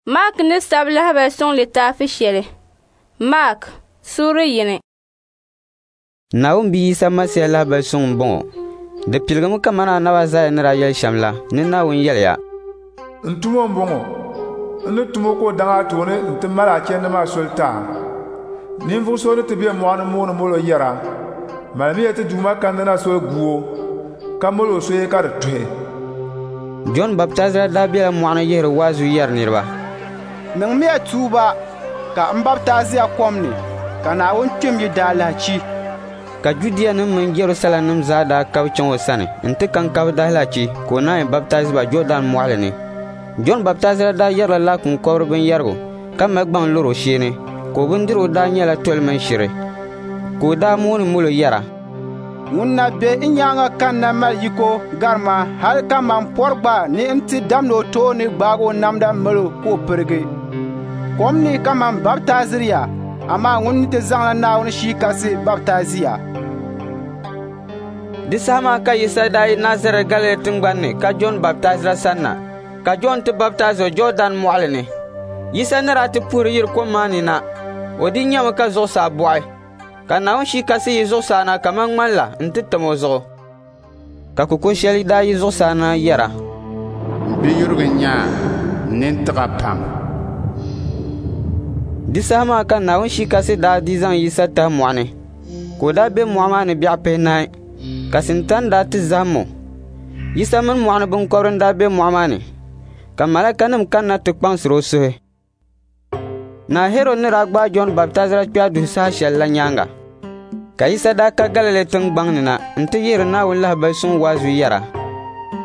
Maak ni sabi lahibali suŋ litaafi shɛli. Maak, suuri yini. Naawuni Bia Yisa Masia lahibali suŋ m-bɔŋɔ. Di piligimi kamani Anabi Aizaia ni daa yɛli shɛm la ni Naawuni yɛliya: N tumo m-bɔŋɔ, n ni tum o ka o daŋ a tooni nti mali a chandi maa soli ti a. Ninvuɣ so ni ti be mɔɣu ni mooni molo yɛra, Malimiya ti Duuma kanna na soli gu o, ka mal o soya ka di tuhi. Jɔn Baptaizira daa bela mɔɣu ni yihiri waazu yɛri niriba, Niŋmiya tuuba ka m baptaiziya kom ni, ka Naawuni kpihim yi daalahichi. Ka Judianim mini Jɛrusalɛmnim zaa daa kabi chaŋ o sani nti ka n-kabi daalahichi ka o naanyi baptaizi ba Jɔɔdan mɔɣili ni. Jɔn Baptaizira daa yɛrila laakum kɔbiri binyɛrigu ka mali gbaŋ lɔr o shee ni, ka o bindirigu daa nyɛla toli mini shiri. Ka o daa mooni molo yɛra, Ŋun na be n nyaaŋa kanna mali yiko gari ma hal ka man pɔri gba ni n ti damdi o tooni gbaag o namda mal o ka o pirigi. Kom ni ka man baptaiziri ya, amaa ŋun ni ti zaŋla Naawuni Shia Kasi baptaizi ya. Di saha maa ka Yisa daa yi Nazarɛt Galili tiŋgbani ni ka Jɔn Baptaizira sanna, ka Jɔn ti baptaizi o Jɔɔdan mɔɣili ni. Yisa ni daa ti puhiri yiri kom maa ni na, o di nyami ka zuɣusaa bɔɣi, ka Naawuni Shia Kasi yi zuɣusaa na kaman ŋmani la nti tam o zuɣu. Ka kuko shɛli daa yi zuɣusaa na yɛra, M biyurigu n-nyɛ a, n nini tiɣ a pam. Di saha maa ka Naawuni Shia Kasi daa di zaŋ Yisa tahi mɔɣu ni, ka o daa be mɔɣu maa ni biɛɣu pihinahi, ka Sintani daa ti zahim o. Yisa mini mɔɣu ni biŋkɔbiri n-daa be mɔɣu maa ni, ka malaikanim kanna ti kpaŋsir o suhi. Naa Hɛrɔd ni daa gbaai Jɔn Baptaizira kpɛhi duhi saha shɛli la nyaaŋa, ka Yisa daa ka Galili tiŋgbaŋ ni na nti yihiri Naawuni lahibali suŋ waazu yɛra,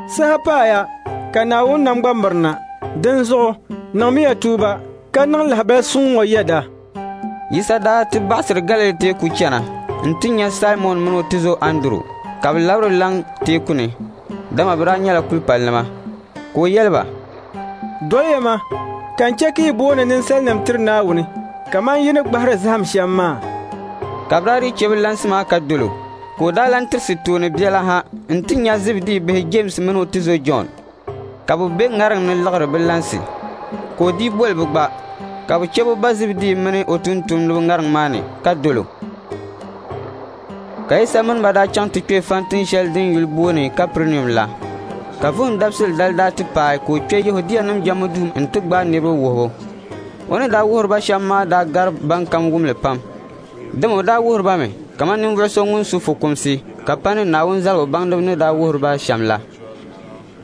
Saha paaya ka Naawuni nam gba mirina, dinzuɣu niŋmiya tuuba ka niŋ lahibali suŋ ŋɔ yɛda. Yisa daa ti baɣisiri Galili teeku chana nti nya Saimɔn min o tizo Anduru ka bɛ labiri laŋ teeku ni, dama bɛ daa nyɛla kulipalinima. Ka o yɛli ba, Doliya ma, ka n chɛ ka yi booni ninsalinim tiri Naawuni kaman yi ni gbahiri zahim shɛm maa. Ka bɛ daa dii chɛ bɛ lansi maa ka dol o. Ka o daa lan tirisi tooni biɛla ha nti nya Zibidii bihi Jeemsi mini o tizo Jɔn, ka bɛ be ŋariŋ ni liɣiri bɛ lansi. Ka o dii boli bɛ gba, ka bɛ chɛ bɛ ba Zibidii mini o tumtumdiba ŋariŋ maa ni ka dol o. Ka Yisa mini ba daa chaŋ ti kpe fɔntin shɛli din yuli booni Kapɛrinium la. Ka Vuhim Dabisili dali daa ti paai ka o kpe Yɛhudianim jɛmbu duu nti gbaai niriba wuhibu. O ni daa wuhiri ba shɛm maa daa gari bɛnkam wum li pam. Dama o daa wuhiri ba mi kaman ninvuɣu so ŋun su fukumsi ka pa ni Naawuni zaligu baŋdiba ni daa wuhiri ba shɛm la.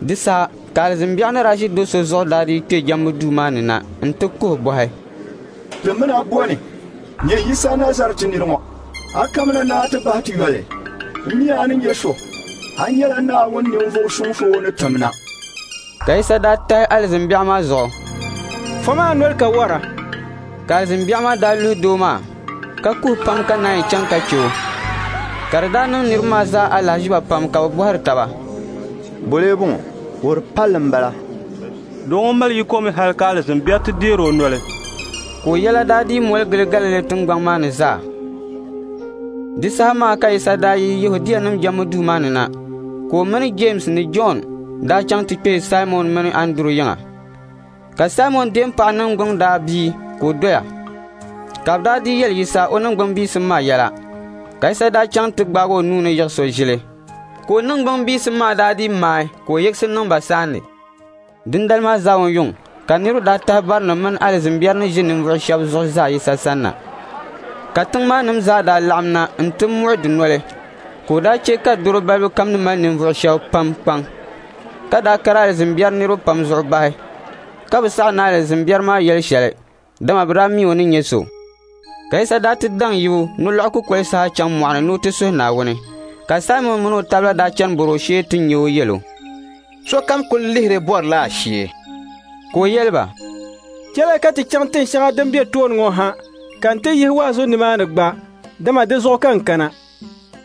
Di saha ka alizin biɛɣu ni daa ʒi do so zuɣu daa dii kpe jɛmbu duu maa ni na nti kuhi bɔhi, Ti min a bɔni, nyɛ Yisa Nazarɛti nir ŋɔ. A kamina ni a ti bahi ti yoli. M mi a ni nyɛ so, a nyɛla Naawuni ninvuɣ suŋ so o ni tim na. Ka Yisa daa tahi alizin biɛɣu maa zuɣu, Fom a noli ka wara. Ka alizin biɛɣu maa daa luhi doo maa, ka kuhi pam ka naanyi chaŋ ka chɛ o. Ka di daa niŋ niriba maa zaa alahiziba pam ka bɛ bɔhiri taba, Bɔlee bɔŋɔ? Wuhir palli m-bala. Doo ŋɔ mali yiko mi hal ka alizin biɛri ti deer o noli. Ka o yɛla daa dii moli gili Galili tiŋgbɔŋ maa ni zaa. Di saha maa ka Yisa daa yi Yɛhudianim jɛmbu duu maa ni na, ka o mini Jeemsi ni Jɔn daa chaŋ ti kpe Saimɔn mini Anduru yiŋa. Ka Saimɔn deempaɣa niŋgbuŋ daa bii ka o doya. Ka bɛ daa dii yɛli Yisa o niŋgbuŋ biisim maa yɛla. Ka Yisa daa chaŋ ti gbaag o nuu ni yiɣis o ʒili. Ka o niŋgbuŋ biisim maa daa dii maai ka o yiɣisi niŋ ba saandi. Dindali maa zaawun yuŋ ka niriba daa tahi barinim mini alizin biɛri ni ʒi ninvuɣ shɛba zuɣu zaa Yisa sanna. Ka tiŋ maa nim zaa daa laɣim na nti muɣi dunoli. Ka o daa chɛ ka dɔro balibu kam ni mali ninvuɣ shɛba pam kpaŋ, ka daa kari alizin biɛri niriba pam zuɣu bahi, ka bi saɣi ni alizin biɛri maa yɛli shɛli, dama bɛ daa mi o ni nyɛ so. Ka Yisa daa ti daŋ yibu nolɔɣu kukoli saha chaŋ mɔɣu ni ni o ti suhi Naawuni. Ka Saimɔn mini o tabila daa chani bɔr o shee ti nya o yɛl o, Sokam kul lihiri bɔrila a shee. Ka o yɛli ba, Chɛliya ka ti chaŋ tin shɛŋa din be tooni ŋɔ ha, ka n ti yihi waazu nimaani gba, dama di zuɣu ka n kana.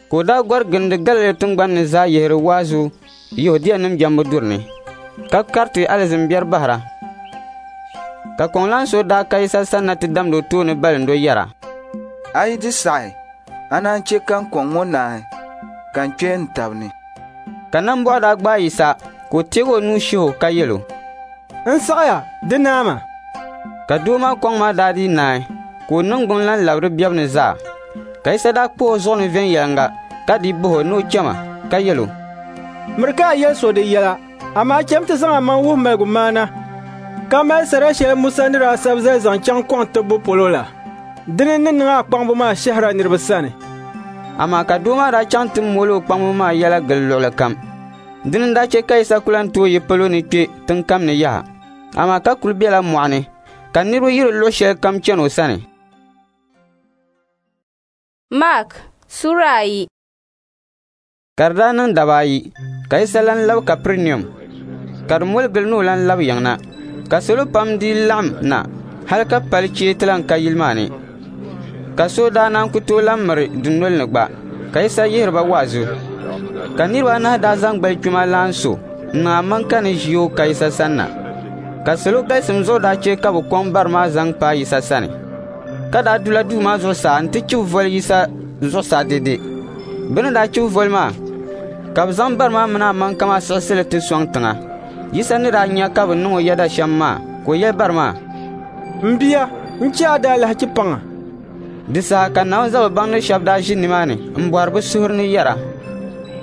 Ka o daa gɔri gindi Galili tiŋgbani ni zaa yihiri waazu Yɛhudianim jɛmbu duri ni, ka kariti alizin biɛri bahira. Ka kɔŋlan so daa ka Yisa sanna ti damdi o tooni balindo yɛra, A yi di saɣi, a naan chɛ ka n kɔŋ ŋɔ naai, ka n kpe n tab ni. Ka nambɔɣu daa gbaai Yisa, ka o teeg o nuu shih o ka yɛl o, N saɣiya, di naama. Ka doo maa kɔŋ maa daa dii naai, ka o niŋgbuŋ lan labi di bebu ni zaa. Ka Yisa daa kpuɣ o zuɣu ni viɛnyɛliŋga ka dii bah o ni o chama ka yɛl o, «Miri ka a yɛli so di yɛla, amaa cham ti zaŋ amaŋ wuhi maligumaana ka mali sara shɛli Musa ni daa sabi zali zaŋ chaŋ kɔŋ tibbu polo la. Dini n-ni niŋ a kpaŋbu maa shɛhira niriba sani.» Amaa ka doo maa daa chaŋ ti mooli o kpaŋbu maa yɛla gili luɣili kam. Dini n-daa chɛ ka Yisa ku lan tooi yi palo ni kpe tiŋ kam ni yaha, amaa ka kul bela mɔɣu ni, ka niriba yiri luɣ shɛlikam chani o sani. Mark Sura 2. Ka di daa niŋ daba ayi, ka Yisa lan lab Kapɛrinium, ka di moli gili ni o lan lab yiŋ na. Ka salo pam dii laɣim na hal ka pali chee ti lan ka yili maa ni, ka so daa naan ku tooi lan miri dunol ni gba, ka Yisa yihiri ba waazu. Ka niriba anahi daa zaŋ gbalikpima laan so n-niŋ amaŋka ni ʒi o ka Yisa sanna. Ka salo galisim zuɣu daa chɛ ka bɛ kɔŋ bari maa zaŋ paai Yisa sani, ka daa dula duu maa zuɣusaa nti chibi voli Yisa zuɣusaa dɛde. Bɛ ni daa chibi voli maa, ka bɛ zaŋ bari maa mini amaŋka maa siɣisi li ti sɔŋ tiŋa. Yisa ni daa nya ka bɛ niŋ o yɛda shɛm maa, ka o yɛli bari maa, «M bia, n chɛ a daalahichi paŋ a.» Di saha ka Naawuni zalibaŋdi shɛba daa ʒi nimaani m-bɔhiri bɛ suhuri ni yɛra,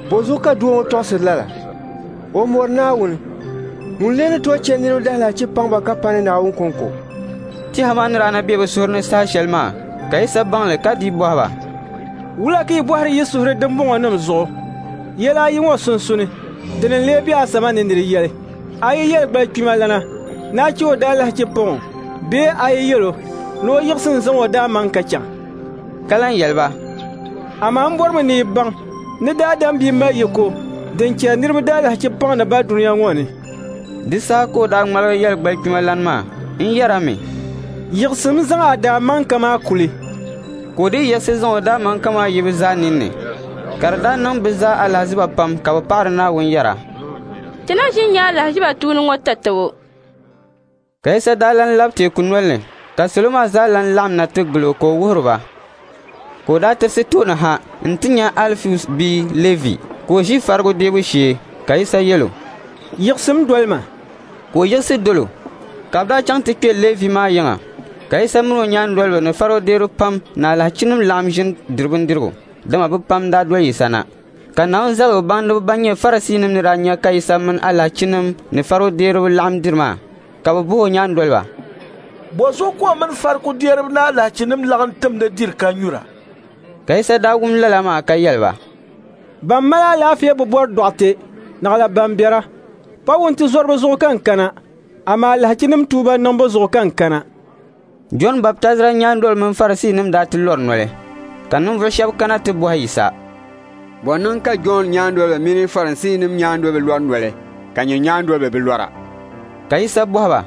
«Bɔzuɣu ka doo ŋɔ tɔɣisiri lala? O mɔri Naawuni. Ŋuni n-lee ni tooi chɛ niriba daalahichi paŋ ba ka pa ni Naawuni kɔŋko?» Tɛha maa ni daa na be bɛ suhuri ni saha shɛli maa, ka Yisa baŋ li ka dii bɔhi ba, «Wula ka yi bɔhiri yi suhuri dimbɔŋɔnim zuɣu? Yɛla ayi ŋɔ sunsuuni, dini n-lee be asama ni nir yɛli? A yi yɛli gbalikpimalana ni a chɛ o daalahichi paŋ o bee a yi yɛl o ni o yiɣisi n-zaŋ o daamaŋka chaŋ?» Ka lan yɛli ba, «Amaa m bɔrimi ni yi baŋ ni Daadam Bia mali yiko din chɛri niriba daalahichi paŋdi ba dunia ŋɔ ni.» Di saha ka o daa ŋmaligi yɛli gbalikpimalana maa n-yɛra mi, «Yiɣisim zaŋ a daamaŋka maa kuli.» Ka o dii yiɣisi zaŋ o daamaŋka maa yi bɛ zaa ninni. Ka di daa niŋ bɛ zaa alahiziba pam ka bɛ paɣiri Naawuni yɛra, «Ti na ʒi n-nya alahiziba tuuni ŋɔ tatabo.» Ka Yisa daa lan lab teeku noli ni, ka salo maa zaa lan laɣim na ti gil o ka o wuhiri ba. Ka o daa tirisi tooni ha nti nya Alifius bia Lɛvi ka o ʒi farigu deebu shee, ka Yisa yɛl o, «Yiɣisim doli ma.» Ka o yiɣisi dol o. Ka bɛ daa chaŋ ti kpe Lɛvi maa yiŋa, ka Yisa min o nyaandoliba ni farigudeeriba pam ni alahichinim laɣim ʒini diri bindirigu, dama bɛ pam daa doli Yisa na. Ka Naawuni zaligu baŋdiba ban nyɛ Farisiinim ni daa nya ka Yisa mini alahichinim ni farigudeeriba laɣim diri maa, ka bɛ bɔh o nyaandoliba, «Bɔzuɣu ka o mini farigudeeriba ni alahichinim laɣim timdi diri ka nyura?» Ka Yisa daa wum lala maa ka yɛli ba, «Ban mali alaafee bi bɔri dɔɣite, naɣila ban biɛra. Pa wuntizɔriba zuɣu ka n kana, amaa alahichinim tuuba niŋbu zuɣu ka n kana.» Jɔn Baptaizira nyaandoliba mini Farisiinim daa ti lɔri noli, ka ninvuɣ shɛba kana ti bɔhi Yisa, «Bɔ niŋ ka Jɔn nyaandoliba mini Farisiinim nyaandoliba lɔri noli, ka nyin nyaandoliba bi lɔra?» Ka Yisa bɔhi ba,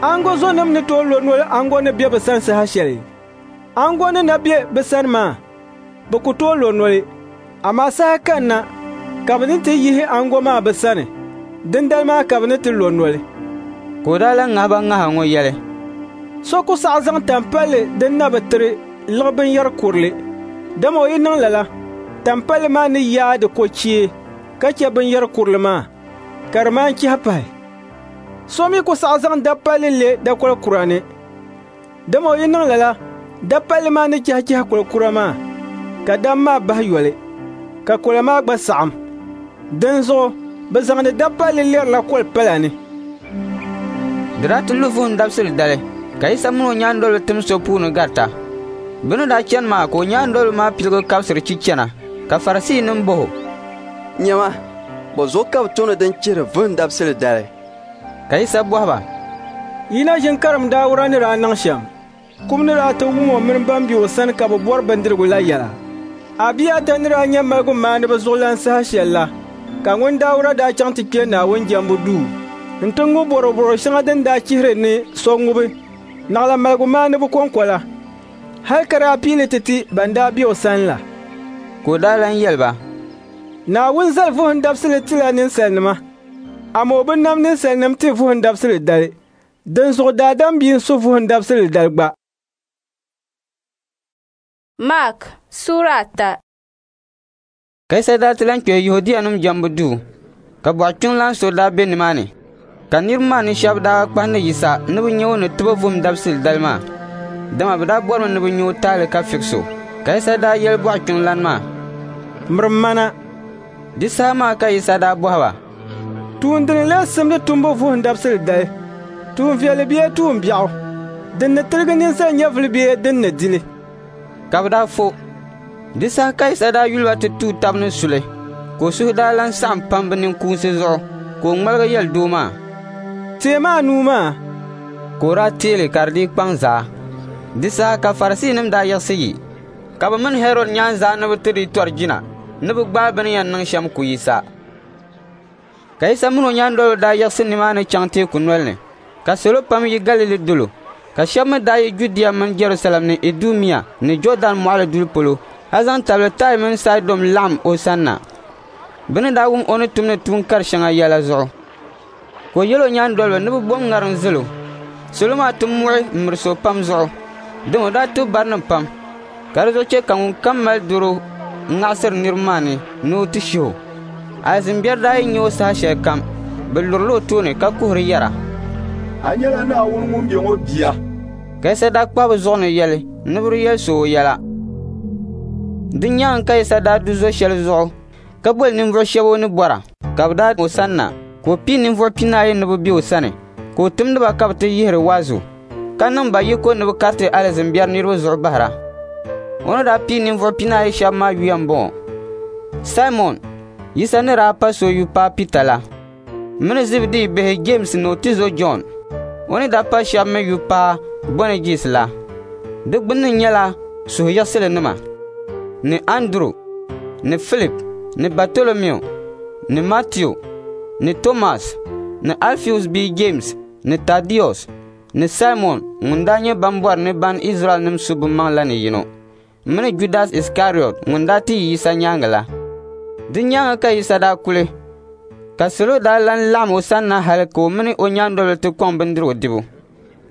«Aŋgo zonim ni tooi lo noli aŋgo ni be bɛ sani saha shɛli? Aŋgo ni na be bɛ sani maa, bɛ ku tooi lo noli, amaa saha kanna ka bɛ ni ti yihi aŋgo maa bɛ sani, dindali maa ka bɛ ni ti lo noli.» Ka o daa lan ŋahi ba ŋaha ŋɔ yɛli, «So ku saɣi zaŋ tampalli din na bi tiri liɣi binyɛr kurili, dama o yi niŋ lala, tampalli maa ni yaai di kochee ka chɛ binyɛr kurili maa, ka di maan chihi pahi. So mi ku saɣi zaŋ dapalli le dakol kura ni, dama o yi niŋ lala, dapalli maa ni chihichihi kol kura maa, ka dam maa bahi yoli, ka kola maa gba saɣim. Dinzuɣu bɛ zaŋdi dapalli lɛrila kol pala ni.» Di daa ti lu vuhim dabisili dali, ka Yisa min o nyaandoliba tim so puuni garita. Bɛ ni daa chani maa ka o nyaandoliba maa piligi kabisiri chi chana, ka Farisiinim bɔh o, «Nyama, bɔzuɣu ka bɛ tumdi din chihiri vuhim dabisili dali?» Ka Yisa bɔhi ba, «Yi na ʒin karim Dauda ni daa niŋ shɛm, kum ni daa ti wum o mini ban be o sani ka bɛ bɔri bindirigu la yɛla? Abiata ni daa nyɛ maligumaaniba zuɣulan saha shɛl la, ka ŋun Dauda daa chaŋ ti kpe Naawuni jɛmbu duu nti ŋubi bɔrɔbɔro shɛŋa din daa chihiri ni so ŋubi, naɣila maligumaaniba kɔŋko la, hal ka daa pii li ti ti ban daa be o sani la.» Ka o daa lan yɛli ba, «Naawuni zali vuhim dabisili tila ninsalinima, amaa o bi nam ninsalinim ti vuhim dabisili dali. Dinzuɣu Daadam Bia n-su vuhim dabisili dali gba.» Mark Sura 3. Ka Yisa daa ti lan kpe Yɛhudianim jɛmbu duu, ka bɔɣu kpiŋlan so daa be nimaani. Ka niriba maa ni shɛba daa kpahindi Yisa ni bɛ nya o ni tibu vuhim dabisili dali maa, dama bɛ daa bɔrimi ni bɛ nya o taali ka fiɣis o. Ka Yisa daa yɛli bɔɣukpiŋlan maa, “Mirim ma na.” Di saha maa ka Yisa daa bɔhi ba, “Tuun dini n-lee simdi tumbu vuhim dabisili dali? Tuun viɛlli bee tuun biɛɣu? Din ni tiligi ninsal nyɛvili bee din ni di li?” Ka bɛ daa fo. Di saha ka Yisa daa yuli ba ti tuui tab ni suli, ka o suhu daa lan saɣim pam bɛ ninkuunsi zuɣu, ka o ŋmaligi yɛli doo maa, “Teemi a nuu maa.” Ka o daa teei li ka di dii kpaŋ zaa. Di saha ka Farisiinim daa yiɣisi yi, ka bɛ mini Hɛrɔd nyaanzaa ni bɛ ti dii tɔri jina ni bɛ gbaai bɛ ni yɛn niŋ shɛm ku Yisa. Ka Yisa min o nyaandoliba daa yiɣisi nimaani chaŋ teeku noli ni, ka salo pam yi Galili dolo, ka shɛba mi daa yi Judia mini Jɛrusalɛm ni Idumia ni Jɔɔdɛn mɔɣili duli polo hal zaŋ tabili Taai mini Saidɔn laɣim o sanna, bɛ ni daa wum o ni tumdi tuun kar shɛŋa yɛla zuɣu. Ka o yɛl o nyaandoliba ni bɛ bom ŋariŋ zil o. Salo maa ti muɣi m-miris o pam zuɣu, dama o daa tib barinim pam, ka di zuɣu chɛ ka ŋunkam mali dɔro ŋaɣisiri niriba maa ni ni o ti shih o. Alizin biɛri daa yi nya o saha shɛlikam, bɛ lurila o tooni ka kuhiri yɛra, “A nyɛla Naawuni ŋun be ŋɔ bia.” Ka Yisa daa kpahi bɛ zuɣu ni yɛli ni bɛ di yɛli so o yɛla. Di nyaaŋa ka Yisa daa du zo shɛli zuɣu ka boli ninvuɣ shɛba o ni bɔra, ka bɛ daa o sanna, ka o pii ninvuɣ 40 ni bɛ be o sani, ka o timdi ba ka bɛ ti yihiri waazu, ka niŋ ba yiko ni bɛ kariti alizin biɛri niriba zuɣu bahira. O ni daa pii ninvuɣ 40 shɛba maa yuya m-bɔŋɔ: Saimɔn, Yisa ni daa pa so yu paai Pita la, mini Zibidii bihi Jeemsi ni o tizo Jɔn, o ni daa pa shɛba mi yu paai Bɔanɛjis la, di gbunni nyɛla suhuyiɣisilinima, ni Anduru, ni Filip, ni Batolomiu, ni Matiu, ni Tomas, ni Alfius bia Jeemsi, ni Tadius, ni Saimɔn ŋun daa nyɛ ban bɔri ni ban Izraɛlnim su bɛ maŋ la ni yino, mini Judas Iskariɔt ŋun daa ti yi Yisa nyaaŋa la. Di nyaaŋa ka Yisa daa kuli, ka salo daa lan laɣim o sanna hal ka o mini o nyaandoliba ti kɔŋ bindirigu dibu.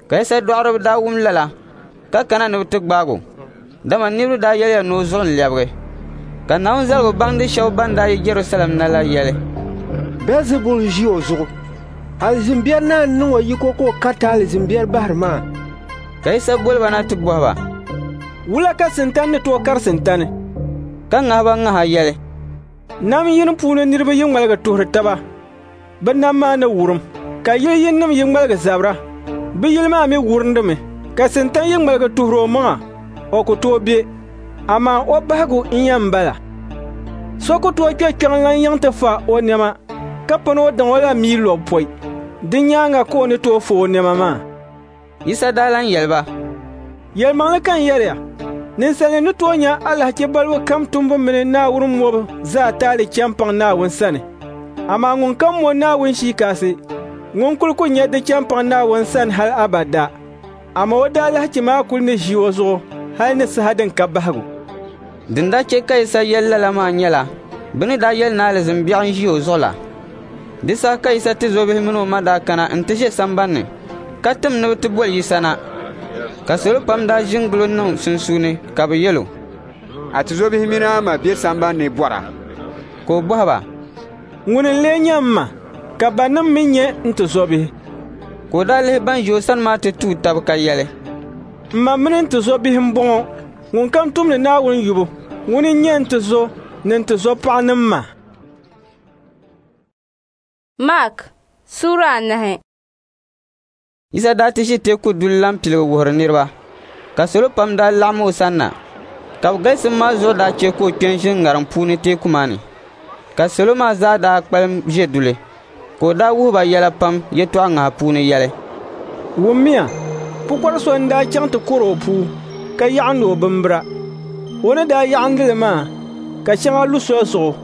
Ka Yisa dɔɣiriba daa wum lala ka kana ni bɛ ti gbaag o, dama niriba daa yɛliya ni o zuɣu n-lɛbigi. Ka Naawuni zaligu baŋdi shɛba ban daa yi Jɛrusalɛm na la yɛli, “Bɛlzibul n-ʒi o zuɣu. Alizin biɛri naa n-niŋ o yiko ka o kariti alizin biɛri bahiri maa.” Ka Yisa boli ba na ti bɔhi ba, “Wula ka Sintani ni tooi kari Sintani?” Ka ŋahi ba ŋaha yɛli, “Nam yini puuni niriba yi ŋmaligi tuhiri taba, bɛ nam maa ni wurim, ka yili yininim yi ŋmaligi zabira, bɛ yili maa mi wurindimi. Ka Sintani yi ŋmaligi tuhiri o maŋa, o ku tooi be, amaa o bahigu n-yɛn bala. So ku tooi kpe kpiɔŋlan yiŋ ti fa o nɛma ka pa ni o daŋ o la mia lɔbu pɔi. Di nyaaŋa ka o ni tooi fa o nɛma maa.” Yisa daa lan yɛli ba, “Yɛlimaŋli ka n yɛri ya, ninsalinima ni tooi nya alahichi balibu kam tumbu mini Naawuni mɔbu zaa taali chɛ m-paŋ Naawuni sani. Amaa ŋunkam mo Naawuni Shii Kasi, ŋun kul ku nya di chɛ m-paŋ Naawuni sani hal abada, amaa o daalahichi maa kul ni ʒi o zuɣu hal ni saha din ka bahigu.” Din daa chɛ ka Yisa yɛli lala maa nyɛla bɛ ni daa yɛli ni alizin biɛɣu n-ʒi o zuɣu la. Di saha ka Yisa tizɔbihi mini o ma daa kana nti ʒe samban ni, ka tim ni bɛ ti boli Yisa na. Ka salo pam daa ʒi n-gili o niŋ sunsuuni ka bɛ yɛl o, “A tizɔbihi mini a ma be samban ni bɔra.” Ka o bɔhi ba, “Ŋuni n-lee nyɛ m ma, ka banim mi nyɛ n tizɔbihi?” Ka o daa lihi ban ʒi o sani maa ti tuui tab ka yɛli, “M ma mini n tizɔbihi m-bɔŋɔ. Ŋunkam tumdi Naawuni yubu, ŋuni n-nyɛ n tizo ni n tizɔpaɣa ni m ma.” Mark Sura 4. Yisa daa ti ʒi teeku duli la m-piligi wuhiri niriba, ka salo pam daa laɣim o sanna, ka bɛ galisim maa zuɣu daa chɛ ka o kpe n-ʒini ŋariŋ puuni teeku maa ni. Ka salo maa zaa daa kpalim ʒe duli, ka o daa wuhi ba yɛla pam yɛtɔɣ ŋaha puuni yɛli, “Wummiya, pukɔri so n-daa chaŋ ti kɔri o puu, ka yaɣindi o bimbira. O ni daa yaɣindi li maa, ka shɛŋa lu soli zuɣu,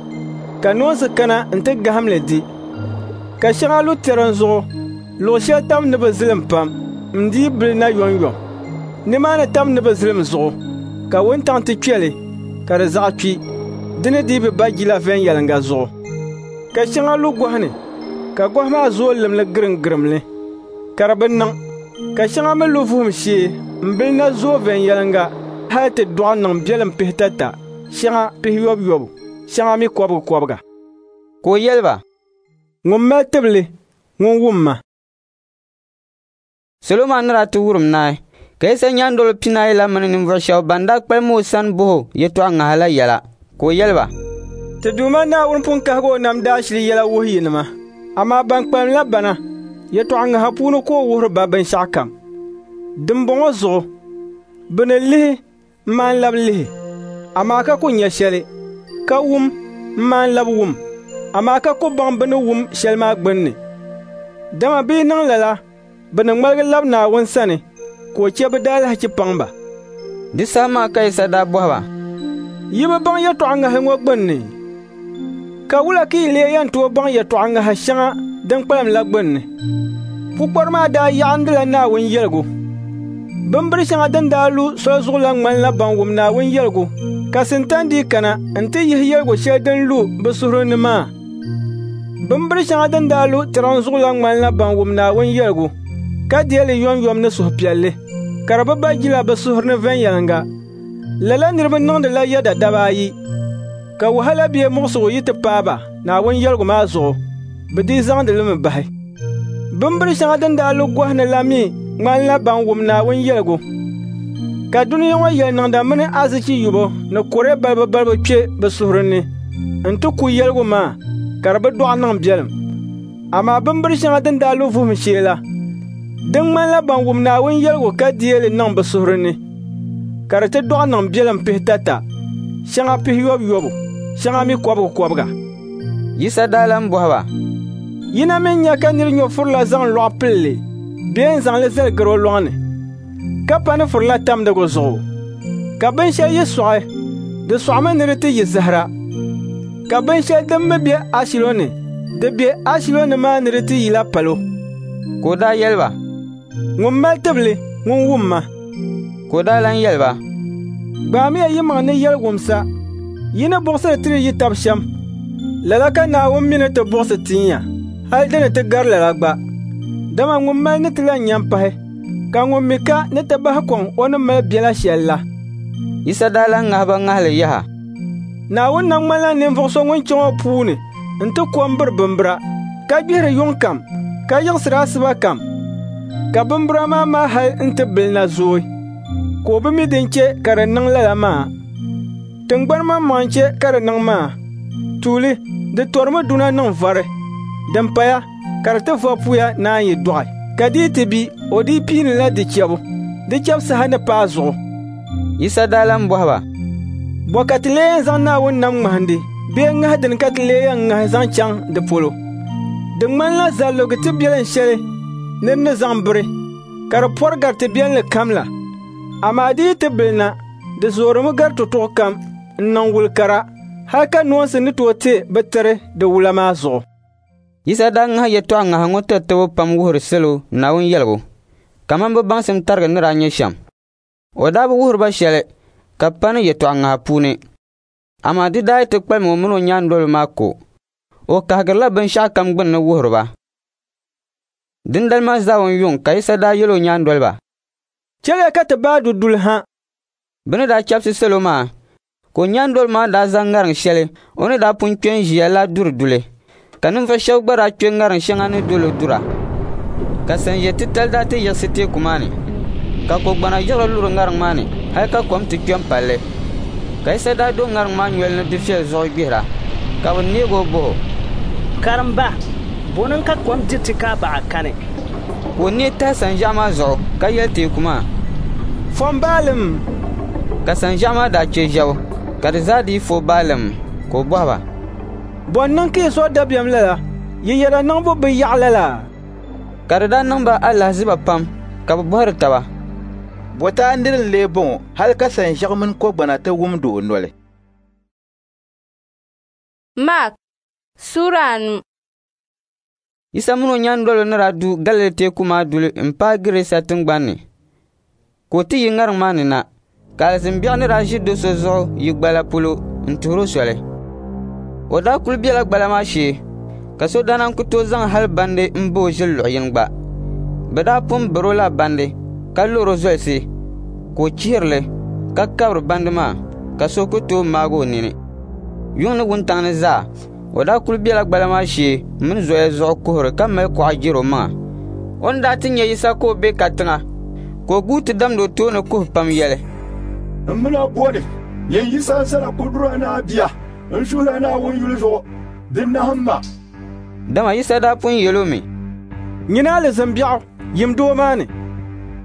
ka noonsi kana nti gahim li di. Ka shɛŋa lu tɛrim zuɣu, luɣ shɛli tam ni bi zilim pam, n-dii bili na yomyom. Nimaani tam ni bi zilim zuɣu, ka wuntaŋ ti kpe li, ka di zaɣ kpi, di ni dii bi ba jila viɛnyɛliŋga zuɣu. Ka shɛŋa lu gɔhi ni, ka gɔhi maa zooi lim li girimgirim li, ka di bi niŋ. Ka shɛŋa mi lu vuhim shee m-bili na zooi viɛnyɛliŋga hal ti dɔɣi niŋ biɛlim 53, shɛŋa 90, shɛŋa mi 90.” Ka o yɛli ba, “Ŋun mali tibili, ŋun wum ma.” Salo maa ni daa ti wurim naai, ka Yisa nyaandoliba 14 la mini ninvuɣ shɛba ban daa kpalim o sani bɔh o yɛtɔɣ ŋaha la yɛla, ka o yɛli ba, Ti Duuma Naawuni pun kahigi o nam daashili yɛla wuhi yinima, amaa ban kpalim la bana, yɛtɔɣ ŋaha puuni ka o wuhiri ba binshɛɣukam. Dimbɔŋɔ zuɣu, bɛ ni lihi m-maan lab lihi, amaa ka ku nya shɛli, ka wum m-maan lab wum, amaa ka ku baŋ bɛ ni wum shɛli maa gbinni. Dama bɛ yi niŋ lala, bɛ ni ŋmaligi lab Naawuni sani, ka o chɛ bɛ daalahichi paŋ ba. Di saha maa ka Yisa daa bɔhi ba, Yi bi baŋ yɛtɔɣ ŋahili ŋɔ gbinni? Ka wula ka yi lee yɛn tooi baŋ yɛtɔɣ ŋaha shɛŋa din kpalim la gbinni? Pukpari maa daa yaɣindila Naawuni yɛligu. Bimbir shɛŋa din daa lu soli zuɣu la ŋmanila ban wum Naawuni yɛligu, ka Sintani dii kana nti yihi yɛligu shɛli din lu bɛ suhuri ni maa. Bimbir shɛŋa din daa lu tariŋ zuɣu la ŋmanila ban wum Naawuni yɛligu, ka deei li yomyom ni suhupiɛlli, ka di bi ba jila bɛ suhuri ni viɛnyɛliŋga. Lala niriba niŋdila yɛda daba ayi, ka wahala bee muɣisigu yi ti paai ba Naawuni yɛligu maa zuɣu, bɛ dii zaŋdi li mi bahi. Bimbir shɛŋa din daa lu gɔhi ni la mi ŋmanila ban wum Naawuni yɛligu, ka dunia ŋɔ yɛliniŋda mini azichi yubu ni kɔre balibu balibu kpe bɛ suhuri ni nti ku yɛligu maa, ka di bi dɔɣi niŋ biɛlim. Amaa bimbir shɛŋa din daa lu vuhim shee la, din ŋmanila ban wum Naawuni yɛligu ka deei li niŋ bɛ suhuri ni, ka di ti dɔɣi niŋ biɛlim 50, shɛŋa 90, shɛŋa mi 90. Yisa daa lan bɔhi ba, Yi na mi nya ka nir nyo furila zaŋ lɔɣu pili li bee n-zaŋ li zali garo lɔŋni, ka pa ni furila tamdigu zuɣu? Ka binshɛli yi sɔɣi, di sɔɣimi ni di ti yi zahira. Ka binshɛli din mi be ashilo ni, di be ashilo ni maa ni di ti yila palo. Ka o daa yɛli ba, Ŋun mali tibili, ŋun wumma. Ka o daa lan yɛli ba, Gbaamiya yimaŋ ni yɛliwumsa. Yi ni buɣisiri tiri yi tab shɛm, lala ka Naawuni mi ni ti buɣisi tin ya, hal di ni ti gari lala gba. Dama ŋun mali ni ti lan nya m-pahi, ka ŋun mi ka ni ti bahi kɔŋ o ni mali biɛla shɛl la. Yisa daa lan ŋahi ba ŋahili yaha. Naawuni nam ŋmanila ninvuɣ so ŋun chaŋ o puu ni nti ko m-biri bimbira, ka gbihiri yuŋ kam, ka yiɣisiri asiba kam, ka bimbira maa mali hal nti bilina zooi, ka o bi mi din chɛ ka di niŋ lala maa. Tiŋgbani maŋmaŋ n-chɛ ka di niŋ maa. Tuuli, di torimi duna niŋ vari, din paya ka di ti va puya naan yi dɔɣi. Ka di yi ti bi, o dii piinila di chɛbu, di chɛbu saha ni paai zuɣu. Yisa daa lan bɔhi ba, Bɔ ka ti lee yɛn zaŋ Naawuni nam ŋmahindi bee ŋahi dini ka ti lee yɛn ŋahi zaŋ chaŋ di polo? Di ŋmanila zaligi tibiɛlin shɛli nir ni zaŋ biri, ka di pɔri gari tibiɛlinli kam la. Amaa di yi ti bilina, di zoorimi gari tutuɣu kam n-niŋ wul kara, hal ka noonsi ni tooi te bɛ tiri di wula maa zuɣu. Yisa daa ŋahi yɛtɔɣ ŋaha ŋɔ tatabo pam wuhiri salo Naawuni yɛligu, kaman bɛ baŋsim tarigi ni daa nyɛ shɛm. O daa bi wuhiri ba shɛli ka pa ni yɛtɔɣ ŋaha puuni, amaa di daa yi ti kpalim o min o nyaandoliba maa ko, o kahigirila binshɛɣukam gbinni wuhiri ba. Dindali maa zaawun yuŋ ka Yisa daa yɛl o nyaandoliba, Chɛliya ka ti baai du duli ha. Bɛ ni daa chɛbisi salo maa, ka o nyaandoliba maa daa zaŋ ŋariŋ shɛli o ni daa pun kpe n-ʒiya la duri duli, ka ninvuɣ shɛba gba daa kpe ŋariŋ shɛŋa ni dol o dura. Ka sanʒiɛ titali daa ti yiɣisi teeku maa ni, ka kogbana yiɣiri luri ŋariŋ maa ni hal ka kom ti kpe m-pal li. Ka Yisa daa do ŋariŋ maa noli ni dufɛli zuɣu gbihira, ka bɛ neeg o bɔh o, Karimba, bɔ niŋ ka kom diri ti ka a baɣa kani? Ka o neei tahi sanʒiɛɣu maa zuɣu ka yɛli teeku maa, Fom baalim! Ka sanʒiɛɣu maa daa chɛ ʒɛbu, ka di zaa dii fo baalim. Ka o bɔhi ba, Bɔ n-niŋ ka yi suhu dabiɛm lala? Yi yɛda niŋbu bi yaɣi lala? Ka di daa niŋ ba alahiziba pam, ka bɛ bɔhiri taba, Bɔtaa nir n-lee bɔŋɔ hal ka sanʒiɛɣu mini kɔgbana ti wumd o noli? Mark Sura 5. Yisa min o nyaandoliba ni daa du Galili teeku maa duli m-paai Gɛrasa tiŋgbani ni, ka o ti yi ŋariŋ maa ni na, ka alizin biɛɣu ni daa ʒi do so zuɣu yi gbala polo n-tuhir o soli. O daa kul bela gbala maa shee, ka so daa naan ku tooi zaŋ hal bandi m-ba o ʒili luɣ yini gba. Bɛ daa pun bir o la bandi ka lɔr o zolisi, ka o chihiri li ka kabiri bandi maa, ka so ku tooi maag o nini. Yuŋ ni wuntaŋ ni zaa, o daa kul bela gbala maa shee mini zoya zuɣu kuhiri ka mali kuɣa jɛr o maŋa. O ni daa ti nya Yisa ka o be katiŋa, ka o guui ti damdi o tooni kuhi pam yɛli, N min a bɔni, nyin Yisa Zallakudura Naa Bia, n suhir a Naawuni yuli zuɣu, di nahim ma. Dama Yisa daa pun yɛl o mi, Nyini alizin biɛɣu, yim doo maa ni.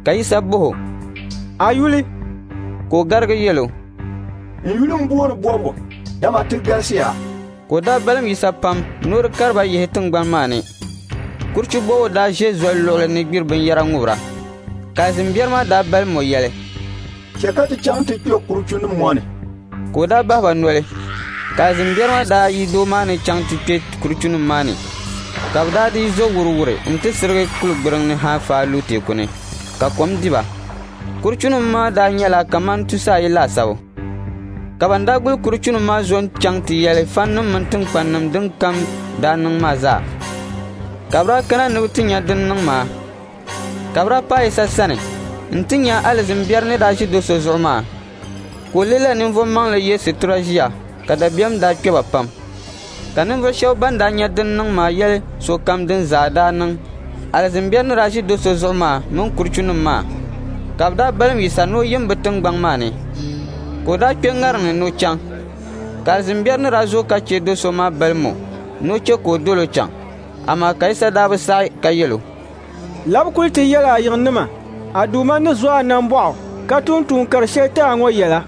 Ka Yisa bɔh o, A yuli? Ka o garigi yɛl o, N yuli m-booni Bɔbigu, dama ti galisiya. Ka o daa balim Yisa pam ni o di kari ba yihi tiŋgbani maa ni. Kurichu bɔbigu daa ʒe zoli luɣili ni gbiri binyɛra ŋubira. Ka alizin biɛri maa daa balim o yɛli, Chɛ ka ti chaŋ ti kpe kuruchunim ŋɔ ni. Ka o daa bahi ba noli, ka alizin biɛri maa daa yi doo maa ni chaŋ ti kpe kuruchunim maa ni, ka bɛ daa dii zo wuriwuri nti sirigi kuligbiriŋ ni ha faai lu teeku ni, ka kom di ba. Kuruchunim maa daa nyɛla kaman 300 laasabu. Ka ban daa guli kuruchunim maa zo n-chaŋ ti yɛli faninim mini tiŋkpannim din kam daa niŋ maa zaa. Ka bɛ daa kana ni bɛ ti nya din niŋ maa. Ka bɛ daa paai Yisa sani nti nya alizin biɛri ni daa ʒi do so zuɣu maa, ka o leela ninvuɣ maŋli ye situra ʒiya, ka dabiɛm daa kpe ba pam. Ka ninvuɣ shɛb ban daa nya din niŋ maa yɛli sokam din zaa daa niŋ alizin biɛri ni daa ʒi do so zuɣu maa mini kuruchunim maa. Ka bɛ daa balim Yisa ni o yim bɛ tiŋgbɔŋ maa ni. Ka o daa kpe ŋariŋ ni ni o chaŋ. Ka alizin biɛri ni daa zo ka chɛ do so maa balim o ni o chɛ ka o dol o chaŋ. Amaa ka Yisa daa bi saɣi ka yɛl o, Labi kuli ti yɛl a yiŋnima, a Duuma ni zo a nambɔɣu ka tum tuun kar shɛli ti a ŋɔ yɛla.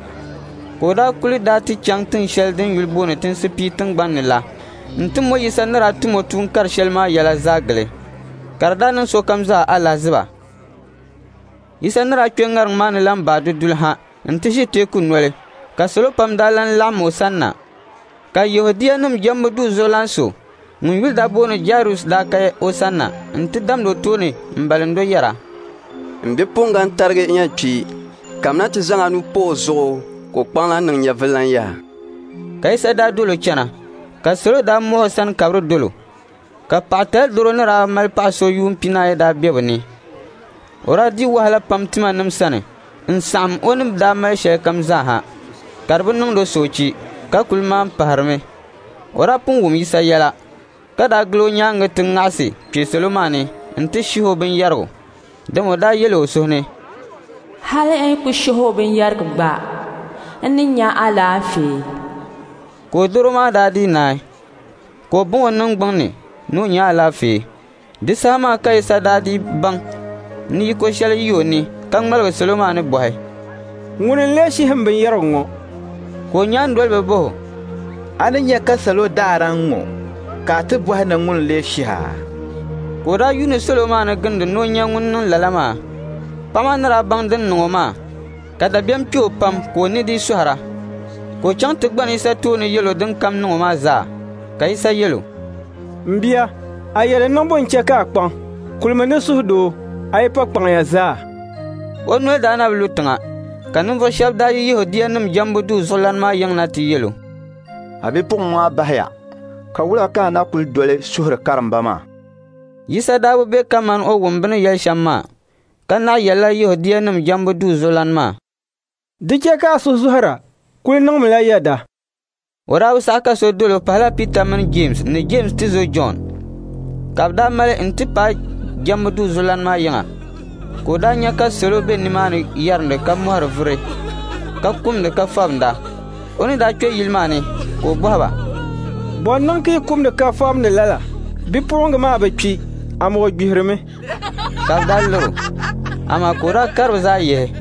Ka o daa kuli daa ti chaŋ tin shɛli din yuli booni Tinsi Pia tiŋgbani ni la nti mo Yisa ni daa tum o tuun kar shɛli maa yɛla zaa gili, ka di daa niŋ sokam zaa alahiziba. Yisa ni daa kpe ŋariŋ maa ni lan baai di duli ha nti ʒi teeku noli, ka salo pam daa lan laɣim o sanna. Ka Yɛhudianim jɛmbu duu zuɣulan so ŋun yuli daa booni Jairus daa ka o sanna nti damdi o tooni m-balind o yɛra, N bipuɣiŋga n-tarigi n-yɛn kpi, kamina ti zaŋ a nuu pa o zuɣu ka o kpaŋ lan niŋ nyɛvili lan yaha. Ka Yisa daa dol o chana, ka salo daa muɣi o sani kabiri dol o. Ka paɣatali dɔro ni daa mali paɣ so yuun 40 daa be bɛ ni. O daa di wahala pam timanim sani n-saɣim o ni daa mali shɛlikam zaa ha, ka di bi niŋdi o soochi, ka kul maan pahirimi. O daa pun wum Yisa yɛla, ka daa gili o nyaaŋa ti ŋaɣisi kpe salo maa ni nti shihi o binyɛrigu, dama o daa yɛl o suhu ni, Hali n yi ku shihi o binyɛrigu gba, n ni nya alaafee. Ka o dɔro maa daa dii naai, ka o baŋ o niŋgbuŋ ni ni o nya alaafee. Di saha maa ka Yisa daa dii baŋ ni yiko shɛli yi o ni ka ŋmaligi salo maa ni bɔhi, Ŋuni n-lee shihi m binyɛrigu ŋɔ? Ka o nyaandoliba bɔh o, A ni nya ka salo daara n-ŋɔ, ka a ti bɔhi ni ŋuni n-lee shih a? Ka o daa yuuni salo maa ni gindi ni o nya ŋun niŋ lala maa. Paɣ maa ni daa baŋ din niŋ o maa, ka dabiɛm kpe o pam ka o ni dii sɔhira. Ka o chaŋ ti gbani Yisa tooni yɛl o din kam niŋ o maa zaa. Ka Yisa yɛl o, M bia, a yɛli niŋbu n-chɛ ka a kpaŋ. Kulimi ni suhudoo, a yi pa kpaŋya zaa. O noli daa na bi lu tiŋa, ka ninvuɣ shɛb daa yi Yɛhudianim jɛmbu duu zuɣulan maa yiŋ na ti yɛl o, A bipuɣiŋ maa bahiya, ka wula ka a na kul doli suhiri karimba maa? Yisa daa bi be kaman o wum bɛ ni yɛli shɛm maa, ka naɣ yɛlila Yɛhudianim jɛmbu duu zuɣulan maa, Di chɛ ka a suhu zɔhira, kul niŋmila yɛda. O daa bi saɣi ka so dol o pahila Pita mini Jeemsi ni Jeemsi tizo Jɔn. Ka bɛ daa mali nti paai jɛmbu duu zuɣulan maa yiŋa. Ka o daa nya ka salo be nimaani yɛrindi ka mɔhiri vuri, ka kumdi ka fabinda. O ni daa kpe yili maa ni, ka o bɔhi ba, Bɔ n-niŋ ka yi kumdi ka fabindi lala? Bipuɣiŋga maa bi kpi, amaa o gbihirimi. Ka bɛ daa lir o. Amaa ka o daa kari bɛ zaa yihi,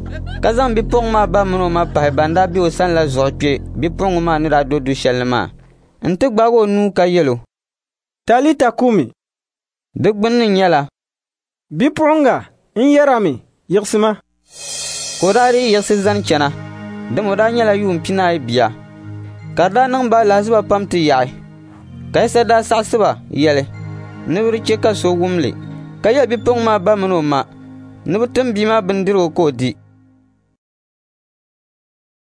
ka zaŋ bipuɣiŋga maa ba min o ma pahi ban daa be o sani la zuɣu kpe bipuɣiŋga maa ni daa do du shɛli ni maa nti gbaag o nuu ka yɛl o, Talita kumi. Di gbunni nyɛla, Bipuɣiŋga, n yɛr a mi, yiɣisima. Ka o daa dii yiɣisi zani chana, dama o daa nyɛla yuun 40 bia. Ka di daa niŋ ba alahiziba pam ti yaɣi. Ka Yisa daa saɣisi ba yɛli ni bɛ di chɛ ka so wum li, ka yɛli bipuɣiŋga maa ba min o ma ni bɛ tim bia maa bindirigu ka o di.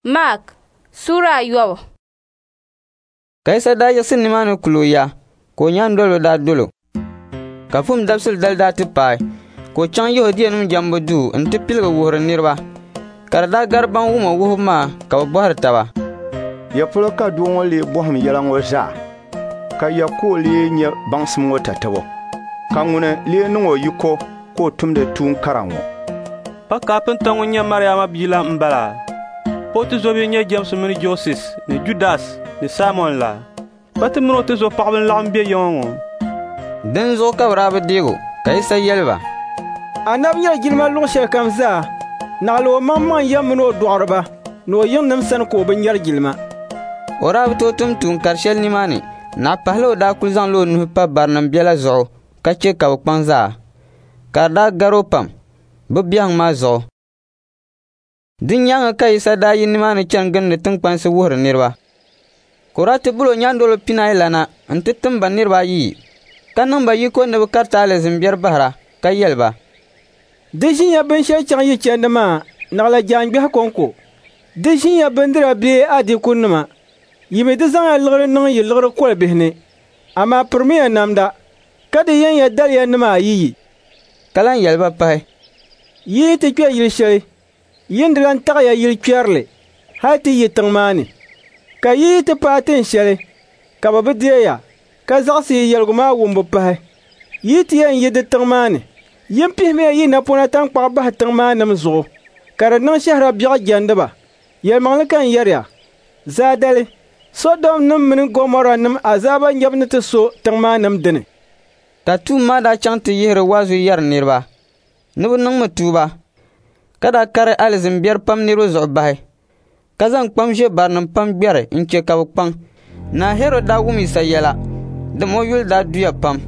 Mark Sura 9. Ka Yisa daa yiɣisi nimaani kul o ya, ka o nyaandoliba daa dol o. Ka Vuhim Dabisili dali daa ti paai, ka o chaŋ Yɛhudianim jɛmbu duu nti piligi wuhiri niriba. Ka di daa gari ban wum o wuhibu maa ka bɛ bɔhiri taba, Ya polo ka doo ŋɔ lee bɔhim yɛla ŋɔ zaa? Ka ya ka o lee nya baŋsim ŋɔ tatabo? Ka ŋuni lee niŋ o yiko ka o tumdi tuun kara ŋɔ?» Pa kaapinta ŋun nyɛ Mariama bia la m-bala? Pa o tizɔbihi n-nyɛ Jɛmsi mini Joses ni Judas ni Saimɔn la? Pa ti min o tizɔpaɣiba n-laɣim be yiŋa ŋɔ?» Dinzuɣu ka bɛ daa bi deeg o, ka Yisa yɛli ba, «Anabi nyari jilima luɣ shɛlikam zaa, naɣila o maŋmaŋ ya min o dɔɣiriba ni o yiŋnim sani ka o bi nyari jilima.» O daa bi tooi tum tuun kar shɛli nimaani, naɣ pahila o daa kul zaŋla o nuhi pa barinim biɛla zuɣu ka chɛ ka bɛ kpaŋ zaa, ka di daa gar o pam bɛ biɛhiŋ maa zuɣu. Di nyaaŋa ka Yisa daa yi nimaani chani gindi tiŋkpansi wuhiri niriba. Ka o daa ti bol o nyaandoliba pinaayi la na nti tim ba niriba ayiyi, ka niŋ ba yiko ni bɛ kariti alizin biɛri bahira, ka yɛli ba, «Di ʒinya binshɛli chaŋ yi chandi maa naɣila jaangbehi kɔŋko. Di ʒinya bindira bee adiikunima. Yi mi di zaŋya liɣiri niŋ yi liɣiri kolibihi ni, amaa pirimiya namda, ka di yɛnya daliyanima ayiyi.» Ka lan yɛli ba pahi, «Yi yi ti kpe yili shɛli, yin di lan taɣiya yili kpɛrili hal ti yi tiŋ maa ni. Ka yi yi ti paai tin shɛli ka bɛ bi deei ya, ka zaɣisi yi yɛligu maa wumbu pahi, yi yi ti yɛn yi di tiŋ maa ni, yin pihimiya yi napɔna taŋkpaɣu bahi tiŋ maa nim zuɣu, ka di niŋ shɛhira biɛɣu jɛndi ba. Yɛlimaŋli ka n yɛri ya, zaadali, Sɔdomnim mini Gomɔranim azaaba nyabu ni ti so tiŋ maa nim dini.» Ka tuum maa daa chaŋ ti yihiri waazu yɛri niriba ni bɛ niŋmi tuuba, ka daa kari alizin biɛri pam niriba zuɣu bahi, ka zaŋ kpam ʒe barinim pam gbɛri n-chɛ ka bɛ kpaŋ. Naa Hɛrɔd daa wum Yisa yɛla, dama o yuli daa duya pam,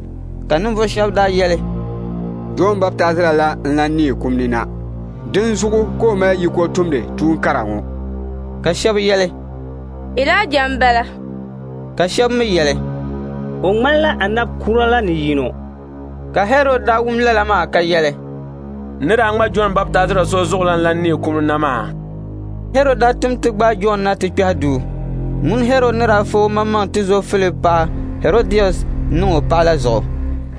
ka ninvuɣ shɛba daa yɛli, «Jɔn Baptaizira la n-lan neei kum ni na, dinzuɣu ka o mali yiko tumdi tuun kara ŋɔ.» Ka shɛba yɛli, «Ilaija m-bala.» Ka shɛba mi yɛli, «O ŋmanila anab kura la ni yino.» Ka Hɛrɔd daa wum lala maa ka yɛli, «N ni daa ŋma Jɔn Baptaizira so zuɣu la n-lan neei kum ni na maa.» Hɛrɔd daa tim ti gbaai Jɔn na ti kpɛhi duu. Ŋuni Hɛrɔd ni daa fa o maŋmaŋ tizo Filip paɣa Hɛrɔdias niŋ o paɣa la zuɣu.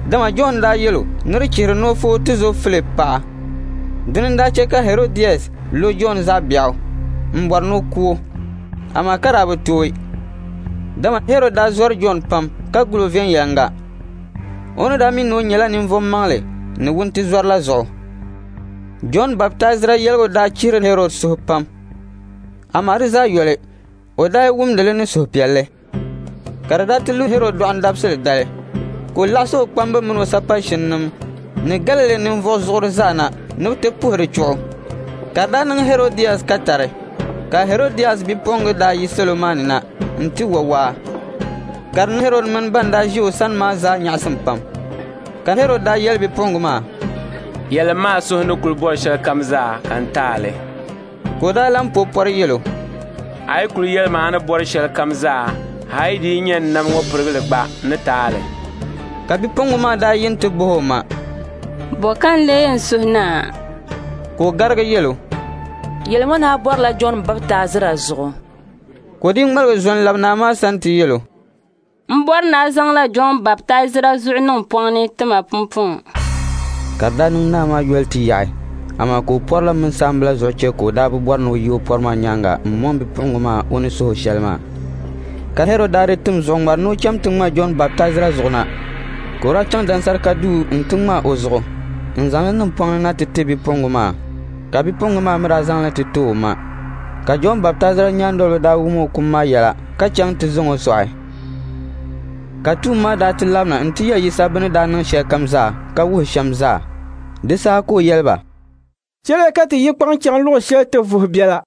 Dama Jɔn daa yɛl o ni di chihiri ni o fa o tizo Filip paɣa. Dini n-daa chɛ ka Hɛrɔdias lo Jɔn zaɣ biɛɣu m-bɔri ni o ku o, amaa ka daa bi tooi. Dama Hɛrɔd daa zɔri Jɔn pam ka gul o viɛnyɛliŋga. O ni daa mi ni o nyɛla ninvuɣ maŋli ni wuntizɔr la zuɣu. Jɔn Baptaizira yɛligu daa chihiri Hɛrɔd suhu pam, amaa di zaa yoli, o daa yi wumdi li ni suhupiɛlli. Ka di daa ti lu Hɛrɔd dɔɣim dabisili dali, ka o laɣisi o kpamba min o sapashinnim ni Galili ninvuɣ zuɣuri zaa na ni bɛ ti puhi di chuɣu. Ka di daa niŋ Hɛrɔdias katari, ka Hɛrɔdias bipuɣiŋga daa yi salo maa ni na nti wa waa. Ka di niŋ Hɛrɔd mini ban daa ʒi o sani maa zaa nyaɣisim pam. Ka Hɛrɔd daa yɛli bipuɣiŋga maa, «Yɛlim ma a suhu ni kul bɔri shɛlikam zaa ka n ti a li.» Ka o daa lan po pɔri yɛl o, «A yi kul yɛli ma a ni bɔri shɛlikam zaa, hal di yi nyɛ n nam ŋɔ pirigili gba, n ni ti a li.» Ka bipuɣiŋga maa daa yi nti bɔh o ma, «Bɔ ka n lee yɛn suhi naa?» Ka o garigi yɛl o, «Yɛlimi ni a bɔrila Jɔn Baptaizira zuɣu.» Ka o dii ŋmaligi zo n-lab naa maa sani ti yɛl o, «M bɔri ni a zaŋla Jɔn Baptaizira zuɣu niŋ pɔŋ ni ti ma pumpɔŋɔ.» Ka di daa niŋ naa maa yoli ti yaɣi, amaa ka o pɔri la mini saamba zuɣu chɛ ka o daa bi bɔri ni o yi o pɔri maa nyaaŋa m-mɔŋ bipuɣiŋga maa o ni suh o shɛli maa. Ka Hɛrɔd daa di tim zuɣuŋmari ni o cham ti ŋma Jɔn Baptaizira zuɣu na. Ka o daa chaŋ dansarika duu nti ŋma o zuɣu n-zaŋ li niŋ pɔŋ ni na ti ti bipuɣiŋga maa, ka bipuɣiŋga maa mi daa zaŋ li ti ti o ma. Ka Jɔn Baptaizira nyaandoliba daa wum o kum maa yɛla ka chaŋ ti zaŋ o sɔɣi. Ka tuum maa daa ti labina nti yɛli Yisa bɛ ni daa niŋ shɛlikam zaa ka wuhi shɛm zaa. Di saha ka o yɛli ba, «Chɛliya ka ti yi kpaŋ chaŋ luɣ shɛli ti vuhi biɛla.»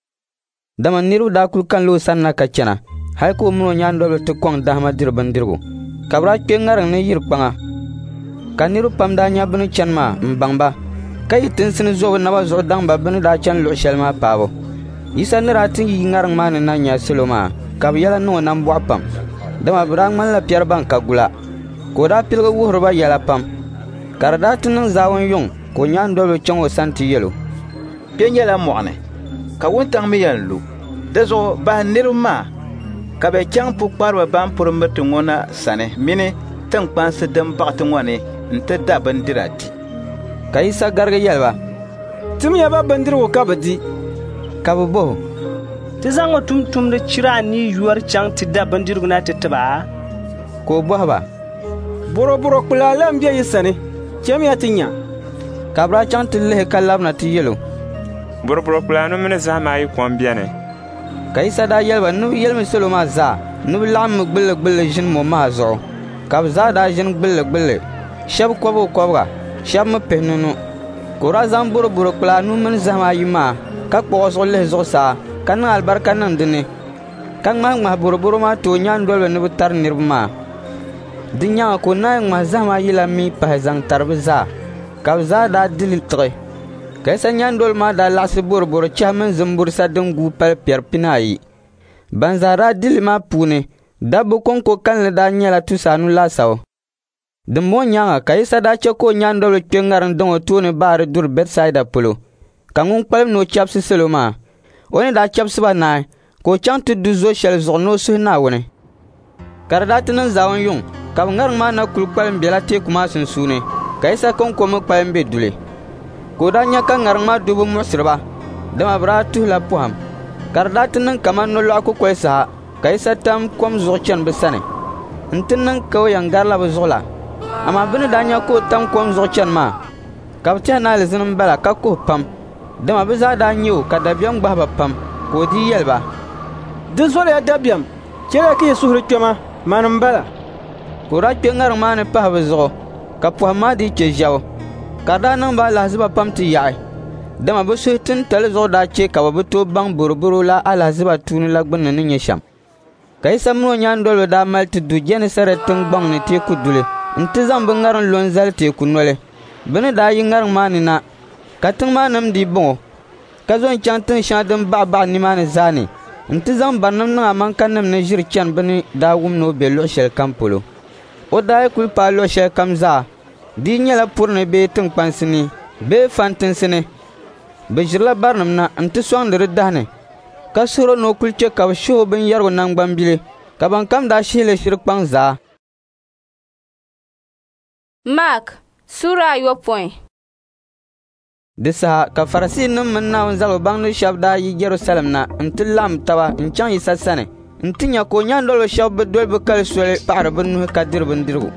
Dama niriba daa kul kanila o sanna ka chana, hal ka o min o nyaandoliba ti kɔŋ dahima diri bindirigu. Ka bɛ daa kpe ŋariŋ ni yiri kpaŋa. Ka niriba pam daa nya bɛ ni chani maa m-baŋ ba, ka yi tinsi ni zo bɛ naba zuɣu daŋ ba bɛ ni daa chani luɣ shɛli maa paabu. Yisa ni daa ti yi ŋariŋ maa ni na nya salo maa, ka bɛ yɛla niŋ o nambɔɣu pam, dama bɛ daa ŋmanila piɛri ban ka gula. Ka o daa piligi wuhiri ba yɛla pam. Ka di daa ti niŋ zaawun yuŋ ka o nyaandoliba chaŋ o sani ti yɛl o, «Kpe nyɛla mɔɣu ni, ka wuntaŋ mi yɛn lu. Di zuɣu bahi niriba maa ka bɛ chaŋ pukpariba ban puri miriti ŋɔ na sani mini tiŋkpansi din baɣi ti ŋɔ ni nti da bindira di.» Ka Yisa garigi yɛli ba, «Timiya ba bindirigu ka bɛ di.» Ka bɛ bɔh o, «Ti zaŋ ŋɔ tumtumdi chira anii yɔri chaŋ ti da bindirigu na ti ti ba?» Ka o bɔhi ba, «Bɔrɔbɔro kpulaa la m-be yi sani, chamiya ti nya.» Ka bɛ daa chaŋ ti lihi ka labina ti yɛl o, Bɔrɔbɔro kpula anu mini zahima ayi ko m-beni. Ka Yisa daa yɛli ba ni bɛ yɛlimi salo maa zaa ni bɛ laɣimmi gbilligbilli ʒini mɔmaha zuɣu. Ka bɛ zaa daa ʒini gbilligbilli, shɛba kɔbigakɔbiga, shɛba mi pihinunu. Ka o daa zaŋ bɔrɔbɔro kpula anu mini zahima ayi maa ka kpuɣ o zuɣu lihi zuɣusaa ka niŋ alibarika niŋ di ni, ka ŋmahiŋmahi bɔrɔbɔro maa ti o nyaandoliba ni bɛ tari niriba maa. Di nyaaŋa ka o naanyi ŋmahi zahima ayi la mi pahi zaŋ tari bɛ zaa, ka bɛ zaa daa di li tiɣi. Ka Yisa nyaandoliba maa daa laɣisi bɔrɔbɔro chɛhi mini zimburisa din guui pali piɛri 40. Ban zaa daa di li maa puuni, dabba kɔŋko kalinli daa nyɛla 500 laasabu. Dimbɔŋɔ nyaaŋa ka Yisa daa chɛ ka o nyaandoliba kpe ŋariŋ daŋ o tooni baari duri Bɛtisaida polo, ka ŋun kpalim ni o chɛbisi salo maa. O ni daa chɛbisi ba naai, ka o chaŋ ti du zo shɛli zuɣu ni o suhi Naawuni. Ka di daa ti niŋ zaawun yuŋ, ka bɛ ŋariŋ maa na kul kpalim bela teeku maa sunsuuni, ka Yisa kɔŋko mi kpalim be duli. Ka o daa nya ka ŋariŋ maa dubu muɣisiri ba, dama bɛ daa tuhila pɔhim. Ka di daa ti niŋ kaman nolɔɣu kukoli saha, ka Yisa tam kom zuɣu chani bɛ sani. Nti niŋ ka o yɛn garila bɛ zuɣu la. Amaa bɛ ni daa nya ka o tam kom zuɣu chani maa, ka bɛ tɛhi ni alizini m-bala ka kuhi pam, dama bɛ zaa daa nya o ka dabiɛm gbahi ba pam. Ka o dii yɛli ba, Di zɔriya dabiɛm, chɛliya ka yi suhuri kpɛma, mani m-bala. Ka o daa kpe ŋariŋ maa ni pahi bɛ zuɣu, ka pɔhim maa dii chɛ ʒɛbu. Ka di daa niŋ ba alahiziba pam ti yaɣi, dama bɛ suhu tintali zuɣu daa chɛ ka bɛ bi tooi baŋ bɔrɔbɔro la alahiziba tuuni la gbunni ni nyɛ shɛm. Ka Yisa min o nyaandoliba daa mali ti du Jɛnisarɛt tiŋgbɔŋ ni teeku duli nti zaŋ bɛ ŋariŋ lo n-zali teeku noli. Bɛ ni daa yi ŋariŋ maa ni na, ka tiŋ maa nim dii bɔŋ o, ka zo n-chaŋ tiŋ shɛŋa din baɣabaɣa nimaani zaa ni nti zaŋ barinim niŋ amaŋkanim ni ʒiri chani bɛ ni daa wum ni o be luɣ shɛlikam polo. O daa yi kul paai luɣ shɛlikam zaa, di yi nyɛla puri ni bee tiŋkpansi ni bee fantinsi ni, bɛ ʒirila barinim na nti sɔŋdi di dahi ni, ka suhir o ni o kul chɛ ka bɛ shihi o binyɛrigu naŋgbambili, ka bɛnkam daa shihi li shiri kpaŋ zaa. Mark Sura 9. Di saha ka Farisiinim mini Naawuni zaligu baŋdi shɛba daa yi Jɛrusalɛm na nti laɣim taba n-chaŋ Yisa sani nti nya ka o nyaandoliba shɛba bi doli bɛ kali soli paɣiri bɛ nuhi ka diri bindirigu.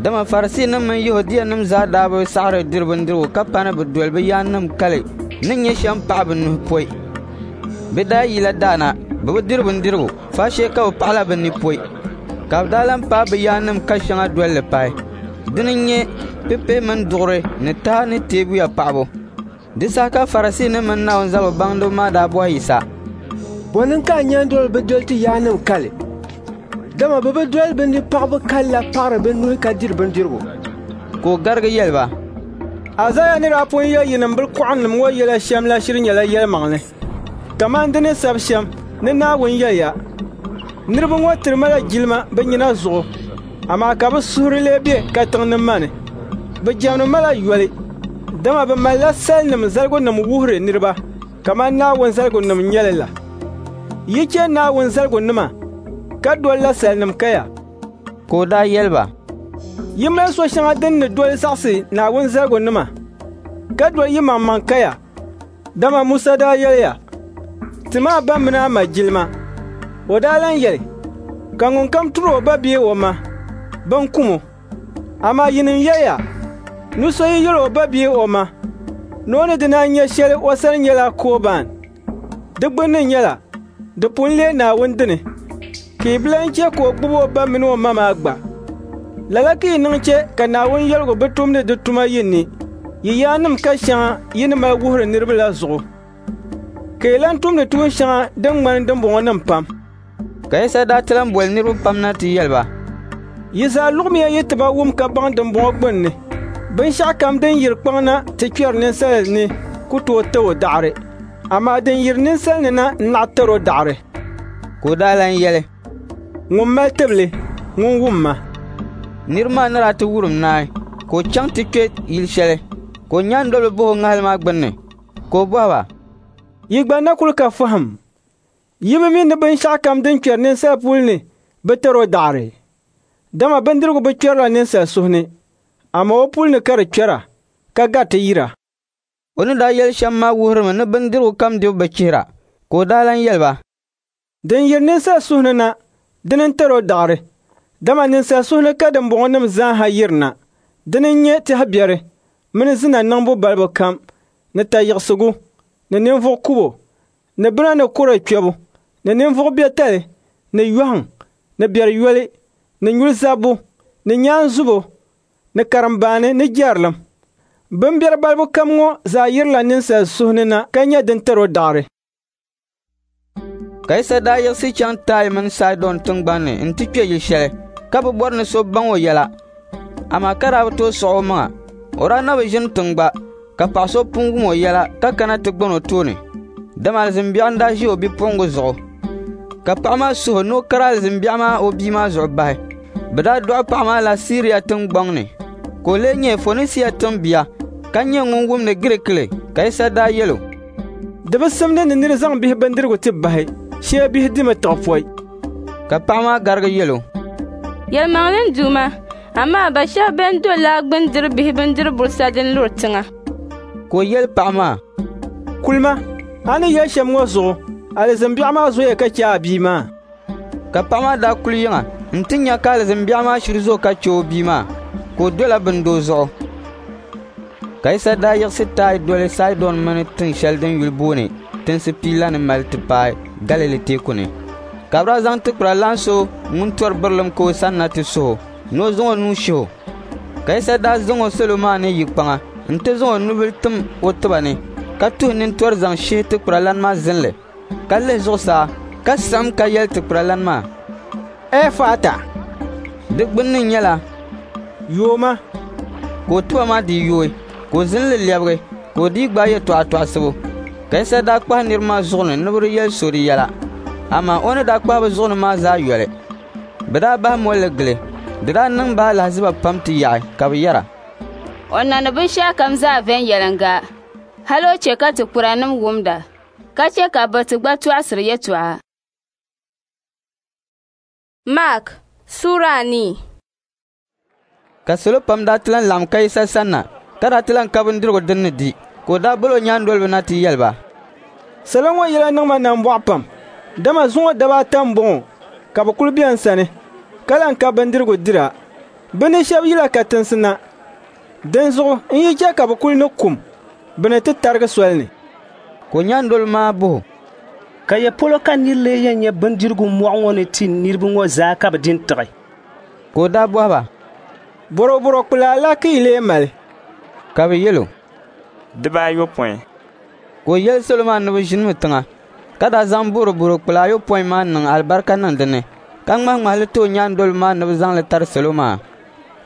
Dama Farisiinim mini Yɛhudianim zaa daa bi saɣiri diri bindirigu ka pa ni bɛ doli bɛ yaannim kali ni nyɛ shɛm paɣi bɛ nuhi pɔi. Bɛ daa yila daa na, bɛ bi diri bindirigu, faashee ka bɛ paɣila bɛ ni pɔi. Ka bɛ daa lan paai bɛ yaannim ka shɛŋa doli li pahi. Dini n-nyɛ pipihi mini duɣuri ni taha ni teebuya paɣibu. Di saha ka Farisiinim mini Naawuni zaligu baŋdiba maa daa bɔhi Yisa, Bɔ niŋ ka a nyaandoliba bi doli ti yaannim kali? Dama bɛ bi doli bɛ ni paɣibu kali la paɣiri bɛ nuhi ka diri bindirigu. Ka o garigi yɛli ba, Azaaya ni daa pun yɛli yinim bilikɔɣinim ŋɔ yɛla shɛm la shiri nyɛla yɛlimaŋli. Kaman di ni sab shɛm ni Naawuni yɛliya, Niriba ŋɔ tiri ma la jilima bɛ nyina zuɣu, amaa ka bɛ suhuri lee be katiŋ ni ma ni. Bɛ jɛmdi ma la yoli, dama bɛ malila salinim zaligunim wuhiri niriba kaman Naawuni zaligunim n-nyɛ li la. Yi chɛ Naawuni zaligunima ka dolila salinim kaya. Ka o daa yɛli ba, Yi mali so shɛŋa din ni doli zaɣisi Naawuni zaligunima, ka doli yimaŋmaŋ kaya. Dama Musa daa yɛliya, Tim a ba mini a ma jilima. O daa lan yɛli, Ka ŋunkam tur o ba bee o ma, bɛn kum o. Amaa yinim yɛliya, ni so yi yɛl o ba bee o ma, ni o ni di na nya shɛli o sani nyɛla kɔban. Di gbunni nyɛla, di pun leei Naawuni dini, ka yi bi lan chɛ ka o gbib o ba min o ma maa gba. Lala ka yi niŋ chɛ ka Naawuni yɛligu bi tumdi di tuma yi ni, yi yaannim ka shɛŋa yi ni mali wuhiri niriba la zuɣu. Ka yi lan tumdi tuun shɛŋa din ŋmani dimbɔŋɔnim pam. Ka Yisa daa ti lan boli niriba pam na ti yɛli ba, Yi zaa luɣimiya yi tiba wum ka baŋ dimbɔŋɔ gbunni. Binshɛɣukam din yiri kpaŋ na ti kpɛri ninsal ni ku tooi tir o daɣiri, amaa din yiri ninsal ni na n-naɣ tir o daɣiri. Ka o daa lan yɛli, Ŋun mali tibili, ŋun wum ma. Niriba maa ni daa ti wurim naai, ka o chaŋ ti kpe yil shɛli, ka o nyaandoliba bɔh o ŋahili maa gbunni. Ka o bɔhi ba, Yi gba na kul ka fahim? Yi bi mi ni binshɛɣukam din kpɛri ninsal pul ni bi tir o daɣiri? Dama bindirigu bi kpɛrila ninsal suhu ni, amaa o pul ni ka di kpɛra, ka gariti yira. O ni daa yɛli shɛm maa wuhirimi ni bindirigu kam dibu bi chihira. Ka o daa lan yɛli ba, Din yiri ninsal suhu ni na, dini n-tir o daɣiri. Dama ninsal suhu ni ka dimbɔŋɔnim zaa ha yirina. Dini n-nyɛ tɛhi biɛri mini zina niŋbu balibu kam ni tayiɣisigu ni ninvuɣ kubo ni bina ni kɔre kpɛbu ni ninvuɣ biɛtali ni yɔhiŋ ni biɛri yoli ni nyuli zabbu ni nyaanzubo ni karimbaani ni jɛrilim. Bimbɛri balibu kam ŋɔ zaa yirila ninsal suhu ni na ka nyɛ din tar o daɣiri. Ka Yisa daa yiɣisi chaŋ Taaya mini Saidɔn tiŋgbani ni nti kpe yil shɛli, ka bi bɔri ni so baŋ o yɛla, amaa ka daa bi tooi sɔɣ omaŋa. O daa na bi ʒini tiŋ gba, ka paɣ so pun wum o yɛla ka kana ti gban o tooni, dama alizin biɛɣu n-daa ʒi o bipuɣiŋga zuɣu. Ka paɣ maa suhu ni o kari alizin biɛɣu maa o bia maa zuɣu bahi. Bɛ daa dɔɣi paɣ maa la Siria tiŋgbɔŋ ni, ka o lee nyɛ Fonisia tiŋbia, ka nyɛ ŋun wumdi Girikili. Ka Yisa daa yɛl o, Di bi simdi ni nir zaŋ bihi bindirigu ti bahi, shee bihi dimi tiɣi pɔi. Ka paɣ maa garigi yɛl o, Yɛlimaŋli n Duuma, amaa ba shɛba bɛn do laa gbini diri bihi bindiri burisa din luri tiŋa. Ka o yɛli paɣ maa, Kulima, a ni yɛli shɛm ŋɔ zuɣu, alizin biɛɣu maa zoya ka chɛ a bia maa. Ka paɣ maa daa kuli yiŋa nti nya ka alizin biɛɣu maa shiri zo ka chɛ o bia maa, ka o dola bindoo zuɣu. Ka Yisa daa yiɣisi Taaya doli Saidɔn mini tin shɛli din yuli booni Tinsi Pia la ni mali ti paai Galili teeku ni. Ka bɛ daa zaŋ tikpiralan so ŋun tɔri birilim ka o sanna ti suh o ni o zaŋ o nuu shih o. Ka Yisa daa zaŋ o salo maa ni yi kpaŋa nti zaŋ o nubil tim o tiba ni, ka tuhi nintɔri zaŋ shihi tikpiralan maa zinli, ka lihi zuɣusaa, ka siɣim ka yɛli tikpiralan maa, Ɛfata. Di gbunni nyɛla, Yooma. Ka o tiba maa dii yooi, ka o zinli lɛbigi, ka o dii gbaai yɛtɔɣa tɔɣisibu. Ka Yisa daa kpahi niriba maa zuɣu ni ni bɛ di yɛli so di yɛla, amaa o ni daa kpahi bɛ zuɣu ni maa zaa yoli. Bɛ daa bahi molli gili. Di daa niŋ ba alahiziba pam ti yaɣi, ka bɛ yɛra, O niŋdi binshɛɣukam zaa viɛnyɛliŋga, hal o chɛ ka tikpiranim wumda, ka chɛ ka biriti gba tɔɣisiri yɛtɔɣa. Mark suura anii. Ka salo pam daa ti lan laɣim ka Yisa sanna, ka daa ti lan ka bindirigu din ni di, ka o daa bol o nyaandoliba na ti yɛli ba, Salo ŋɔ yɛla niŋ ma nambɔɣu pam, dama zuŋɔ daba ata m-bɔŋɔ ka bɛ kul be n sani, ka lan ka bindirigu dira. Bɛ ni shɛba yila katinsi na, dinzuɣu n yi chɛ ka bɛ kuli ni kum, bɛ ni ti tarigi soli ni. Ka o nyaandoliba maa bɔh o, Ka ya polo ka nir lee yɛn nya bindirigu mɔɣu ŋɔ ni ti niriba ŋɔ zaa ka bɛ di n-tiɣi? Ka o daa bɔhi ba, Bɔrɔbɔro kpulaa la ka yi lee mali? Ka bɛ yɛl o, 90. Ka o yɛli salo maa ni bɛ ʒinimi tiŋa, ka daa zaŋ bɔrɔbɔro kpulaa ayopɔin maa niŋ alibarika niŋ di ni, ka ŋmahiŋmahi li ti o nyaandoliba maa ni bɛ zaŋ li tari salo maa.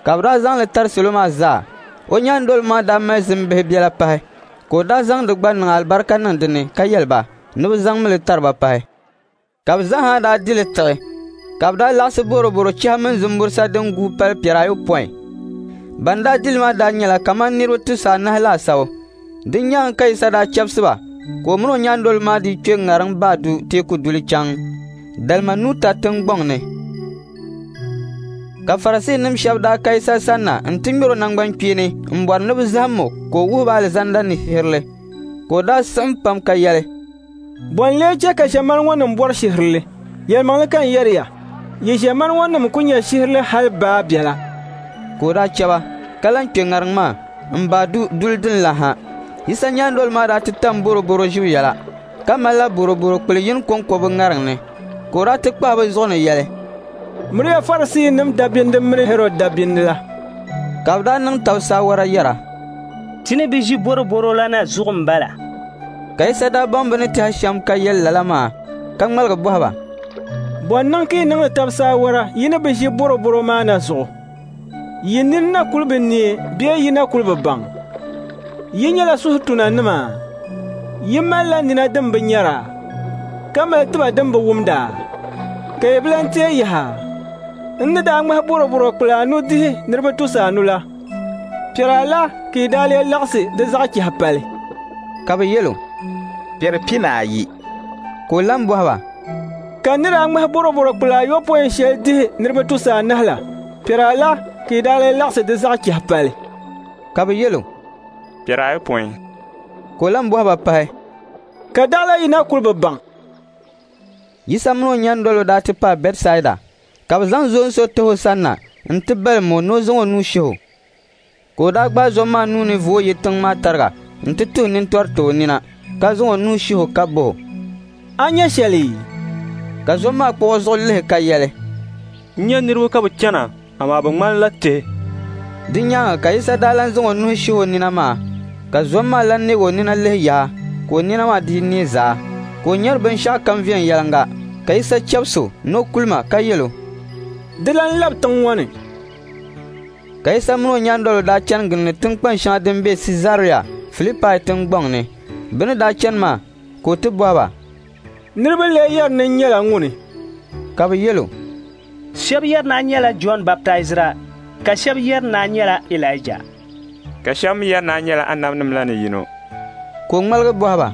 Ka bɛ daa zaŋ li tari salo maa zaa. O nyaandoliba maa daa mali zimbihi biɛla pahi, ka o daa zaŋ di gba niŋ alibarika niŋ di ni ka yɛli ba ni bɛ zaŋmi li tari ba pahi. Ka bɛ zaa daa di li tiɣi, ka bɛ daa laɣisi bɔrɔbɔro chɛhi mini zimburisa din guui pali piɛr ayopɔin. Ban daa di li maa daa nyɛla kaman niriba 400 laasabu. Di nyaaŋa ka Yisa daa chɛbisi ba, ka o min o nyaandoliba maa dii kpe ŋariŋ baa du teeku duli chaŋ Dalmanuta tiŋgbɔŋ ni. Ka Farisiinim shɛba daa ka Yisa sanna nti ŋmɛr o naŋgbankpeeni m-bɔri ni bɛ zahim o ka o wuhi ba alizanda ni shihirili. Ka o daa siɣim pam ka yɛli, Bɔ n-lee chɛ ka ʒiɛmani ŋɔ nim bɔri shihirili? Yɛlimaŋli ka n yɛri ya, yi ʒiɛmani ŋɔ nim ku nya shihirili hal baa biɛla. Ka o daa chɛ ba, ka lan kpe ŋariŋ maa m-baai du duli din la ha. Yisa nyaandoliba maa daa ti tam bɔrɔbɔro ʒibu yɛla, ka malila bɔrɔbɔro kpul yini kɔŋko bɛ ŋariŋ ni. Ka o daa ti kpahi bɛ zuɣu ni yɛli, Miriya Farisiinim dabindi mini Hɛrɔd dabindi la. Ka bɛ daa niŋ tab saawara yɛra, Ti ni bi ʒi bɔrɔbɔro la na zuɣu m-bala. Ka Yisa daa baŋ bɛ ni tɛhi shɛm ka yɛli lala maa, ka ŋmaligi bɔhi ba, Bɔ n-niŋ ka yi niŋdi tab saawara yi ni bi ʒi bɔrɔbɔro maa na zuɣu? Yi nini na kul bi neei bee yi na kul bi baŋ? Yi nyɛla suhutunanima? Yi malila nina din bi nyara, ka mali tiba din bi wumda? Ka yi bi lan teei yaha? N ni daa ŋmahi bɔrɔbɔro kpula anu dihi niriba 500 la, piɛr ala ka yi daa lee laɣisi di zaɣ chɛhi pali? Ka bɛ yɛl o, Piɛri 40. Ka o lan bɔhi ba, Ka n ni daa ŋmahi bɔrɔbɔro kpula ayopɔin shɛli dihi niriba 400 la, piɛr ala ka yi daa lee laɣisi di zaɣ chɛhi pali? Ka bɛ yɛl o, Piɛr 90. Ka o lan bɔhi ba pahi, Ka daɣila yi na kul bi baŋ? Yisa min o nyaandoliba daa ti paai Bɛtisaida, ka bɛ zaŋ zoon so tahi o sanna nti balim o ni o zaŋ o nuu shihi o. Ka o daa gbaai zom maa nuu ni vooi yi tiŋ maa tariga nti tuhi nintɔri ti o nina, ka zaŋ o nuu shih o ka bɔh o, “A nya shɛli?” Ka zom maa kpuɣ o zuɣu lihi ka yɛli, “N nya niriba ka bɛ chana, amaa bɛ ŋmanila tihi.” Di nyaaŋa ka Yisa daa lan zaŋ o nuhi shih o nina maa, ka zom maa lan neeg o nina lihi yaha, ka o nina maa dii neei zaa, ka o nyari binshɛɣukam viɛnyɛliŋga. Ka Yisa chɛbis o ni o kulima ka yɛl o, “Di lan lab tiŋ ŋɔ ni.” Ka Yisa min o nyaandoliba daa chani gindi tiŋkpan shɛŋa din be Siizaria Filipai tiŋgbɔŋ ni. Bɛ ni daa chani maa ka o ti bɔhi ba, “Niriba lee yɛri ni n nyɛla ŋuni?” Ka bɛ yɛl o, “Shɛba yɛri ni a nyɛla Jɔn Baptaizira, ka shɛba yɛri ni a nyɛla Ilaija, ka shɛba mi yɛri ni a nyɛla anabinim la ni yino.” Ka o ŋmaligi bɔhi ba,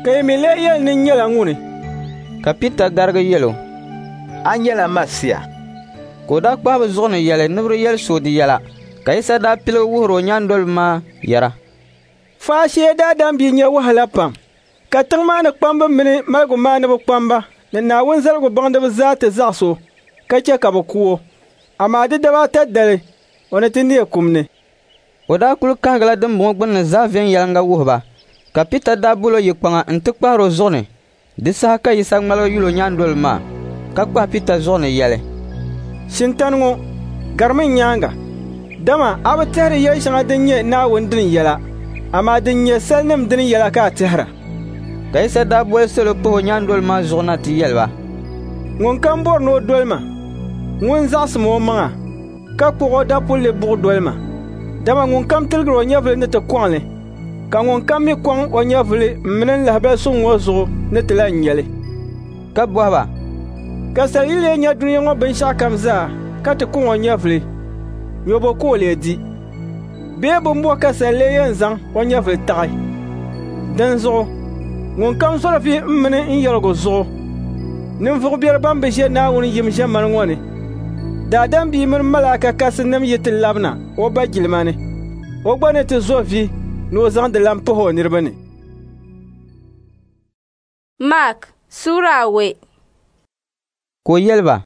“Ka yi mi lee yɛli ni n nyɛla ŋuni?” Ka Pita garigi yɛl o, “A nyɛla Masia.” Ka o daa kpahi bɛ zuɣu ni yɛli ni bɛ di yɛli so di yɛla. Ka Yisa daa piligi wuhir o nyaandoliba maa yɛra, “Faashee Daadam Bia nya wahala pam, ka tiŋ maa ni kpamba mini maligumaaniba kpamba ni Naawuni zaligu baŋdiba zaa ti zaɣis o ka chɛ ka bɛ ku o. Amaa di daba ata dali o ni ti neei kum ni.” O daa kul kahigila dimbɔŋɔ gbunni zaa viɛnyɛliŋga wuhi ba. Ka Pita daa bol o yi kpaŋa nti kpahir o zuɣu ni. Di saha ka Yisa ŋmaligi yul o nyaandoliba maa, ka kpahi Pita zuɣu ni yɛli, “Shintani ŋɔ, garimi n nyaaŋa, dama a bi tɛhiri yɛl shɛŋa din nyɛ Naawuni dini yɛla, amaa din nyɛ salinim dini yɛla ka a tɛhira.” Ka Yisa daa boli salo pahi o nyaandoliba maa zuɣu na ti yɛli ba, “Ŋunkam bɔri ni o doli ma, ŋun zaɣisim omaŋa, ka kpuɣ o dapulli buɣ doli ma. Dama ŋunkam tiligir o nyɛvili ni ti kɔŋ li, ka ŋunkam mi kɔŋ o nyɛvili m mini n lahibal suŋ ŋɔ zuɣu ni ti lan nya li.” Ka bɔhi ba, “Ka sal yi lee nya dunia ŋɔ binshɛɣukam zaa ka ti kɔŋ o nyɛvili, nyɔbo ka o lee di? Bee bimbɔ ka sal lee yɛn zaŋ o nyɛvili taɣi? Dinzuɣu ŋunkam zɔri vi m mini n yɛligu zuɣu, ninvuɣ biɛri ban bi ʒe Naawuni yim ʒiɛmani ŋɔ ni, Daadam Bia mini malaika kasinim yi ti labina o Ba jilima ni, o gba ni ti zo vi ni o zaŋ di lan pahi o niriba ni. Mark Sura awei. Ka o yɛli ba,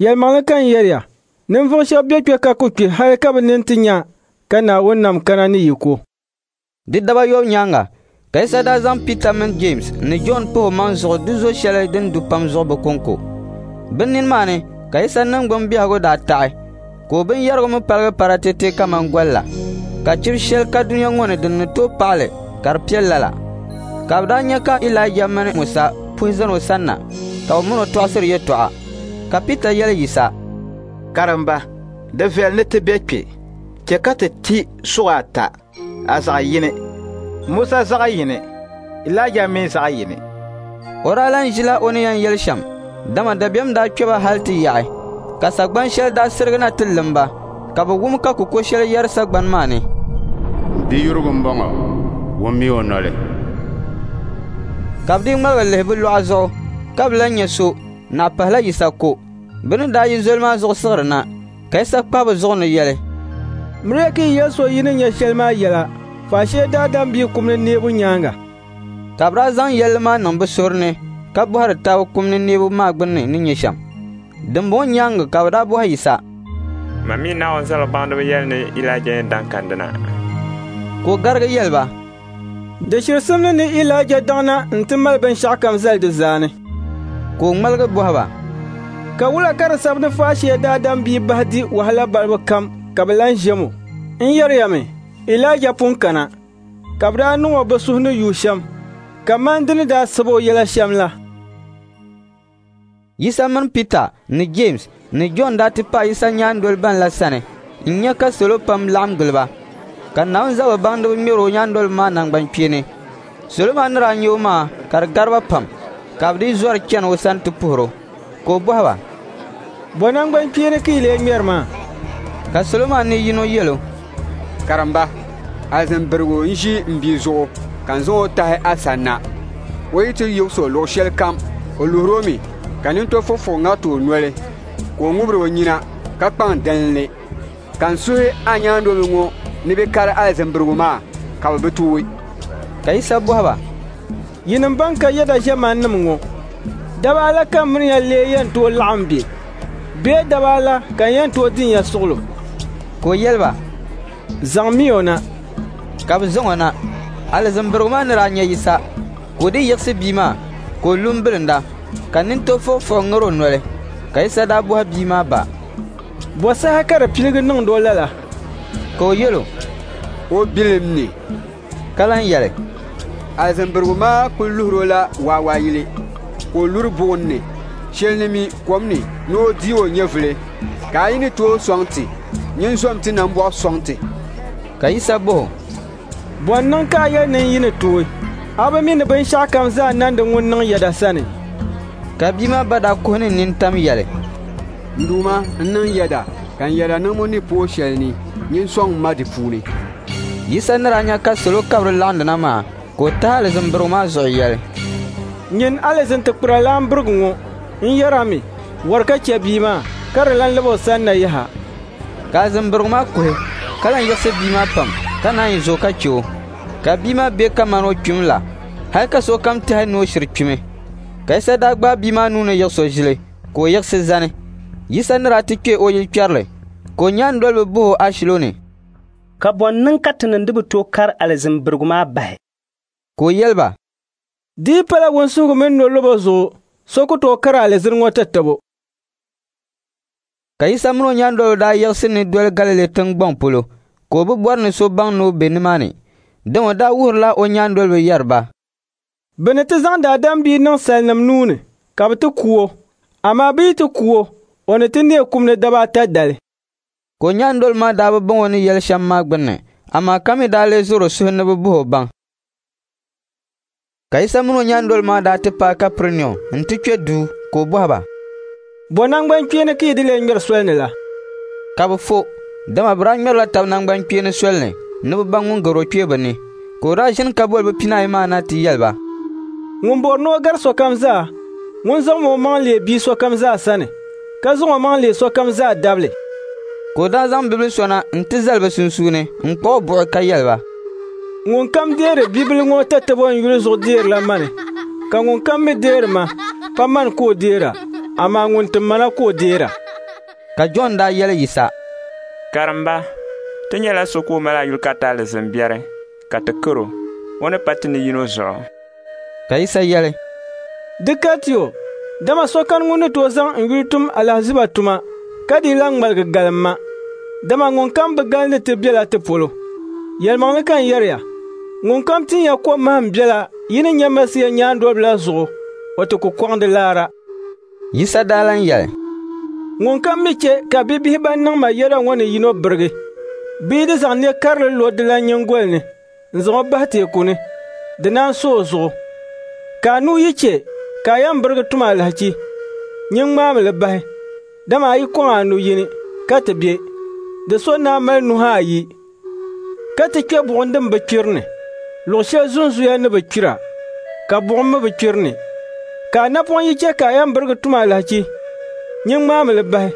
“Yɛlimaŋli ka n yɛri ya, ninvuɣ shɛb be kpe ka ku kpi hal ka bɛ nini ti nya ka Naawuni nam kana ni yiko.” Di daba ayɔbu nyaaŋa ka Yisa daa zaŋ Pita mini Jeemsi ni Jɔn pah omaŋ zuɣu di zo shɛli din du pam zuɣu bɛ kɔŋko. Bɛ nini maa ni ka Yisa niŋgbuŋ biɛhigu daa taɣi, ka o binyɛrigu mi paligi paratɛte kaman gol la, ka chibi shɛli ka dunia ŋɔ ni din ni tooi paɣi li ka di piɛl lala. Ka bɛ daa nya ka Ilaija mini Musa puhi zani o sanna, ka bɛ min o tɔɣisiri yɛtɔɣa. Ka Pita yɛli Yisa, “Karimba, di viɛli ni ti be kpe. Chɛ ka ti ti suɣa ata, a zaɣ yini, Musa zaɣ yini, Ilaija mi zaɣ yini.” O daa lan ʒila o ni yɛn yɛli shɛm, dama dabiɛm daa kpe ba hal ti yaɣi. Ka sagban shɛli daa sirigi na ti lim ba, ka bɛ wum ka kuko shɛli yɛri sagbani maa ni, “M Biyurigu m-bɔŋɔ, wummiya o noli.” Ka bɛ dii ŋmaligi lihi bɛ luɣa zuɣu, ka bɛ lan nya so, naɣ pahila Yisa ko. Bɛ ni daa yi zoli maa zuɣu siɣiri na, ka Yisa kpahi bɛ zuɣu ni yɛli, “Miriya ka yi yɛli so yi ni nya shɛli maa yɛla, faashee Daadam Bia kum ni neebu nyaaŋa.” Ka bɛ daa zaŋ yɛlli maa niŋ bɛ suhuri ni ka bɔhiri taba kum ni neebu maa gbunni ni nyɛ shɛm. Dimbɔŋɔ nyaaŋa ka bɛ daa bɔhi Yisa, “Ma mi Naawuni zaligubaŋdiba yɛli ni Ilaija yɛn daŋ kandina?” Ka o garigi yɛli ba, “Di shiri simdi ni Ilaija daŋna nti mali binshɛɣukam zali di zaani.” Ka o ŋmaligi bɔhi ba, “Ka wula ka di sabi ni faashee Daadam Bia bahi di wahala balibu kam ka bɛ lan ʒiɛm o? N yɛri ya mi, Ilaija pun kana, ka bɛ daa niŋ o bɛ suhu ni yu shɛm, kaman di ni daa sab o yɛla shɛm la.” Yisa mini Pita ni Jeemsi ni Jɔn daa ti paai Yisa nyaandol ban la sani n-nya ka salo pam laɣim gili ba, ka Naawuni zaligu baŋdiba ŋmɛr o nyaandoliba maa naŋgbankpeeni. Salo maa ni daa nya o maa ka di gari ba pam, ka bɛ dii zɔri chani o sani ti puhir o. Ka o bɔhi ba, “Bɔ naŋgbankpeeni ka yi lee ŋmɛri maa?” Ka salo maa ni yino yɛl o, “Karimba, alizin birigu n-ʒi m bia zuɣu ka n zaŋ o tahi a sanna. O yi ti yiɣis o luɣ shɛlikam, o luhir o mi, ka nintɔfuɣifuɣi ŋariti o noli, ka o ŋubiri o nyina ka kpaŋ dalinli. Ka n suhi a nyaandoliba ŋɔ ni bɛ kari alizin birigu maa, ka bɛ bi tooi.” Ka Yisa bɔhi ba, “Yinim bɛn ka yɛda ʒiɛmannim ŋɔ, daba ala ka m mini ya lee yɛn tooi laɣim be? Bee daba ala ka n yɛn tooi din ya suɣilo?” Ka o yɛli ba, Zaŋmiy o na. Ka bɛ zaŋ o na. Alizin birigu maa ni daa nya Yisa, ka o dii yiɣisi bia maa, ka o lu m-bilinda, ka nintɔɣu fuɣifuɣi ŋar o noli. Ka Yisa daa bɔhi bia maa ba, “Bɔ saha ka di piligi niŋd o lala?” Ka o yɛl o, “O bilim ni.” Ka lan yɛli, “Alizin birigu maa kul luhir o la waawaayili, ka o luri buɣim ni, shɛl ni mi kom ni ni o deeg o nyɛvili. Ka a yi ni tooi sɔŋ ti, nyin zom ti nambɔɣu sɔŋ ti.” Ka Yisa bɔh o, “Bɔ n-niŋ ka a yɛli ni n yi ni tooi? A bi mi ni binshɛɣukam zaa nandi ŋun niŋ yɛda sani?” Ka bia maa ba daa kuhi ni nintam yɛli, “N Duuma, n niŋ yɛda, ka n yɛda niŋbu ni pooi shɛl ni, nyin sɔŋm ma di puuni.” Yisa ni daa nya ka salo kabiri laɣindi na maa, ka o tahi alizin birigu maa zuɣu yɛli, “Nyin alizin tikpiralan birigu ŋɔ, n yɛr a mi, wari ka chɛ bia maa, ka di lan lab o sanna yaha.” Ka alizin birigu maa kuhi, ka lan yiɣisi bia maa pam, ka naanyi zo ka chɛ o. Ka bia maa be kaman o kpimi la, hal ka sokam tɛhi ni o shiri kpimi. Ka Yisa daa gbaai bia maa nuu ni yiɣis o ʒili, ka o yiɣisi zani. Yisa ni daa ti kpe o yilkpɛrili, ka o nyaandoliba bɔh o ashilo ni, “Ka bɔ n-niŋ ka tinim di bi tooi kari alizin birigu maa bahi?” Ka o yɛli ba, “Di yi pala wunsuhigu mini nolɔbo zuɣu, so ku tooi kari alizini ŋɔ tatabo.” Ka Yisa min o nyaandoliba daa yiɣisi ni doli Galili tiŋgbɔŋ polo, ka o bi bɔri ni so baŋ ni o be nimaani. Dama o daa wuhirila o nyaandoliba yɛri ba, “Bɛ ni ti zaŋ Daadam Bia niŋ salinim nuu ni ka bɛ ti ku o, amaa bɛ yi ti ku o, o ni ti neei kum ni daba ata dali.” Ka o nyaandoliba maa daa bi baŋ o ni yɛli shɛm maa gbunni, amaa ka mi daa lee zɔr o suhu ni bɛ bɔh o baŋ. Ka Yisa min o nyaandoliba maa daa ti paai Kapɛrinium nti kpe duu, ka o bɔhi ba, “Bɔ naŋgbankpeeni ka yi di lee ŋmɛri sol ni la?” Ka bɛ fo, dama bɛ daa ŋmɛrila tab naŋgbankpeeni sol ni ni bɛ baŋ ŋun gar o kpee bɛ ni. Ka o daa ʒini ka boli bɛ pinaayi maa na ti yɛli ba, “Ŋun bɔri ni o gari sokam zaa, ŋun zaŋm omaŋ leei bia sokam zaa sani, ka zaŋ omaŋ leei sokam zaa dabili.” Ka o daa zaŋ bibil so na nti zali bɛ sunsuuni n-kpuɣ o buɣi ka yɛli ba, “Ŋunkam deeri bibila ŋɔ tatabo n yuli zuɣu deerila mani, ka ŋunkam mi deeri ma, pa mani ka o deera, amaa ŋun tim ma na ka o deera.” Ka Jɔn daa yɛli Yisa, “Karimba, ti nyɛla so ka o mali a yuli kariti alizin biɛri, ka ti kar o, o ni pa ti ni yino zuɣu.” Ka Yisa yɛli, “Di kariti o, dama so kani ŋun ni tooi zaŋ n yuli tum alahiziba tuma ka dii lan ŋmaligi galim ma, dama ŋunkam bi galindi ti bela ti polo. Yɛlimaŋli ka n yɛri ya, ŋunkam tin ya kom mahim biɛla yi ni nyɛ Masia nyaandoliba la zuɣu, o ti ku kɔŋ di laara.” Yisa daa lan yɛli, “Ŋunkam mi chɛ ka bibihi ban niŋ ma yɛda ŋɔ ni yino birigi, bɛ yi di zaŋ ne karili lo dilan nyiŋgoli ni n-zaŋ o bahi teeku ni, di naan so o zuɣu. Ka a nuu yi chɛ ka a yɛn birigi tum alahichi, nyin ŋmaami li bahi, dama a yi kɔŋ a nu yini ka ti be, di so ni a mali nuhi ayi, ka ti kpe buɣim din bi kpiri ni, luɣ shɛli zunzuya ni bi kpira, ka buɣim mi bi kpiri ni. Ka a napɔŋ yi chɛ ka a yɛn birigi tum alahichi, nyin ŋmaami li bahi,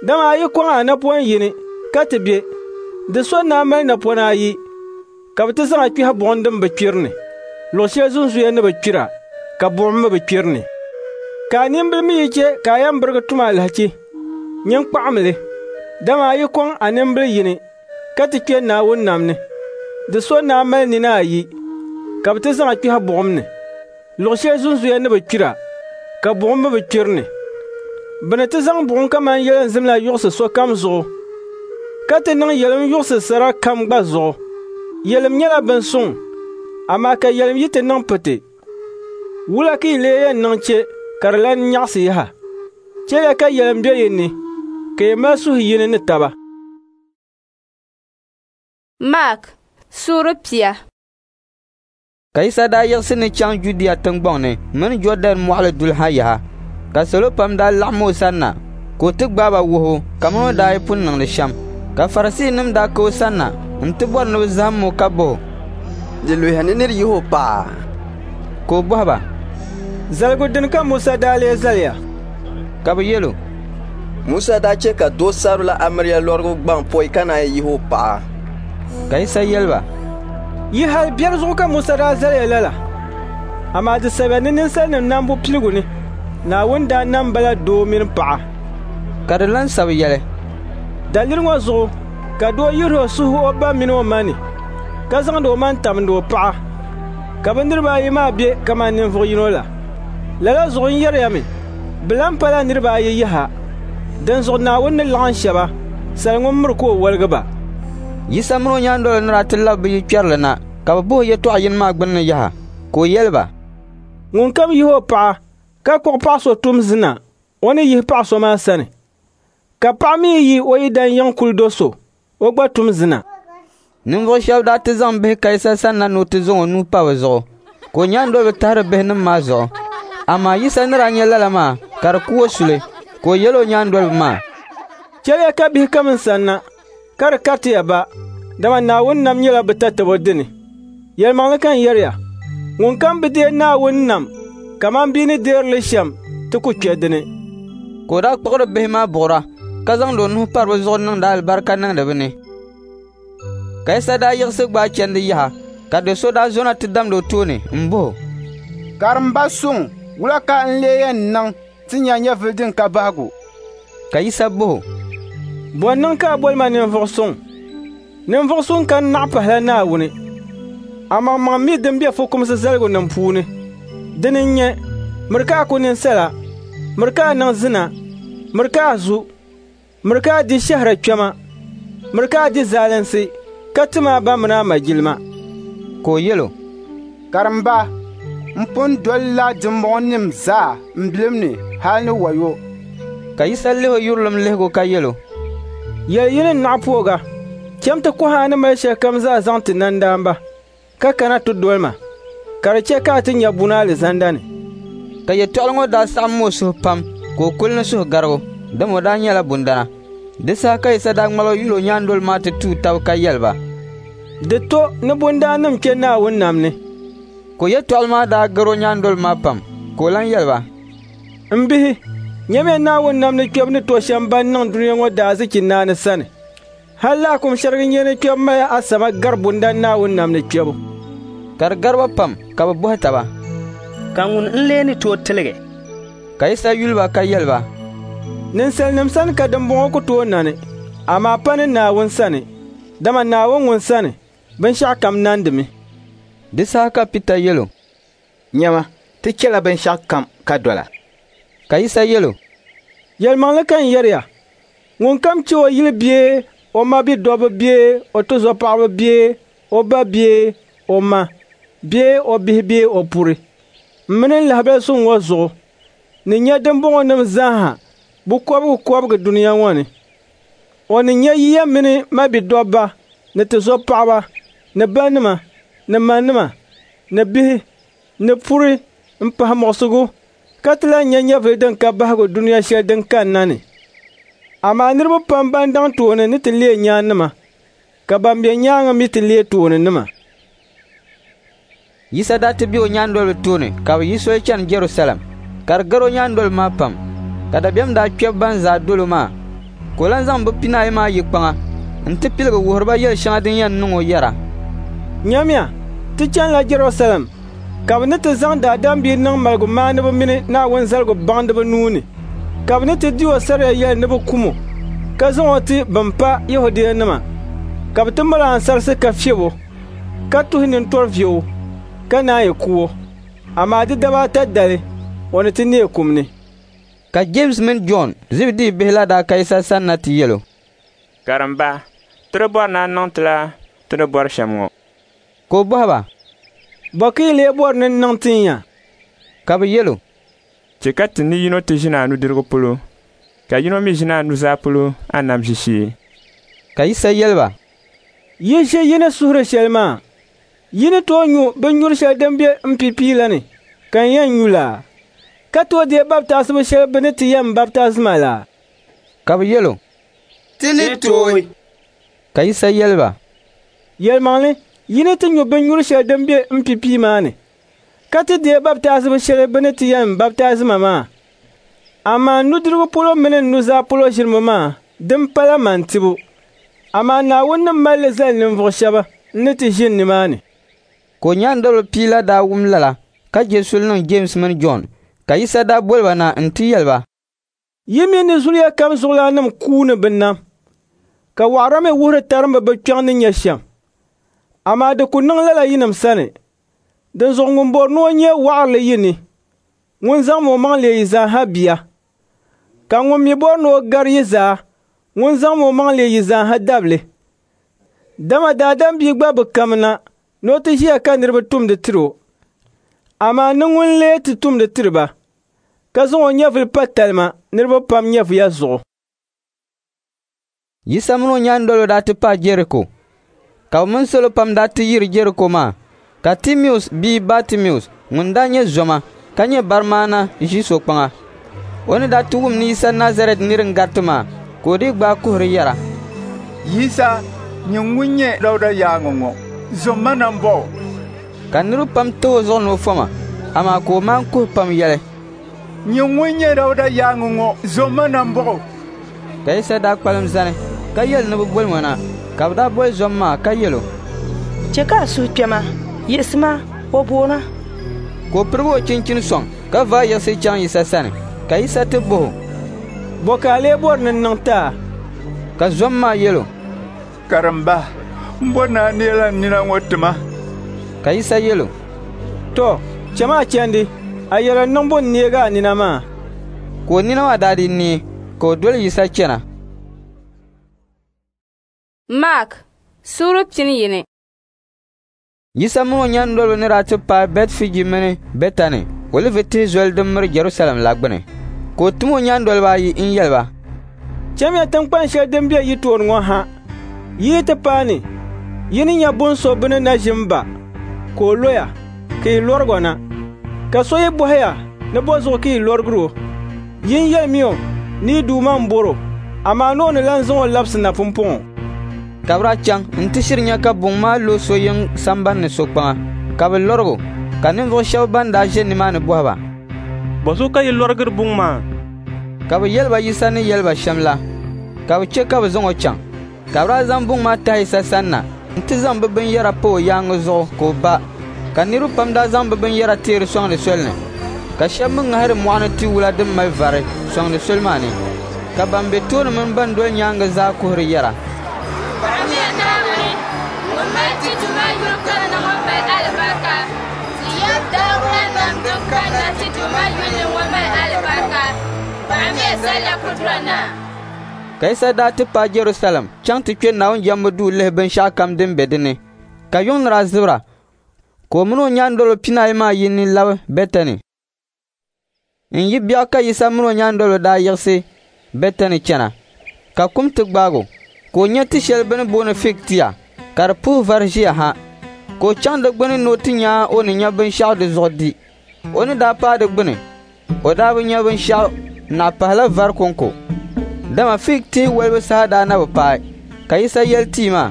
dama a yi kɔŋ a napɔn yini ka ti be, di so ni a mali napɔna ayi, ka bɛ ti zaŋ a kpɛhi buɣim din bi kpiri ni, luɣ shɛli zunzuya ni bi kpira, ka buɣim mi bi kpiri ni. Ka a nimbila mi yi chɛ ka a yɛn birigi tum alahichi, nyin kpaɣimi li, dama a yi kɔŋ a nimbila yini ka ti kpe Naawuni nam ni, di so ni a mali nina ayi, ka bɛ ti zaŋ a kpɛhi buɣim ni, luɣ shɛli zunzuya ni bi kpira, ka buɣim mi bi kpiri ni. Bɛ ni ti zaŋ buɣim kaman yelinzim la yuɣisi sokam zuɣu, ka ti niŋ yelim yuɣisi sara kam gba zuɣu. Yelim nyɛla bin suŋ, amaa ka yelim yi ti niŋ piti, wula ka yi lee yɛn niŋ chɛ ka di lan nyaɣisi yaha? Chɛliya ka yelim be yi ni, ka yi mali suhu yini ni taba. Mark suura 10. Ka Yisa daa yiɣisi ni chaŋ Judia tiŋgbɔŋ ni mini Jɔɔdɛn mɔɣili duli ha yaha, ka salo pam daa laɣim o sanna, ka o ti gbaai ba wuhibu kaman o daa yi pun niŋdi shɛm. Ka Farisiinim daa ka o sanna nti bɔri ni bɛ zahim o ka bɔh o, “Di luhiya ni nir yih o paɣa?” Ka o bɔhi ba, “Zaligu dini ka Musa daa lee zali ya?” Ka bɛ yɛl o, “Musa daa chɛ ka doo sabirila amiliya lɔrigu gbaŋ pɔi ka naan yih o paɣa.” Ka Yisa yɛli ba, “Yi hal biɛri zuɣu ka Musa daa zali ya lala, amaa di sabiya ni ninsalinim nambu piligu ni, Naawuni daa nam ba la doo mini paɣa.” Ka di lan sabi yɛli, “Daliri ŋɔ zuɣu Ka doo yihir o suhu o ba min o ma ni, ka zaŋd omaŋ tamdi o paɣa, ka bɛ niriba ayi maa be kaman ninvuɣ yino la. Lala zuɣu n yɛri ya mi, bɛ lan pala niriba ayi yaha. Dinzuɣu Naawuni ni laɣim shɛba, sal ŋun miri ka o woligi ba.» Yisa min o nyaandoliba ni daa ti labi bɛ yikpɛrili na, ka bɛ bɔh o yɛtɔɣ yini maa gbinni yaha. Ka o yɛli ba, «Ŋunkam yihi o paɣa ka kpuɣi paɣ so tum zina, o ni yihi paɣ so maa sani. Ka paɣa mi yi o yidan yiŋ kuli do so, o gba tum zina.» Ninvuɣ shɛba daa ti zaŋ bihi ka Yisa sanna ni o ti zaŋ o nuu pa bɛ zuɣu, ka o nyaandoliba tahiri bihinim maa zuɣu. Amaa Yisa ni daa nya lala maa ka di ku o suli, ka o yɛl o nyaandoliba maa, «Chɛliya ka bihi kam n sanna, ka di karitiya ba, dama Naawuni nam nyɛla bɛ tatabo dini. Yɛlimaŋli ka n yɛri ya, ŋunkam bi deei Naawuni nam kaman bia ni deeri li shɛm ti ku kpe di ni.» Ka o daa kpuɣiri bihi maa buɣira, ka zaŋd o nuhi pari bɛ zuɣu niŋdi alibarika niŋdi bɛ ni. Ka Yisa daa yiɣisi gbaai chandi yaha, ka do so daa zona ti damd o tooni m-bɔh o, «Karimba suŋ, wula ka n lee yɛn niŋ ti nya nyɛvili din ka bahigu?» Ka Yisa bɔh o, «Bɔ n-niŋ ka a boli ma ninvuɣ suŋ? Ninvuɣ suŋ kani naɣ pahila Naawuni. Amaŋmaŋ mi din be fukumsi zaligunim puuni. Dini n-nyɛ: miri ka a ku ninsala, miri ka a niŋ zina, miri ka a zu, miri ka a di shɛhira kpɛma, miri ka a di zalinsi, ka tim a ba min a ma jilima.» Ka o yɛl o, «Karimba, m pun dolila dimbɔŋɔnim zaa m bilim ni hal ni wayo.» Ka Yisa lih o yurilim lihigu ka yɛl o, «Yɛl yini n-naɣ poog a. Cham ti kɔhi a ni mali shɛlikam zaa zaŋ ti nandaamba, ka kana ti doli ma, ka di chɛ ka a ti nya buni alizanda ni.» Ka yɛtɔɣili ŋɔ daa saɣim o suhu pam ka o kuli ni suhugarigu, dama o daa nyɛla bundana. Di saha ka Yisa daa ŋmaligi yul o nyaandoliba maa ti tuui tab ka yɛli ba, «Di to ni bundaannim kpe Naawuni nam ni.» Ka o yɛtɔɣili maa daa gar o nyaandoliba maa pam, ka o lan yɛli ba, «M bihi, nyamiya Naawuni nam ni kpɛbu ni to shɛm ban niŋ dunia ŋɔ daazichi naani sani. Hal laakum shɛrigi nyeeni kpɛbu mali asama gari bundan Naawuni nam ni kpɛbu.» Ka di gari ba pam ka bɛ bɔhi taba, «Ka ŋuni n-lee ni tooi tiligi?» Ka Yisa yuli ba ka yɛli ba, «Ninsalinim sani ka dimbɔŋɔ ku tooi nani, amaa pa ni Naawuni sani, dama Naawuni ŋun sani, binshɛɣukam nandimi.» Di saha ka Pita yɛl o, «Nyama, ti chɛla binshɛɣukam ka dol a.» Ka Yisa yɛl o, «Yɛlimaŋli ka n yɛri ya, ŋunkam chɛ o yili bee o mabidɔbba bee o tizɔpaɣiba bee o ba bee o ma bee o bihi bee o puri, m mini n lahibal suŋ ŋɔ zuɣu ni nya dimbɔŋɔnim zaaha bukɔbigikɔbigi dunia ŋɔ ni. O ni nya yiya mini mabidɔbba ni tizɔpaɣiba ni banima ni manima ni bihi ni puri m-pahi muɣisigu, ka ti lan nya nyɛvili din ka bahigu dunia shɛli din kanna ni. Amaa niriba pam ban daŋ tooni ni ti leei nyaannima, ka ban be nyaaŋa mi ti leei tooninima.» Yisa daa ti be o nyaandoliba tooni ka bɛ yi soli chani Jɛrusalɛm, ka di gar o nyaandoliba maa pam, ka dabiɛm daa kpɛbi ban zaa dol o maa. Ka o lan zaŋ bɛ pinaayi maa yi kpaŋa nti piligi wuhiri ba yɛl shɛŋa din yɛn niŋ o yɛra, «Nyamiya, ti chanila Jɛrusalɛm, ka bɛ ni ti zaŋ Daadam Bia niŋ maligumaaniba mini Naawuni zaligu baŋdiba nuu ni, ka bɛ ni ti di o saria yɛli ni bɛ kum o, ka zaŋ o ti bɛn pa Yɛhudianima, ka bɛ ti mal o ansarisi ka fiɛb o, ka tuhi nintɔri vie o, ka naanyi ku o. Amaa di daba ata dali, o ni ti neei kum ni.» Ka Jeemsi mini Jɔn, Zibidii bihi la daa ka Yisa sanna ti yɛl o, «Karimba, ti di bɔri ni a niŋ ti la ti ni bɔri shɛm ŋɔ.» Ka o bɔhi ba, «Bɔ ka yi lee bɔri ni n niŋ tin ya?» Ka bɛ yɛl o, «Chɛ ka ti ni yino ti ʒini a nudirigu polo, ka yino mi ʒini a nuzaa polo a nam ʒiishee.» Ka Yisa yɛli ba, «Yi ʒi yi ni suhiri shɛli maa. Yi ni tooi nyu binnyur shɛli din be m pipia la ni ka n yɛn nyu la, ka tooi deei baptaasibu shɛli bɛ ni ti yɛn baptaazi ma la?» Ka bɛ yɛl o, «Ti ni tooi.» Ka Yisa yɛli ba, «Yɛlimaŋli, yi ni ti nyu binnyur shɛli din be m pipia maa ni, ka ti deei baptaazibu shɛli bɛ ni ti yɛn baptaazi ma maa. Amaa n nudirigu polo mini n nuzaa polo ʒinibu maa, din pala man tibu. Amaa Naawuni ni mali li zali ninvuɣ shɛba n-ni ti ʒini nimaani.» Ka o nyaandoliba pia la daa wum lala ka je suli niŋ Jeemsi mini Jɔn. Ka Yisa daa boli ba na nti yɛli ba, «Yi mi ni zuliya kam zuɣulaannim kuuni bɛ nam, Ka wɔɣira mi wuhiri tarimba bɛ kpiɔŋ ni nyɛ shɛm. Amaa di ku niŋ lala yinim sani. Dinzuɣu ŋun bɔri ni o nyɛ wɔɣirili yi ni, ŋun zaŋm omaŋ leei yi zaa ha bia. Ka ŋun mi bɔri ni o gari yi zaa, ŋun zaŋm omaŋ leei yi zaa ha dabili. Dama Daadam Bia gba bi kamina ni o ti ʒiya ka niriba tumdi tir o, amaa ni ŋun lee ti tumdi tiri ba, ka zaŋ o nyɛvili pa talima niriba pam nyɛvuya zuɣu. Yisa mini o nyaandoliba daa ti paai Jɛriko, ka bɛ mini salo pam daa ti yiri Jɛriko maa, ka Timius bia Batimius ŋun daa nyɛ zoma ka nyɛ barimaana ʒi so kpaŋa. O ni daa ti wum ni Yisa Nazarɛt nir n-gariti maa, ka o dii gbaai kuhiri yɛra, Yisa, nyin ŋun nyɛ Dauda yaaŋa ŋɔ, zom ma nambɔɣu! Ka niriba pam tah o zuɣu ni o foma, amaa ka o maan kuhi pam yɛli, Nyin ŋun nyɛ Dauda yaaŋa ŋɔ, zom ma nambɔɣu! Ka Yisa daa kpalim zani ka yɛli ni bɛ bolim o na. Ka bɛ daa boli zom maa ka yɛl o, Chɛ ka a suhu kpɛma, yiɣisima, o boon a. Ka o pirigi o chinchini sɔŋ ka vaai yiɣisi chaŋ Yisa sani. Ka Yisa ti bɔh o, Bɔ ka a lee bɔri ni n niŋ ti a? Ka zom maa yɛl o, Karimba, m bɔri ni a neela n nina ŋɔ ti ma. Ka Yisa yɛl o, Tɔ, cham a chandi, a yɛda niŋbu n-neeg a nina maa. Ka o nina maa daa dii neei, ka o doli Yisa chana. Maak suura 11. Yisa min o nyaandoliba ni daa ti paai Bɛtifɛji mini Bɛtani Olivi Tihi Zoli din miri Jɛrusalɛm la gbini, ka o tim o nyaandoliba ayi n-yɛli ba, Chamiya tiŋkpan shɛli din be yi tooni ŋɔ ha. Yi yi ti paai ni, yi ni nya bun so bɛ ni na ʒi m-ba, ka o loya, ka yi lɔrig o na. Ka so yi bɔhi ya ni bɔzuɣu ka yi lɔrigir o, yin yɛlimi o ni yi Duuma m-bɔr o, amaa ni o ni lan zaŋ o labisi na pumpɔŋɔ. Ka bɛ daa chaŋ nti shiri nya ka buŋ maa lo so yiŋ samban ni so kpaŋa, ka bɛ lɔrig o. Ka ninvuɣ shɛb bɛn daa ʒe nimaani bɔhi ba, Bɔzuɣu ka yi lɔrigiri buŋ maa? Ka bɛ yɛli ba Yisa ni yɛli ba shɛm la, ka bɛ chɛ ka bɛ zaŋ o chaŋ. Ka bɛ daa zaŋ buŋ maa tahi Yisa sanna nti zaŋ bɛ binyɛra pa o yaaŋa zuɣu ka o ba. Ka niriba pam daa zaŋ bɛ binyɛra teeri sɔŋdi soli ni, ka shɛba mi ŋahiri mɔɣu ni tiwula din mali vari sɔŋdi soli maa ni. Ka ban be tooni mini ban doli nyaaŋa zaa kuhiri yɛra, Paɣimiya Naawuni ŋun mali ti Duuma yuli kanna ŋɔ mali alibarika. Ti ya Dauda nam din kanna ti Duuma yuli ni ŋɔ mali alibarika. Paɣimiya Zallakudura Naa. Ka Yisa daa ti paai Jɛrusalɛm chaŋ ti kpe Naawuni jɛmbu duu lihi binshɛɣukam din be di ni. Ka yuŋ ni daa zibira, ka o min o nyaandoliba pinaayi maa yi ni labi Bɛtani. N-yi biɛɣu ka Yisa min o nyaandoliba daa yiɣisi Bɛtani chana, ka kum ti gbaag o, ka o nya ti shɛli bɛ ni booni fiig tia, ka di puhi vari ʒiya ha. Ka o chaŋ di gbini ni o ti nya o ni nya binshɛɣu di zuɣu di. O ni daa paai di gbini, o daa bi nya binshɛɣu naɣ pahila vari kɔŋko, dama fiig tihi wolibu saha daa na bi paai. Ka Yisa yɛli tia maa,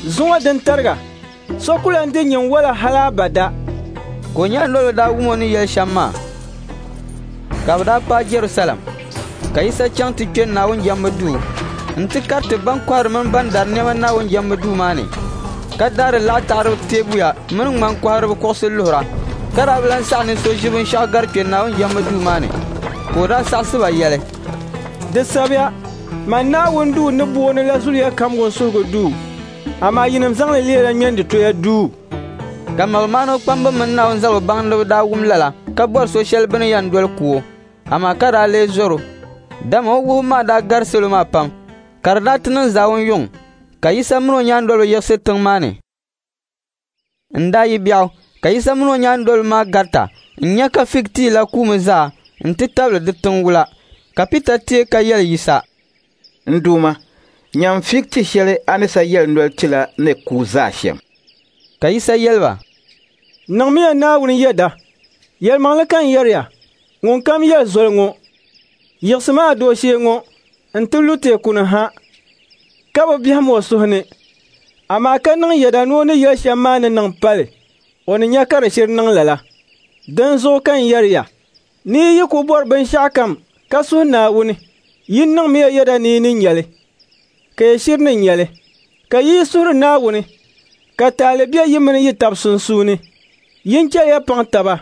Zuŋɔ din tariga, so ku lan di nyin wala hal abada. Ka o nyaandoliba daa wum o ni yɛli shɛm maa. Ka bɛ daa paai Jɛrusalɛm, ka Yisa chaŋ ti kpe Naawuni jɛmbu duu nti kariti bɛn kɔhiri mini bɛn dari nɛma Naawuni jɛmbu duu maa ni, ka daari laɣitaɣiriba teebuya mini ŋmani kɔhiriba kuɣusi luhira, ka daa bi lan saɣi ni so ʒi binshɛɣu gari kpe Naawuni jɛmbu duu maa ni. Ka o daa saɣisi ba yɛli, Di sabiya, Man Naawuni duu ni booni la zuliya kam wunsuhigu duu, amaa yinim zaŋ li leela ŋmɛnditoya duu. Ka maligumaaniba kpamba mini Naawuni zaligu baŋdiba daa wum lala ka bɔri so shɛli bɛ ni yɛn doli ku o, amaa ka daa lee zɔr o, dama o wuhibu maa daa gari salo maa pam. Ka di daa ti niŋ zaawun yuŋ, ka Yisa min o nyaandoliba yiɣisi tiŋ maa ni. N-daa yi biɛɣu ka Yisa min o nyaandoliba maa garita n-nya ka fiig tia la kuumi zaa nti tabili di tiŋ wula. Ka Pita teei ka yɛli Yisa, N Duuma, nyam fiig ti shɛli a ni sa yɛli noli ti la ni kuui zaa shɛm. Ka Yisa yɛli ba, Niŋmiya Naawuni yɛda. Yɛlimaŋli ka n yɛri ya, ŋunkam yɛli zoli ŋɔ, Yiɣisimi a dooshee ŋɔ nti lu teeku ni ha, ka bi biɛhim o suhu ni, amaa ka niŋ yɛda ni o ni yɛli shɛm maa ni niŋ pali, o ni nya ka di shiri niŋ lala. Dinzuɣu ka n yɛri ya, ni yi yi kul bɔri binshɛɣukam ka suhi Naawuni, yin niŋmiya yɛda ni yi ni nya li, ka yi shiri ni nya li. Ka yi yi suhiri Naawuni, ka taali be yi mini yi tab sunsuuni, yin chɛliya paŋ taba,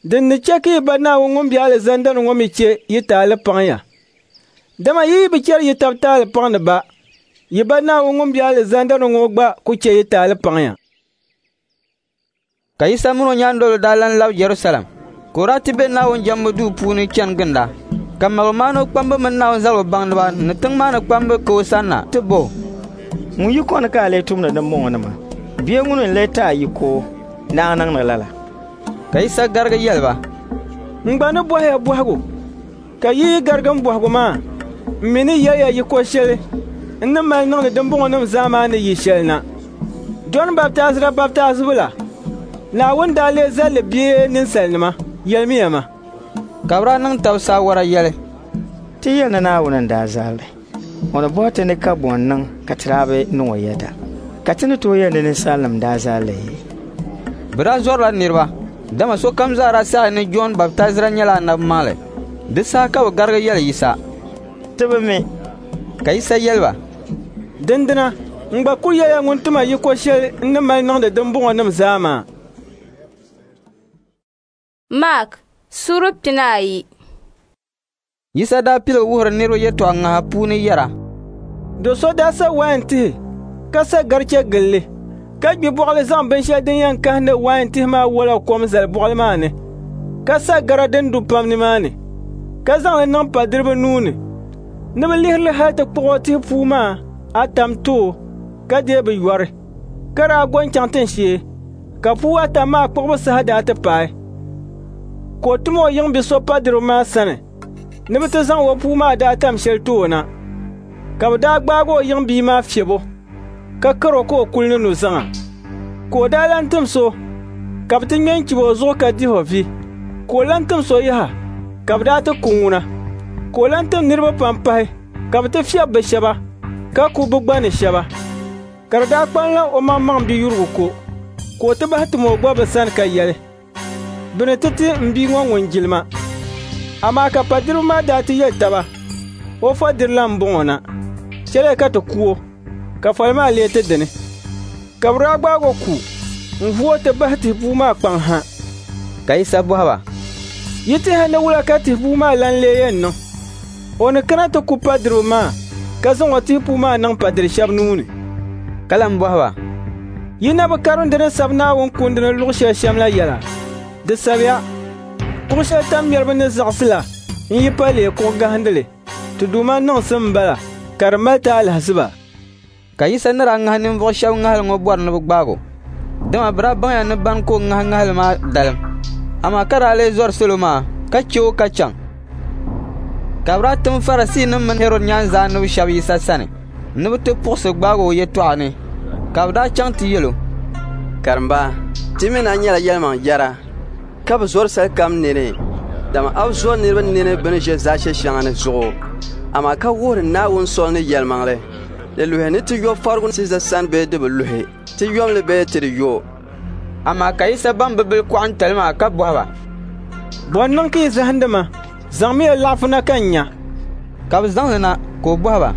din ni chɛ ka yi Ba Naawuni ŋun be alizanda ni ŋɔ mi chɛ yi taali paŋ ya. Dama yi yi bi chɛri yi tab taali paŋdi ba, Yi Ba Naawuni ŋun be alizanda ni ŋɔ gba ku chɛ yi taali paŋ ya. Ka Yisa min o nyaandoliba daa lan lab Jɛrusalɛm, ka o daa ti be Naawuni jɛmbu duu puuni chani ginda. Ka maligumaaniba kpamba mini Naawuni zaligu baŋdiba ni tiŋ maa ni kpamba ka o sanna ti bɔh o, Ŋun yiko ni ka a lee tumdi dimbɔŋɔnima? Bee ŋuni n-lee ti a yiko ni a niŋdi lala? Ka Yisa garigi yɛli ba, N gba ni bɔhi ya bɔhigu, ka yi yi garigi m bɔhigu maa, m mi ni yɛli ya yiko shɛli n ni mali niŋdi dimbɔŋɔnim zaa maa ni yi shɛli na. Jɔn Baptaizira baptaizibu la, Naawuni daa lee zal li bee ninsalinima? Yɛlimiya ma. Ka bɛ daa niŋ tab saawara yɛli, Ti yɛli ni Naawuni n-daa zal li, o ni bɔhi ti ni ka bɔ n-niŋ ka ti daa bi niŋ o yɛda? Ka ti ni tooi yɛli ni ninsalinim n-daa zal li? Bɛ daa zɔrila niriba, dama sokam zaa daa saɣiya ni Jɔn Baptaizira nyɛla anabi maŋli. Di saha ka bɛ garigi yɛli Yisa, Ti bi mi. Ka Yisa yɛli ba, Dindina n gba ku yɛliya ŋun ti ma yiko shɛli n ni mali niŋdi dimbɔŋɔnim zaa maa. Mark suura 12. Yisa daa piligi wuhiri niriba yɛtɔɣ ŋaha puuni yɛra, Do so daa sa wain tihi ka sa gariche gili li, ka gbi bɔɣili zaŋ binshɛli din yɛn kahindi wain tihi maa wala kom zali bɔɣili maa ni, ka sa gara din du pam nimaani, ka zaŋ li niŋ padiriba nuu ni ni bɛ lihiri li hal ti kpuɣ o tihi puu maa atam ti o ka deei bɛ yɔri, ka daa go n-chaŋ tinshee. Ka puu atam maa kpuɣibu saha daa ti paai, ka o tim o yiŋbi so padiriba maa sani ni bɛ ti zaŋ o puu maa daatam shɛli ti o na. Ka bɛ daa gbaag o yiŋbia maa fiɛb o, ka kar o ka o kuli ni nuzaŋa. Ka o daa lan tim so, ka bɛ ti ŋme n-chib o zuɣu ka dih o vi. Ka o lan tim so yaha, ka bɛ daa ti ku ŋuna. Ka o lan tim niriba pam pahi, ka bɛ ti fiɛb bɛ shɛba, ka ku bɛ gba ni shɛba. Ka di daa kpanila omaŋmaŋ biyurigu ko, ka o ti bahi tim o gba bɛ sani ka yɛli, Bɛ ni ti ti m bia ŋɔ ŋun jilima. Amaa ka padiriba maa daa ti yɛli taba, O fɔdirila m-bɔŋɔ na, chɛliya ka ti ku o, ka foli maa lee ti dini. Ka bɛ daa gbaag o ku n-vu o ti bahi tihi puu maa kpaŋ ha. Ka Yisa bɔhi ba, Yi tɛha ni wula ka tihi puu maa lan lee yɛn niŋ? O ni kana ti ku padiriba maa, ka zaŋ o tihi puu maa niŋ padiri shɛb nuu ni. Ka lan bɔhi ba, Yi na bi karim di ni sab Naawuni Kundi ni luɣ shɛli shɛm la yɛla? Di sabiya, Kuɣ shɛli tammɛriba ni zaɣisi la n-yi pa leei kuɣ gahindili. Ti Duuma niŋsim m-bala, ka di mali ti alahiziba. Ka Yisa ni daa ŋahi ninvuɣ shɛb ŋahili ŋɔ bɔri ni bɛ gbaag o, dama bɛ daa baŋya ni bani ka o ŋahi ŋahili maa dalim. Amaa ka daa lee zɔri salo maa, ka chɛ o ka chaŋ. Ka bɛ daa tim Farisiinim mini Hɛrɔd nyaanzaanib shɛb Yisa sani ni bɛ ti puɣisi gbaag o yɛtɔɣa ni. Ka bɛ daa chaŋ ti yɛl o, Karimba, ti mi ni a nyɛla yɛlimaŋ yɛra, ka bi zɔri salikam nini, dama a bi zɔri niriba nini bɛ ni ʒe zaashe shɛŋa ni zuɣu, amaa ka wuhiri Naawuni soli ni yɛlimaŋli. Di luhi ni ti yo farigu Siiza sani bee di bi luhi? Ti yom li bee ti di yo? Amaa ka Yisa baŋ bɛ bilikɔɣintali maa ka bɔhi ba, Bɔ n-niŋ ka yi zahindi ma? Zaŋmiya laɣifu na ka n nya. Ka bɛ zaŋ li na, ka o bɔhi ba,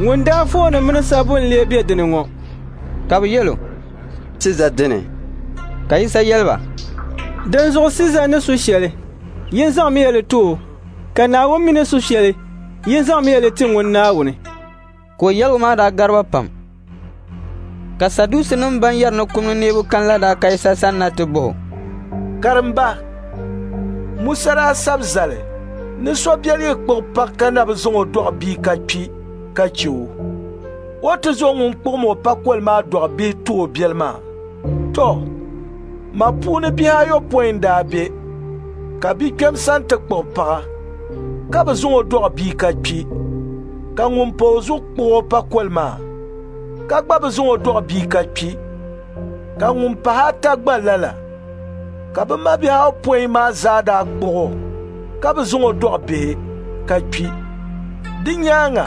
Ŋun daafooni mini sabbu n-lee be di ni ŋɔ? Ka bɛ yɛl o, Siiza dini. Ka Yisa yɛli ba, Dinzuɣu Siiza ni su shɛli, yin zaŋmiya li ti o, ka Naawuni mi ni su shɛli, yin zaŋmiya li ti ŋun Naawuni. Ka o yɛligu maa daa gari ba pam. Ka Saduusinim bɛn yɛri ni kum ni neebu kani la daa ka Yisa sanna ti bɔh o, Karimba, Musa daa sab zali ni so biɛli yi kpuɣi paɣ ka na bi zaŋ o dɔɣi bia ka kpi ka chɛ o, o ti zaŋ ŋun kpuɣim o pakoli maa dɔɣi bihi ti o biɛli maa. Tɔ, ma puuni bihi ayopɔin n-daa be, ka bikpɛm sani ti kpuɣi paɣa, ka bi zaŋ o dɔɣi bia ka kpi, ka ŋun pa o zuɣu kpuɣ o pakoli maa, ka gba bi zaŋ o dɔɣi bia ka kpi, ka ŋun pahi ata gba lala. Ka bɛ mabihi ayopɔin maa zaa daa kpuɣ o, ka bi zaŋ o dɔɣi bihi ka kpi. Di nyaaŋa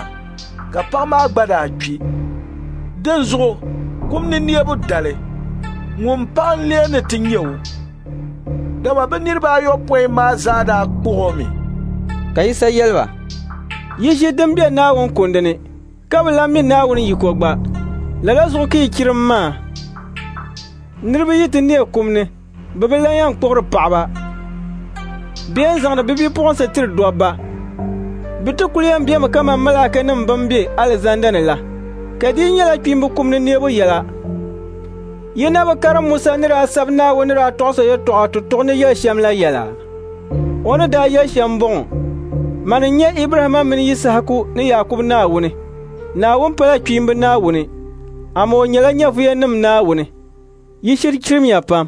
ka paɣ maa gba daa kpi. Dinzuɣu kum ni neebu dali, ŋun paɣa n-lee ni ti nyɛ o, dama bɛ niriba ayopɔin maa zaa daa kpuɣ o mi. Ka Yisa yɛli ba, Yi ʒi din be Naawuni Kundi ni, ka bi lan mi Naawuni yiko gba. Lala zuɣu ka yi chirim maa. Niriba yi ti neei kum ni, bɛ bi lan yɛn kpuɣiri paɣiba bee n-zaŋdi bɛ bipuɣinsi tiri dɔbba. Bɛ ti kul yɛn bemi kaman malaikanim bɛn be alizanda ni la. Ka di yi nyɛla kpiimba kum ni neebu yɛla, yi na bi karim Musa ni daa sabi Naawuni ni daa tɔɣis o yɛtɔɣa tutuɣu ni yɛli shɛm la yɛla? O ni daa yɛli shɛm m-bɔŋɔ: Mani n-nyɛ Ibrahimma mini Yisahaku ni Yaakubu Naawuni. Naawuni pala kpiimba Naawuni, amaa o nyɛla nyɛvuyanim Naawuni. Yi shiri chirimiya pam.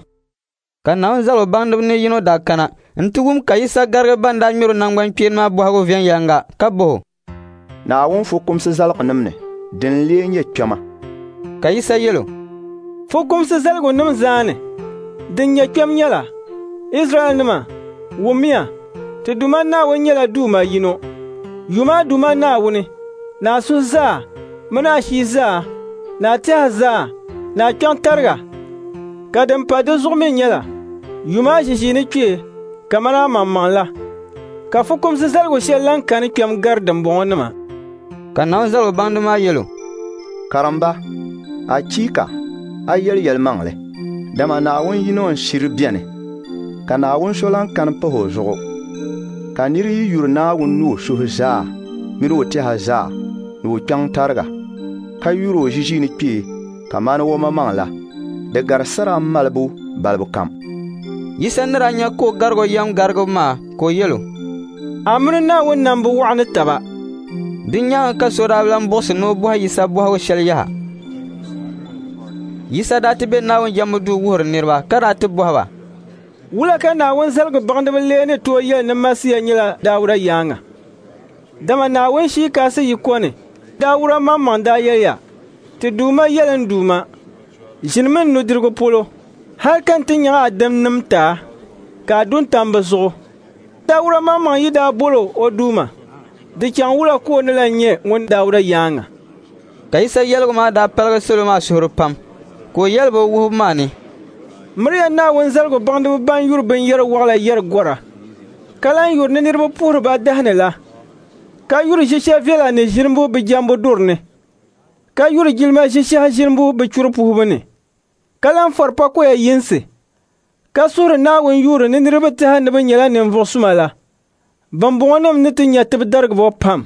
Ka Naawuni zaligu baŋdiba ni yino daa kana nti wum ka Yisa garigi ban daa ŋmɛr o naŋgbankpeeni maa bɔhigu viɛnyɛliŋga ka bɔh o, Naawuni fukumsi zaligunim ni, din n-lee nyɛ kpɛma? Ka Yisa yɛl o, Fukumsi zaligunim zaa ni, din nyɛ kpɛm nyɛla: Izraɛlnima, wummiya, ti Duuma Naawuni nyɛla Duuma yino. Yum a Duuma Naawuni ni a suhu zaa mini a shia zaa ni a tɛha zaa ni a kpiɔŋ tariga. Ka din pa di zuɣu mi nyɛla: yum a ʒiʒiinikpee kaman amaŋmaŋ la. Ka fukumsi zaligu shɛli lan kani kpɛm gari dimbɔŋɔnima. Ka Naawuni zaligu baŋdiba maa yɛl o, Karimba, achiika, a yɛli yɛlimaŋli, dama Naawuni yino n-shiri beni, ka Naawuni so lan kani pah o zuɣu. Ka nir yi yuri Naawuni ni o suhu zaa min o tɛha zaa ni o kpiɔŋ tariga, ka yur o ʒiʒiinikpee kaman omaŋmaŋ la, di gari sara malibu balibu kam. Yisa ni daa nya ka o garig o yɛm garigibu maa, ka o yɛl o, A mini Naawuni nam bi waɣa ni taba. Di nyaaŋa ka so daa lan buɣisi ni o bɔhi Yisa bɔhigu shɛli yaha. Yisa daa ti be Naawuni jɛmbu duu wuhiri niriba ka daa ti bɔhi ba, Wula ka Naawuni zaligu baŋdiba lee ni tooi yɛli ni Masia nyɛla Dauda yaaŋa? Dama Naawuni Shia Kasi yiko ni Dauda maŋmaŋ daa yɛliya, Ti Duuma yɛli n Duuma, ʒinimi n nudirigu polo, hal ka n ti nyaŋ a dimnim ti a, ka a du n-tam bɛ zuɣu. Dauda maŋmaŋ yi daa bol o o Duuma, di chaŋ wula ka o ni lan nyɛ ŋun Dauda yaaŋa? Ka Yisa yɛligu maa daa paligi salo maa suhuri pam, ka o yɛli ba o wuhibu maa ni, Miriya Naawuni zaligu baŋdiba ban yuri binyɛr wɔɣila yɛri gɔra, ka lan yuri ni niriba puhiri ba dahi ni la, ka yuri ʒishɛ viɛla ni ʒinimbu bɛ jɛmbu duri ni, ka yuri jilima ʒishɛhi ʒinimbu bɛ churi puhibu ni, ka lan fɔri pakoya yinsi, ka suhiri Naawuni yuuri ni niriba tɛha ni bɛ nyɛla ninvuɣ suma la. Bɛmbɔŋɔnim ni ti nya tibidarigibo pam.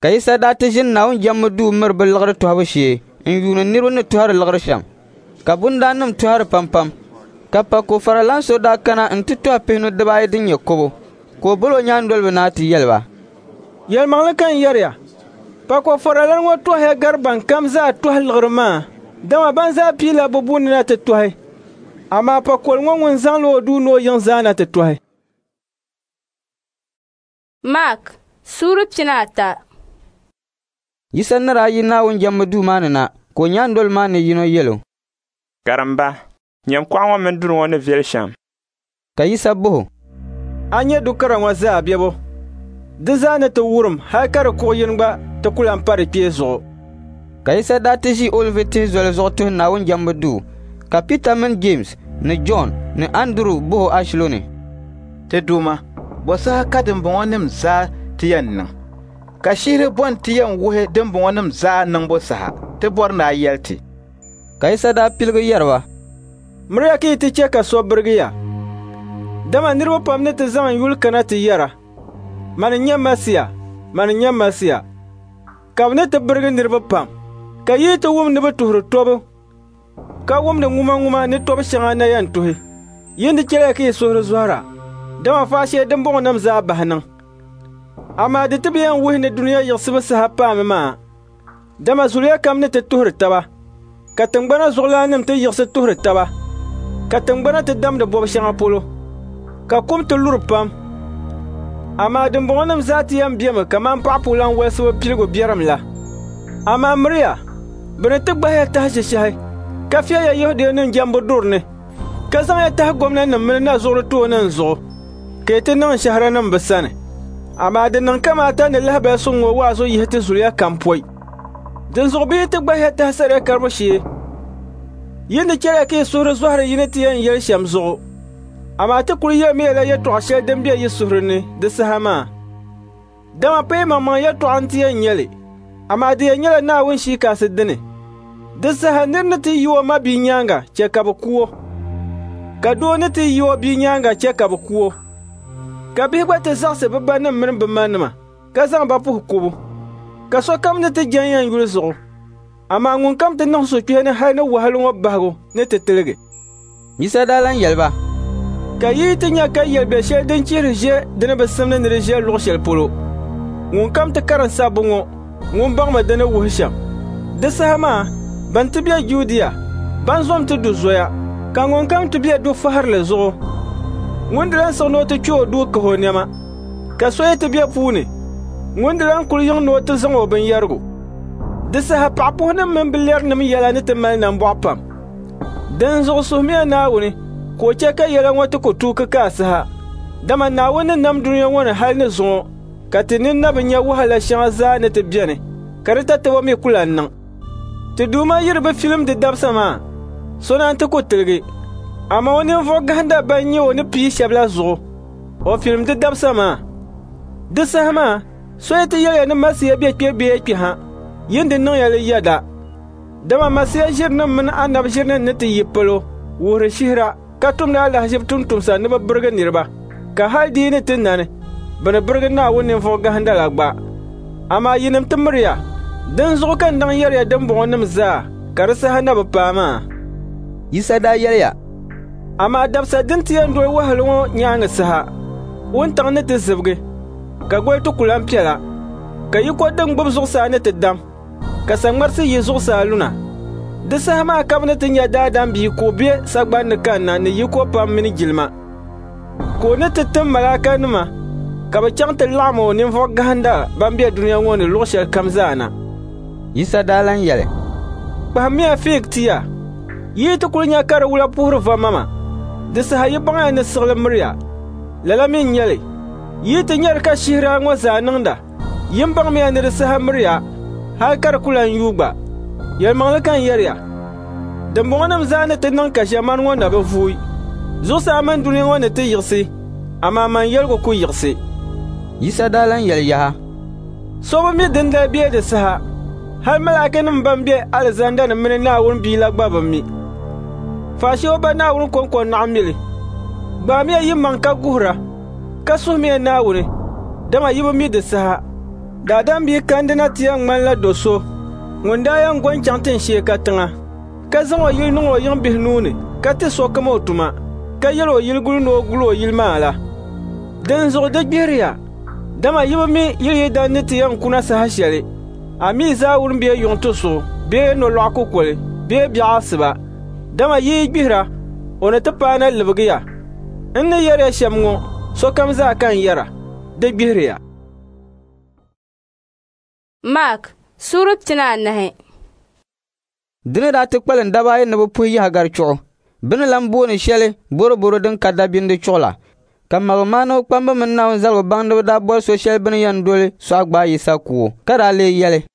Ka Yisa daa ti ʒini Naawuni jɛmbu duu miri bɛ liɣiri tɔhibu shee n-yuuni niriba ni tɔhiri liɣiri shɛm. Ka bundaannim tɔhiri pampam. Ka pako faralan so daa kana nti tɔhi pihinu dibaayi din nyɛ kɔbo, ka o bol o nyaandoliba na ti yɛli ba, Yɛlimaŋli ka n yɛri ya, pako faralan ŋɔ tɔhiya gari bɛnkam zaa tɔhi liɣiri maa, dama ban zaa piila bɛ buni na ti tɔhi, amaa pakoli ŋɔ ŋun zaŋla o duu ni o yiŋ zaa na ti tɔhi. Mark suura 13. Yisa ni daa yi Naawuni jɛmbu duu maa ni na, ka o nyaandoliba maa ni yino yɛl o, Karimba, nyam kuɣa ŋɔ mini duri ŋɔ ni viɛli shɛm. Ka Yisa bɔh o, A nya du kara ŋɔ zaa bɛbo? Di zaa ni ti wurim hal ka di kuɣ yini gba ti ku lan pa di kpee zuɣu. Ka Yisa daa ti ʒi Olivi tihi zoli zuɣu tuhi Naawuni jɛmbu duu, ka Pita mini Jeemsi ni Jɔn ni Anduru bɔh o ashilo ni, Ti Duuma, bɔ saha ka dimbɔŋɔnim zaa ti yɛn niŋ? Ka shihiri bɔ nti yɛn wuhi dimbɔŋɔnim zaa niŋbu saha? Ti bɔri ni a yɛli ti. Ka Yisa daa piligi yɛri ba, Miriya ka yi ti chɛ ka so birigi ya, dama niriba pam ni ti zaŋ n yuli kana ti yɛra, Mani n-nyɛ Masia, mani n-nyɛ Masia, ka bɛ ni ti birigi niriba pam. Ka yi ti wum ni bɛ tuhiri tɔbu, ka wumdi ŋumaŋuma ni tɔbu shɛŋa na yɛn tuhi, yin di chɛliya ka yi suhuri zɔhira, dama faashee dimbɔŋɔnim zaa bahi niŋ. Amaa di ti bi yɛn wuhi ni dunia yiɣisibu saha paami maa, dama zuliya kam ni ti tuhiri taba, ka tiŋgbana zuɣulaannim ti yiɣisi tuhiri taba, ka tiŋgbana ti damdi bɔb shɛŋa polo, ka kum ti luri pam. Amaa dimbɔŋɔnim zaa ti yɛn bemi kaman paɣipuulan wolisibu piligu biɛrim la. Amaa miriya, bɛ ni ti gbahi ya tahi shishahi, ka fiɛya Yɛhudianim jɛmbu duri ni, ka zaŋ ya tahi gomnanim mini nazuɣuri tooni n zuɣu, ka yi ti niŋ shɛhiranim bɛ sani. Amaa di niŋ kamaata ni lahibali suŋ ŋɔ waazu yihi ti zuliya kam pɔi. Dinzuɣu bɛ yi ti gbahi ya tahi saria karibu shee, yi ni chɛliya ka yi suhuri zɔhiri yi ni ti yɛn yɛli shɛm zuɣu. Amaa ti kul yɛlimiyala yɛtɔɣ shɛli din be yi suhuri ni di saha maa. Dama pa yimaŋmaŋ yɛtɔɣa nti yɛn nyɛ li, amaa di yɛn nyɛla Naawuni Shia Kasi dini. Di saha nir ni ti yi o mabia nyaaŋa chɛ ka bɛ ku o, ka doo ni ti yi o bia nyaaŋa chɛ ka bɛ ku o, ka bihi gba ti zaɣisi bɛ banim mini bɛ manima ka zaŋ ba puhi kubu. Ka sokam ni ti jɛn ya n yuli zuɣu, amaa ŋunkam ti niŋ suhukpeeni hal ni wahala ŋɔ bahigu ni ti tiligi. Yisa daa lan yɛli ba, Ka yi yi ti nya ka yɛl biɛ shɛli din chihiri ʒe di ni bi simdi ni di ʒe luɣ shɛli polo, ŋunkam ti karim sabbu ŋɔ, ŋun baŋmi di ni wuhi shɛm. Di saha maa, bɛn ti be Judia, bɛn zom ti du zoya, ka ŋunkam ti be dufahirili zuɣu, ŋun di lan siɣi ni o ti kpe o duu kahi o nɛma. Ka so yi ti be puu ni, ŋun di lan kuli yiŋ ni o ti zaŋ o binyɛrigu. Di saha paɣipuhinim mini bilɛrinim yɛla ni ti mali nambɔɣu pam. Dinzuɣu suhimiya Naawuni ka o chɛ ka yɛla ŋɔ ti ku tuuki ka a saha. Dama Naawuni ni nam dunia ŋɔ ni hal ni zuŋɔ ka ti nini na bi nya wahala shɛŋa zaa ni ti beni, ka di tatabo mi ku lan niŋ. Ti Duuma yi di bi filim di dabisa maa, so naan ti ku tiligi. Amaa o ninvuɣ gahinda bɛn nyɛ o ni pii shɛb la zuɣu, o filim di dabisa maa. Di saha maa, so yi ti yɛli ya ni Masia be kpe bee kpe ha, yin di niŋya li yɛda. Dama Masia ʒirinim mini anabi ʒirinim ni ti yi palo wuhiri shihira ka tumdi alahiziba tumtumsa ni bɛ birigi niriba, ka hal di yi ni ti nani, bɛ ni birigi Naawuni ninvuɣ gahinda la gba. Amaa yinim ti miriya, dinzuɣu ka n daŋ yɛri ya dimbɔŋɔnim zaa ka di saha na bi paai maa. Yisa daa yɛliya, Amaa dabisa din ti yɛn doli wahala ŋɔ nyaaŋa saha, wuntaŋ ni ti zibigi, ka goli ti ku lan piɛla, ka yiko din gbibi zuɣusaa ni ti dam, ka saŋmarisi yi zuɣusaa luna. Di saha maa ka bɛ ni ti nya Daadam Bia ka o be sagban ni kanna ni yiko pam mini jilima. Ka o ni ti tim malaikanima ka bɛ chaŋ ti laɣim o ninvuɣ gahinda bɛn be dunia ŋɔ ni luɣ shɛlikam zaa na. Yisa daa lan yɛli, Kpahimmiya fiig tia. Yi yi ti kul nya ka di wula puhiri va mama, di saha yi baŋya ni siɣili miriya. Lala mi n-nyɛ li, yi yi ti nyari ka shihira ŋɔ zaa niŋda, yin baŋmiya ni di saha miriya, hal ka di ku lan yuui gba. Yɛlimaŋli ka n yɛri ya, dimbɔŋɔnim zaa ni ti niŋ ka ʒiɛmani ŋɔ na bi vuui. Zuɣusaa mini dunia ŋɔ ni ti yiɣisi, amaa man yɛligu ku yiɣisi. Yisa daa lan yɛli yaha, So bi mi dindali bee di saha, hal malaikanim bɛn be alizanda ni mini Naawuni Bia la gba bi mi. Faashee o Ba Naawuni kɔŋko n-naɣ mi li. Gbaamiya yimaŋ ka guhira, ka suhimiya Naawuni, dama yi bi mi di saha. Daadam Bia kandina ti yɛn ŋmanila do so ŋun daa yɛn go n-chaŋ tinshee katiŋa, ka zaŋ o yili niŋ o yiŋbihi nuu ni ka ti sokam o tuma, ka yɛl o yiliguli ni o gul o yili maa la. Dinzuɣu di gbihiriya, dama yi bi mi yili yidana ni ti yɛn kuna saha shɛli, a mi zaawuni bee yuŋ tusuɣu bee nolɔɣu kukoli bee biɛɣu asiba. Dama yi yi gbihira, o ni ti paana libigi ya. N ni yɛri ya shɛm ŋɔ, sokam zaa ka n yɛra: di gbihiriya. Mark suura 14. Di ni daa ti kpalim daba ayi ni bɛ puhi Yaɣigari chuɣu, bɛ ni lan booni shɛli Bɔrɔbɔro din ka dabindi chuɣu la, ka maligumaaniba kpamba mini Naawuni zaligu baŋdiba daa bɔri so shɛli bɛ ni yɛn doli sɔɣi gbaai Yisa ku o, ka daa lee yɛli,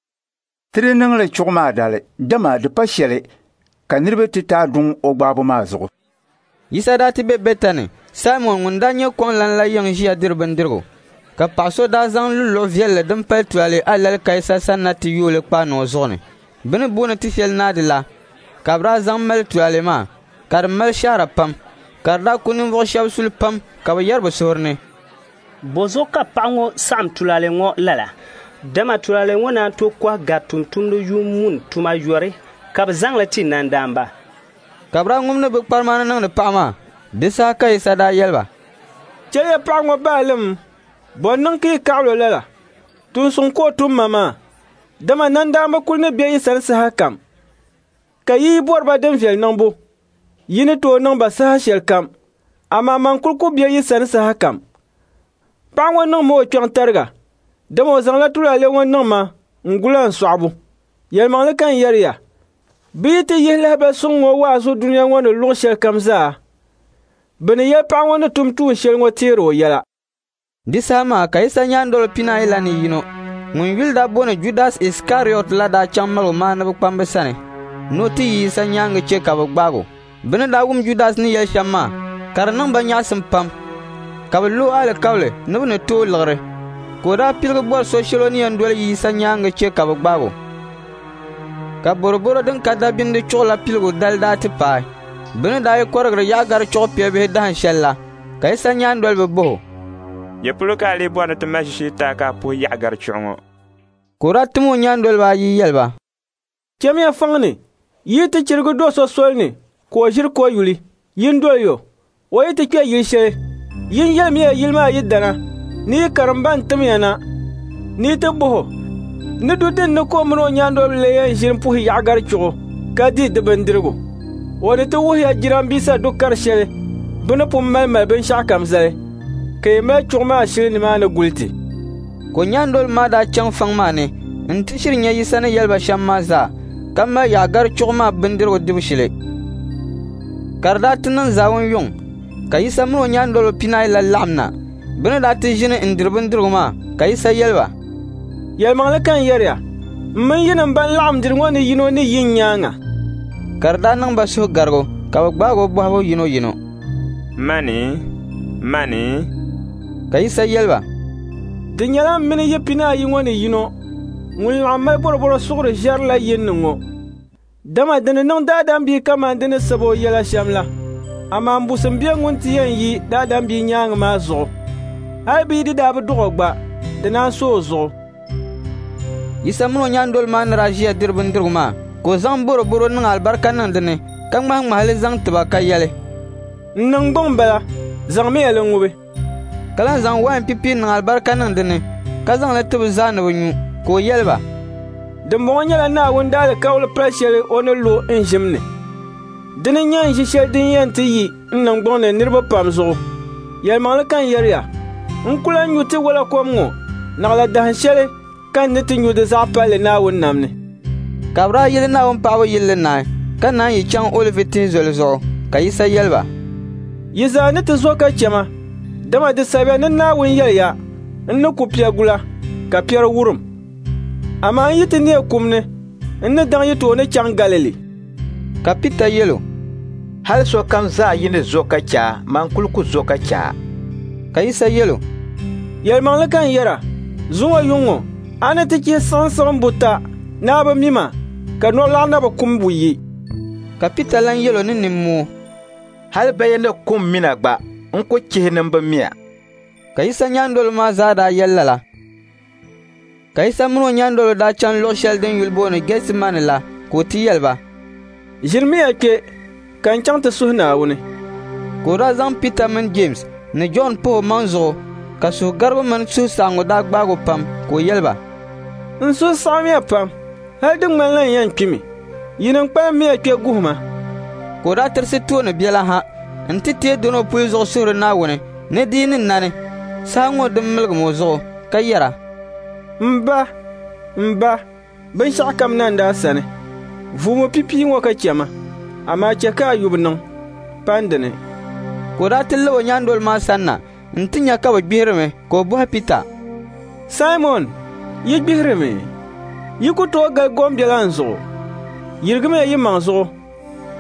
Ti di niŋ li chuɣu maa dali, dama di pa shɛli ka niriba ti taai duŋ o gbaabu maa zuɣu. Yisa daa ti be Bɛtani, Saimɔn ŋun daa nyɛ kɔŋlan la yiŋ ʒiya diri bindirigu. Ka paɣ so daa zaŋ luluɣu viɛlli din pali tulaale alali ka Yisa sanna ti yooi li kpaai niŋ o zuɣu ni. Bɛ ni booni ti shɛli naadi la, ka bɛ daa zaŋ mali tulaale maa, ka di mali shɛhira pam, ka di daa ku ninvuɣ shɛb suli pam ka bɛ yɛri bɛ suhuri ni, Bɔzuɣu ka paɣ ŋɔ saɣim tulaale ŋɔ lala? Dama tulaale ŋɔ naan tooi kɔhi gari tumtumdi yuun muni tuma yɔri ka bɛ zaŋ li ti nandaamba. Ka bɛ daa ŋumdi bɛ kparima ni niŋdi paɣ maa. Di saha ka Yisa daa yɛli ba, Chɛliya paɣ ŋɔ baalim, bɔ n-niŋ ka yi kaɣil o lala? Tuun suŋ ka o tum ma maa, dama nandaamba kul ni be yi sani sahakam, ka yi yi bɔri ba din viɛl niŋbu, yi ni tooi niŋ ba saha shɛlikam, amaa man kul ku be yi sani sahakam. Paɣ ŋɔ niŋmi o kpiɔŋ tariga, dama o zaŋla tulaale ŋɔ niŋ ma n-gula n sɔɣibu. Yɛlimaŋli ka n yɛri ya, bɛ yi ti yihi lahibal suŋ ŋɔ waazu dunia ŋɔ ni luɣ shɛlikam zaa, bɛ ni yɛli paɣ ŋɔ ni tum tuun shɛli ŋɔ teer o yɛla. Di saha maa ka Yisa nyaandoliba pinaayi la ni yino ŋun yuli daa booni Judas Iskariɔt la daa chaŋ maligumaaniba kpamba sani ni o ti yi Yisa nyaaŋa chɛ ka bɛ gbaag o. Bɛ ni daa wum Judas ni yɛli shɛm maa, ka di niŋ ba nyaɣisim pam, ka bɛ lo o alikauli ni bɛ ni ti o liɣiri. Ka o daa piligi bɔri so shɛli o ni yɛn doli yi Yisa nyaaŋa chɛ ka bɛ gbaag o. Ka bɔrɔbɔro din ka dabindi chuɣu la piligu dali daa ti paai. Bɛ ni daa yi kɔrigiri Yaɣigari chuɣu piɛbihi dahin shɛl la, ka Yisa nyaandoliba bɔh o, Ya polo ka a lee bɔri ni ti mali ʒishee ti a ka a puhi Yaɣigari chuɣu ŋɔ? Ka o daa tim o nyaandoliba ayi yɛli ba, Chamiya fɔŋ ni, yi yi ti chirigi do so soli ni ka o ʒiri koyuli, yin doli o. O yi ti kpe yili shɛli, yin yɛlimiya yili maa yidana ni yi karimba n-tim ya na ni yi ti bɔh o ni du din ni ka o min o nyaandoliba lee yɛn ʒini puhi Yaɣigari Chuɣu ka di di bindirigu. O ni ti wuhi ya jirambisa du kar shɛli bɛ ni pun malimali binshɛɣukam zali, ka yi mali chuɣu maa shili nimaani guli ti. Ka o nyaandoliba maa daa chaŋ fɔŋ maa ni nti shiri nya Yisa ni yɛli ba shɛm maa zaa, ka mali Yaɣigari Chuɣu maa bindirigu dibu shili. Ka di daa ti niŋ zaawun yuŋ, ka Yisa min o nyaandoliba 14 la laɣim na. Bɛ ni daa ti ʒini n-diri bindirigu maa, ka Yisa yɛli ba, Yɛlimaŋli ka n yɛri ya, m mini yinim ban laɣim diri ŋɔ ni yino ni yi n nyaaŋa. Ka di daa niŋ ba suhugarigu, ka bɛ gbaag o bɔhibu yinoyino, Mani? Mani? Ka Yisa yɛli ba, Di nyɛla m mini yi 14 ŋɔ ni yino ŋun laɣim mali bɔrɔbɔro suɣiri ʒɛrila yin ni ŋɔ. Dama di ni niŋ Daadam Bia kaman di ni sab o yɛla shɛm la, amaa mbusim be ŋun ti yɛn yi Daadam Bia nyaaŋa maa zuɣu. Hal bɛ yi di daa bi dɔɣ o gba, di naan so o zuɣu. Yisa min o nyaandoliba maa ni daa ʒiya diri bindirigu maa, ka o zaŋ bɔrɔbɔro niŋ alibarika niŋ di ni, ka ŋmahiŋmahi li zaŋ ti ba ka yɛli, N niŋgbuŋ m-bala, zaŋmiya li ŋubi. Ka lan zaŋ wain pipi niŋ alibarika niŋ di ni, ka zaŋ li ti bɛ zaa ni bɛ nyu, ka o yɛli ba, Dimbɔŋɔ nyɛla Naawuni daalikauli pal shɛli o ni lo n ʒim ni. Dini n-nyɛ n ʒi shɛli din yɛn ti yi n niŋgbuŋ ni niriba pam zuɣu. Yɛlimaŋli ka n yɛri ya, n ku lan nyu tiwala kom ŋɔ naɣila dahin shɛli ka n ni ti nyu di zaɣ palli Naawuni nam ni. Ka bɛ daa yili Naawuni paɣibu yilli naai, ka naan yi chaŋ Olivi tihi zoli zuɣu, ka Yisa yɛli ba, Yi zaa ni ti zo ka chɛ ma, dama di sabiya ni Naawuni yɛliya, N ni ku piɛgula, ka piɛri wurim. Amaa n yi ti neei kum ni, n ni daŋ yi tooni chaŋ Galili. Ka Pita yɛl o, Hal sokam zaa yi ni zo ka chɛ a, man kul ku zo ka chɛ a. Ka Yisa yɛl o, Yɛlimaŋli ka n yɛra, zuŋɔ yuŋ ŋɔ, a ni ti chihi siɣimsiɣim buta ni a bi mi ma, ka nɔlɔɣu na bi kum buyi. Ka Pita lan yɛl o ni nimmoo, Hal bɛ yi ni kum mi na gba, n ku chihi ni m bi mi a. Ka Yisa nyaandoliba maa zaa daa yɛli lala. Ka Yisa min o nyaandoliba daa chaŋ luɣ shɛli din yuli booni Gɛtimani la, ka o ti yɛli ba, Ʒinimiya kpe ka n chaŋ ti suhi Naawuni. Ka o daa zaŋ Pita mini Jeemsi ni Jɔn pah o maŋ zuɣu, ka suhugarigu mini suhusaɣiŋgu daa gbaag o pam, ka o yɛli ba, N suhu saɣimya pam, hal di ŋmanila n yɛn kpimi. Yinim kpalimmiya kpe guhi ma. Ka o daa tirisi tooni biɛla ha nti teei dɔni o puli zuɣu suhiri Naawuni ni di yi ni nani saha ŋɔ din miligim o zuɣu, ka yɛra, M Ba, m Ba, binshɛɣukam nandi a sani. Vuumi pipia ŋɔ ka chɛ ma, amaa chɛ ka a yubu niŋ, pa n dini. Ka o daa ti lab o nyaandoliba maa sanna nti nya ka bɛ gbihirimi, ka o bɔhi Pita, Saimɔn, yi gbihirimi? Yi ku tooi gali gombiɛla n zuɣu? Yirigimiya yi maŋ zuɣu,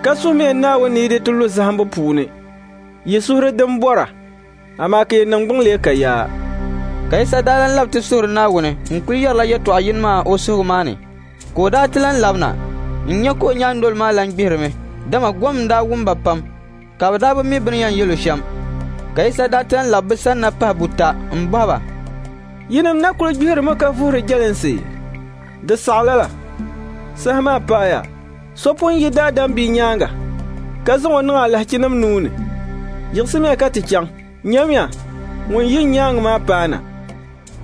ka suhimiya Naawuni ni yi di ti lu zahimbu puuni. Yi suhuri din bɔra, amaa ka yi niŋgbuŋ lee ka yaa. Ka Yisa daa lan lab ti suhiri Naawuni n-kul yɛrila yɛtɔɣ yini maa o suhigu maa ni. Ka o daa ti lan labina n-nya ka o nyaandoliba maa lan gbihirimi, dama gom n-daa wum ba pam, ka bɛ daa bi mi bɛ ni yɛn yɛl o shɛm. Ka Yisa daa ti lan lab bɛ sanna pahi buta m-bɔhi ba, Yinim na kul gbihirimi ka vuhiri jɛlinsi? Di saɣi lala. Saha maa paaya, so pun yi Daadam Bia nyaaŋa, ka zaŋ o niŋ alahichinim nuu ni. Yiɣisimiya ka ti chaŋ. Nyamiya, ŋun yi n nyaaŋa maa paana.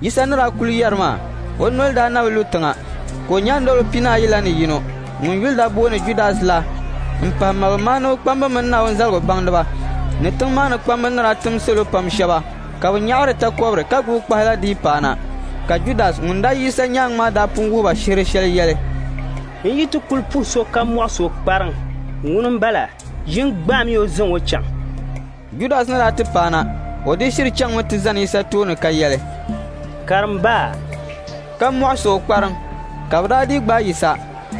Yisa ni daa kul yɛri maa, o noli daa na bi lu tiŋa, ka o nyaandoliba 14 la ni yino, ŋun yuli daa booni Judas la, m-pahi maligumaaniba kpamba mini Naawuni zaligu baŋdiba ni tiŋ maa ni kpamba ni daa tim salo pam shɛba ka bɛ nyaɣiri takɔbiri ka gbubi kpahi la dii paana. Ka Judas ŋun daa yi Yisa nyaaŋa maa daa pun wuhi ba shihir shɛli yɛli, N yi ti kul puhi so ka mɔɣis o kpariŋ, ŋuni m-bala, yin gbaamiya o zaŋ o chaŋ. Judas ni daa ti paana, o dii shiri chaŋmi ti zani Yisa tooni ka yɛli, Karimba! Ka mɔɣis o kpariŋ. Ka bɛ daa dii gbaai Yisa,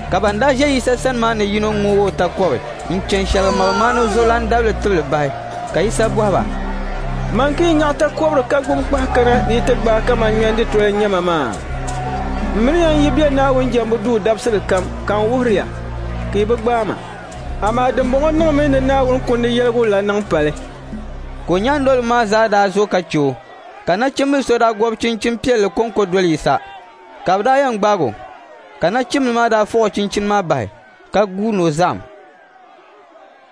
ka ban daa ʒe Yisa sani maa ni yino ŋoog o takɔbi n-chɛ n-shɛligi maligumaaniba zuɣulan dabili tibili bahi. Ka Yisa bɔhi ba, Man ka yi nyaɣi takɔbiri ka gbubi kpahi kana ni yi ti gbaai kaman ŋmɛnditoya n-nyɛ ma maa? M mini ya n-yi be Naawuni jɛmbu duu dabisili kam ka n wuhiri ya, ka yi bi gbaai ma. Amaa dimbɔŋɔ niŋmi ni Naawuni Kundi yɛligu la niŋ pali. Ka o nyaandoliba maa zaa daa zo ka chɛ o, ka nachimbil so daa gɔbi chinchin piɛlli kɔŋko doli Yisa. Ka bɛ daa yɛn gbaag o, ka nachimbil maa daa fuɣ o chinchini maa bahi, ka guui ni o zahim.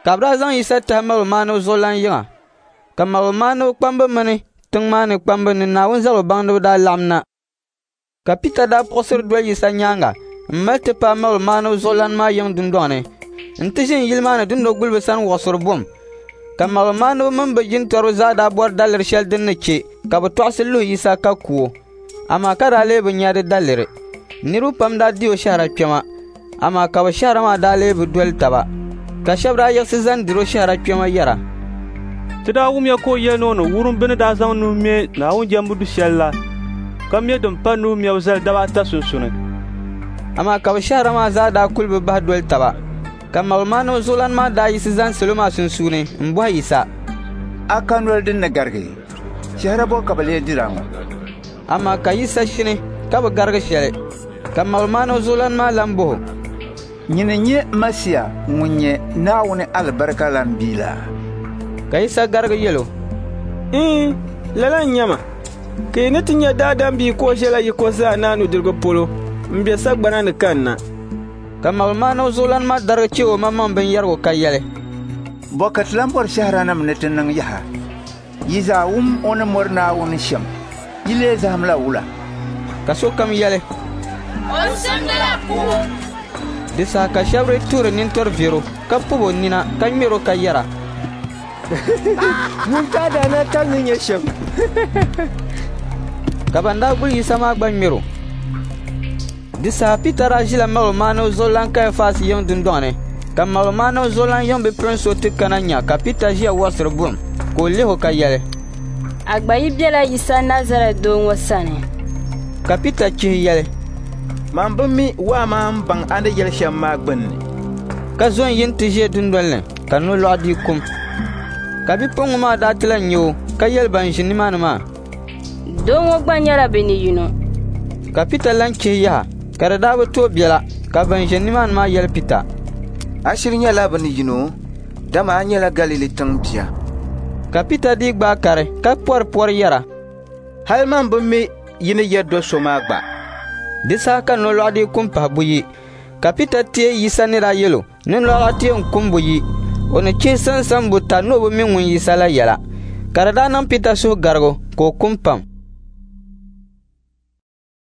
Ka bɛ daa zaŋ Yisa tahi maligumaaniba zuɣulan yiŋa, ka maligumaaniba kpamba mini tiŋ maa ni kpamba ni Naawuni zaligu baŋdiba daa laɣim na. Ka Pita daa puɣisiri doli Yisa nyaaŋa m-mali ti paai maligumaaniba zuɣulan maa yiŋ dundɔŋ ni nti ʒini yili maa ni dundoguliba sani wuɣisiri buɣim. Ka maligumaaniba mini bɛ jintɔriba zaa daa bɔri daliri shɛli din ni chɛ ka bɛ tɔɣisi luhi Yisa ka ku o, amaa ka daa lee bi nya di daliri. Niriba pam daa di o shɛhira kpɛma, amaa ka bɛ shɛhira maa daa lee bi doli taba. Ka shɛba daa yiɣisi zani dir o shɛhira kpɛma yɛra, Ti daa wumya ka o yɛli ni o ni wurim bɛ ni daa zaŋ nuhi me Naawuni jɛmbu du shɛl la, ka me din pa nuhi mɛbu zali daba ata sunsuuni. Amaa ka bɛ shɛhira maa zaa daa kul bi bahi doli taba. Ka maligumaaniba zuɣulan maa daa yiɣisi zani salo maa sunsuuni m-bɔhi Yisa, A ka noli din ni garigi? Shɛhira bɔ ka bɛ lee dir a ŋɔ? Amaa ka Yisa shini ka bi garigi shɛli. Ka maligumaaniba zuɣulan maa lan bɔh o, Nyini n-nyɛ Masia ŋun nyɛ Naawuni alibarikalan bia la? Ka Yisa garigi yɛl o, Iin, lala n-nyɛ ma, ka yi ni ti nya Daadam Bia ka o ʒiɛla yiko zaa naa nudirigu polo m-be sagbana ni kanna. Ka maligumaaniba zuɣulan maa darigi chɛ omaŋmaŋ binyɛrigu ka yɛli, Bɔ ka ti lan bɔri shɛhiranim ni ti niŋ yaha? Yi zaa wum o ni mɔri Naawuni shɛm. Yi lee zahimla wula? Ka sokam yɛli, O simdila kubu. Di saha ka shɛba dii tuhiri nintɔri viɛr o, ka pɔb o nina ka ŋmɛr o ka yɛra, Ŋun ka daanabitali ni nyɛ shɛm. Ka ban daa guli Yisa maa gba ŋmɛr o. Di saha Pita daa ʒila maligumaaniba zuɣulan Kaiafas yiŋ dundɔŋ ni, ka maligumaaniba zuɣulan yiŋ bipuɣin so ti kana nya ka Pita ʒiya wɔɣisiri buɣim, ka o lih o ka yɛli, A gba yi bela Yisa Nazarɛt doo ŋɔ sani. Ka Pita chihi yɛli, Man bi mi waa maa m-baŋ a ni yɛli shɛm maa gbinni. Ka zo n-yi nti ʒe dundol ni, ka nolɔɣu dii kum. Ka bipuɣiŋga maa daa ti lan nya o ka yɛli ban ʒi nimaani maa, Doo ŋɔ gba nyɛla bɛ ni yino. Ka Pita lan chihi yaha, ka di daa bi tooi biɛla, ka ban ʒe nimaani maa yɛli Pita, A shiri nyɛla bɛ ni yino, dama a nyɛla Galili tiŋ bia. Ka Pita dii gbaai kari ka pɔri pɔri yɛra, Hal man bi mi yi ni yɛri do so maa gba. Di saha ka nolɔɣu dii kum pahi buyi, ka Pita teei Yisa ni daa yɛl o ni nolɔɣu ti yɛn kum buyi, o ni chihi sansam buta ni o bi mi ŋun Yisa la yɛla. Ka di daa niŋ Pita suhugarigu ka o kum pam.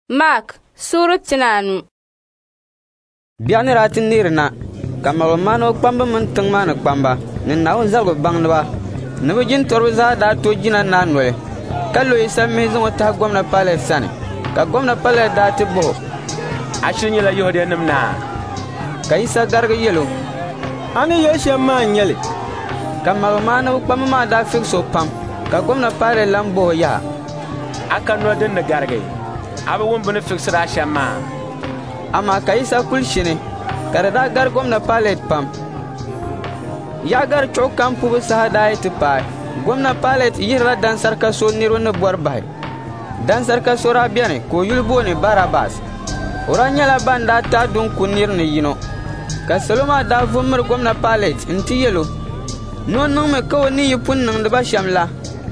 Mark suura 15. Biɛɣu ni daa ti neerina, ka maligumaaniba kpamba mini tiŋ maa ni kpamba ni Naawuni zaligu baŋdiba ni bɛ jintɔriba zaa daa to jina naa noli, ka lo Yisa mihi zaŋ o tahi Gomna Pailɛt sani. Ka Gomna Pailɛt daa ti bɔh o, A shiri nyɛla Yɛhudianim naa? Ka Yisa garigi yɛl o, A ni yɛli shɛm maa n-nyɛ li. Ka maligumaaniba kpamba maa daa fiɣis o pam, ka Gomna Pailɛt lan bɔh o yaha, A ka noli din ni garigi? A bi wum bɛ ni fiɣisir a shɛm maa? Amaa ka Yisa kul shini, ka di daa gari Gomna Pailɛt pam. Yaɣigari chuɣu kam pubu saha daa yi ti paai, Gomna Pailɛt yihirila dansarika so niriba ni bɔri bahi. Dansarika so daa beni ka o yuli booni Barabas. O daa nyɛla ban daa taai duŋ ku nir ni yino. Ka salo maa daa vu m-miri Gomna Pailɛt nti yɛl o ni o niŋmi ka o ni yi pun niŋdi ba shɛm la.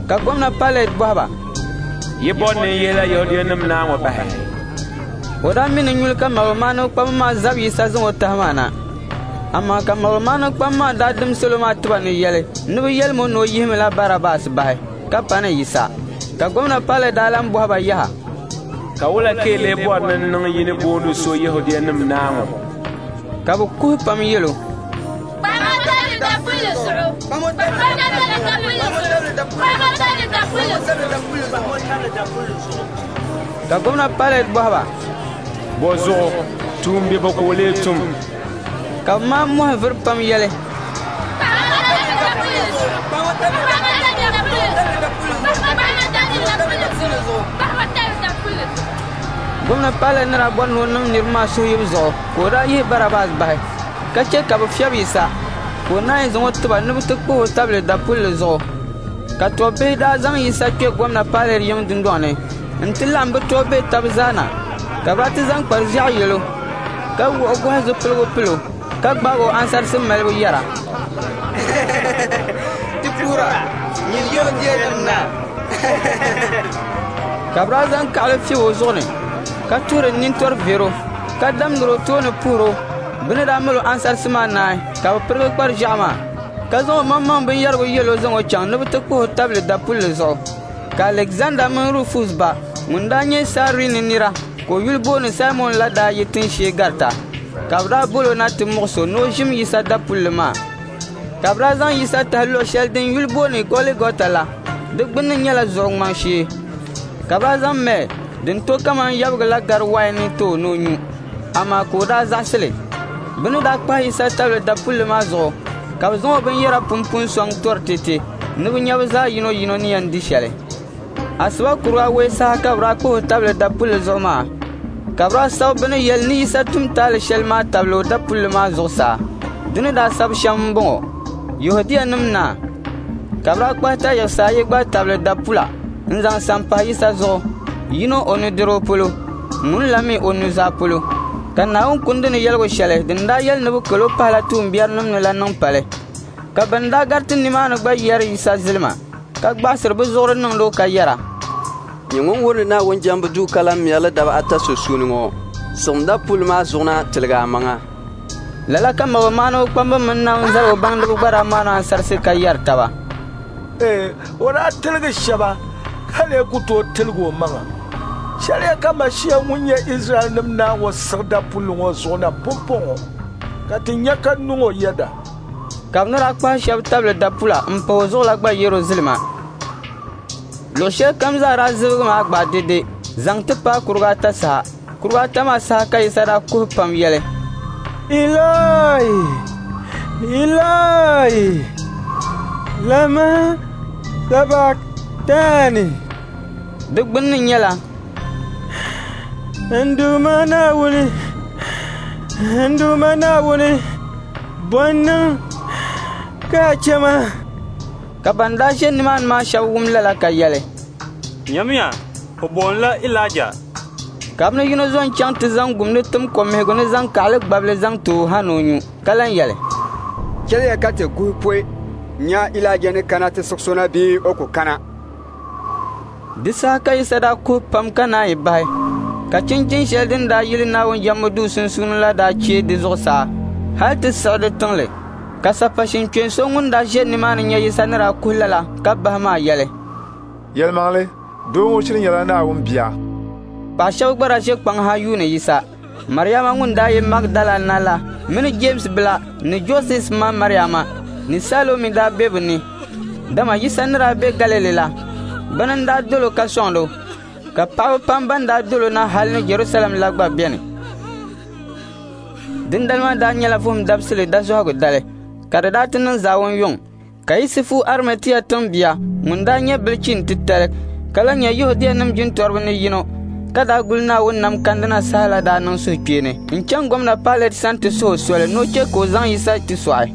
Ka Gomna Pailɛt bɔhi ba, Yi bɔri ni n yihila Yɛhudianim naa ŋɔ bahi? O daa mi ni nyuli ka maligumaaniba kpamba maa zab Yisa zaŋ o tahi maa na. Amaa ka maligumaaniba kpamba maa daa dim salo maa tiba ni yɛli ni bɛ yɛlim o ni o yihimila Barabas bahi, ka pa ni Yisa. Ka Gomna Pailɛt daa lan bɔhi ba yaha, Ka wula ka yi lee bɔri ni n niŋ yi ni booni so Yɛhudianim naa ŋɔ? Ka bɛ kuhi pam yɛl o, Kpahima tabili dapulli zuɣu! Kpahima tabili dapulli zuɣu! Kpahima tabili dapulli zuɣu! Ka Gomna Pailɛt bɔhi ba, Bɔzuɣu tuumbiɛbo ka o lee tum? Ka bɛ maa mɔhi vuri pam yɛli, Kpahima tabili dapulli zuɣu! Kpahima tabili dapulli zuɣu! Kpahima tabili dapulli zuɣu! Kpahima tabili dapulli zuɣu! Gomna Pailɛt ni daa bɔri ni o niŋ niriba maa suhuyibu zuɣu ka o daa yihi Barabas bahi, ka chɛ ka bɛ fiɛbi Yisa, ka o naanyi zaŋ o ti ba ni bɛ ti kpah o tabili dapulli zuɣu. Ka tɔbbihi daa zaŋ Yisa kpe Gomna Pailɛt yiŋ dundɔŋ ni nti laɣim bɛ tɔbbihi tab zaa na, ka bɛ daa ti zaŋ kpar ʒiɛɣu yɛl o, ka wuɣi gɔhi zipiligu pil o, ka gbaag o ansarisi malibu yɛra, Ti puhira, nyin Yɛhudianim naa! Ka bɛ daa zaŋ kaɣili fiɛb o zuɣu ni, ka tuhiri nintɔri ver o, ka damdir o tooni puhir o. Bɛ ni daa mal o ansarisi maa naai, ka bɛ pirigi kpar ʒiɛɣu maa, ka zaŋ o maŋmaŋ binyɛrigu yɛl o zaŋ o chaŋ ni bɛ ti kpah o tabili dapulli zuɣu. Ka Alegzanda mini Rufus ba ŋun daa nyɛ Sairini nira ka o yuli booni Saimɔn la daa yi tinshee garita, ka bɛ daa bol o na ti muɣis o ni o ʒim Yisa dapulli maa. Ka bɛ daa zaŋ Yisa tahi luɣ shɛli din yuli booni Goligɔta la, di gbunni nyɛla Zuɣu ŋmaŋ shee. Ka bɛ daa zaŋ mɛɛ din to kaman yabigi la gari wain ni ti o ni o nyu, amaa ka o daa zaɣisi li. Bɛ ni daa kpahi Yisa tabili dapulli maa zuɣu, ka bɛ zaŋ o binyɛra pumpu n-sɔŋ tɔri tɛte ni bɛ nya bɛ zaa yinoyino ni yɛn di shɛli. Asiba kurig awɛi saha ka bɛ daa kpah o tabili dapulli zuɣu maa, ka bɛ daa sabi bɛ ni yɛli ni Yisa tum taali shɛli maa tabili o dapulli maa zuɣusaa. Di ni daa sabi shɛm m-bɔŋɔ: Yɛhudianim naa. Ka bɛ daa kpahi tayiɣisi ayi gba tabili dapula n-zaŋ sam pahi Yisa zuɣu, yino o nudirigu polo, ŋun la mi o nuzaa polo. Ka Naawuni Kundi ni yɛligu shɛli din daa yɛli ni bɛ kal o pahila tuumbiɛrinim ni la niŋ pali. Ka bɛn daa gariti nimaani gba yɛri Yisa zilima, ka gbaɣisiri bɛ zuɣuri niŋdi o ka yɛra, Nyɛ ŋun wurindi Naawuni jɛmbu duu ka lan mɛri li daba ata sunsuuni ŋɔ, siɣim dapulli maa zuɣu na tiligi amaŋa. Lala ka maligumaaniba kpamba mini Naawuni zaligu baŋdiba gba daa maani ansarisi ka yɛri taba, Ee, o daa tiligi shɛba ka lee ku tooi tiligi omaŋa. Chɛliya ka Mashia ŋun nyɛ Izraɛlnim naa ŋɔ siɣi dapulli ŋɔ zuɣu na pumpɔŋɔ, ka ti nya ka niŋ o yɛda. Ka bɛ ni daa kpahi shɛba tabili dapula m-pah o zuɣu la gba yɛr o zilima. Luɣ shɛlikam zaa daa zibigi maa gbaai dɛde zaŋ ti paai kuruga ata saha. Kuruga ata maa saha ka Yisa daa kuhi pam yɛli, Ilai, Ilai, lama sabaktani. Di gbunni nyɛla, N Duuma Naawuni, n Duuma Naawuni, bɔ n-niŋ ka a chɛ ma? Ka ban daa ʒe nimaani maa shɛba wum lala ka yɛli, Nyamiya, o boonila Ilaija. Ka bɛ ni yino zo n-chaŋ ti zaŋ gumdi tim komihigu ni zaŋ kaɣili gbabili zaŋ ti o ha ni o nyu, ka lan yɛli, Chɛliya ka ti guhi pɔi nya Ilaija ni kana ti siɣis o na bee o ku kana. Di saha ka Yisa daa kuhi pam ka naanyi bahi, ka chinchin shɛli din daa yili Naawuni jɛmbu duu sunsuuni la daa chee di zuɣusaa hal ti siɣi di tiŋli. Ka sapashin kpeen so ŋun daa ʒe nimaani nya Yisa ni daa kuhi lala ka bahi maa yɛli, Yɛlimaŋli, doo ŋɔ shiri nyɛla Naawuni Bia. Paɣ shɛba gba daa ʒe kpaŋ ha yuuni Yisa. Mariama ŋun daa yi Magdala na la mini Jeemsi bila ni Joses ma Mariama ni Salomi daa be bɛ ni. Dama Yisa ni daa be Galili la, bɛna n-daa dol o ka sɔŋd o, ka paɣiba pam bɛn daa dol o na hal ni Jɛrusalɛm la gba beni. Dindali maa daa nyɛla Vuhim Dabisili dazɔhigu dali, ka di daa ti niŋ zaawun yuŋ, ka Yisifu Arimatia tiŋbia ŋun daa nyɛ bilichin titali ka lan nyɛ Yɛhudianim jintɔriba ni yino ka daa guli Naawuni nam kandina saha la daa niŋ suhukpeeni n-chaŋ Gomna Pailɛt sani ti suhi o soli ni o chɛ ka o zaŋ Yisa ti sɔɣi.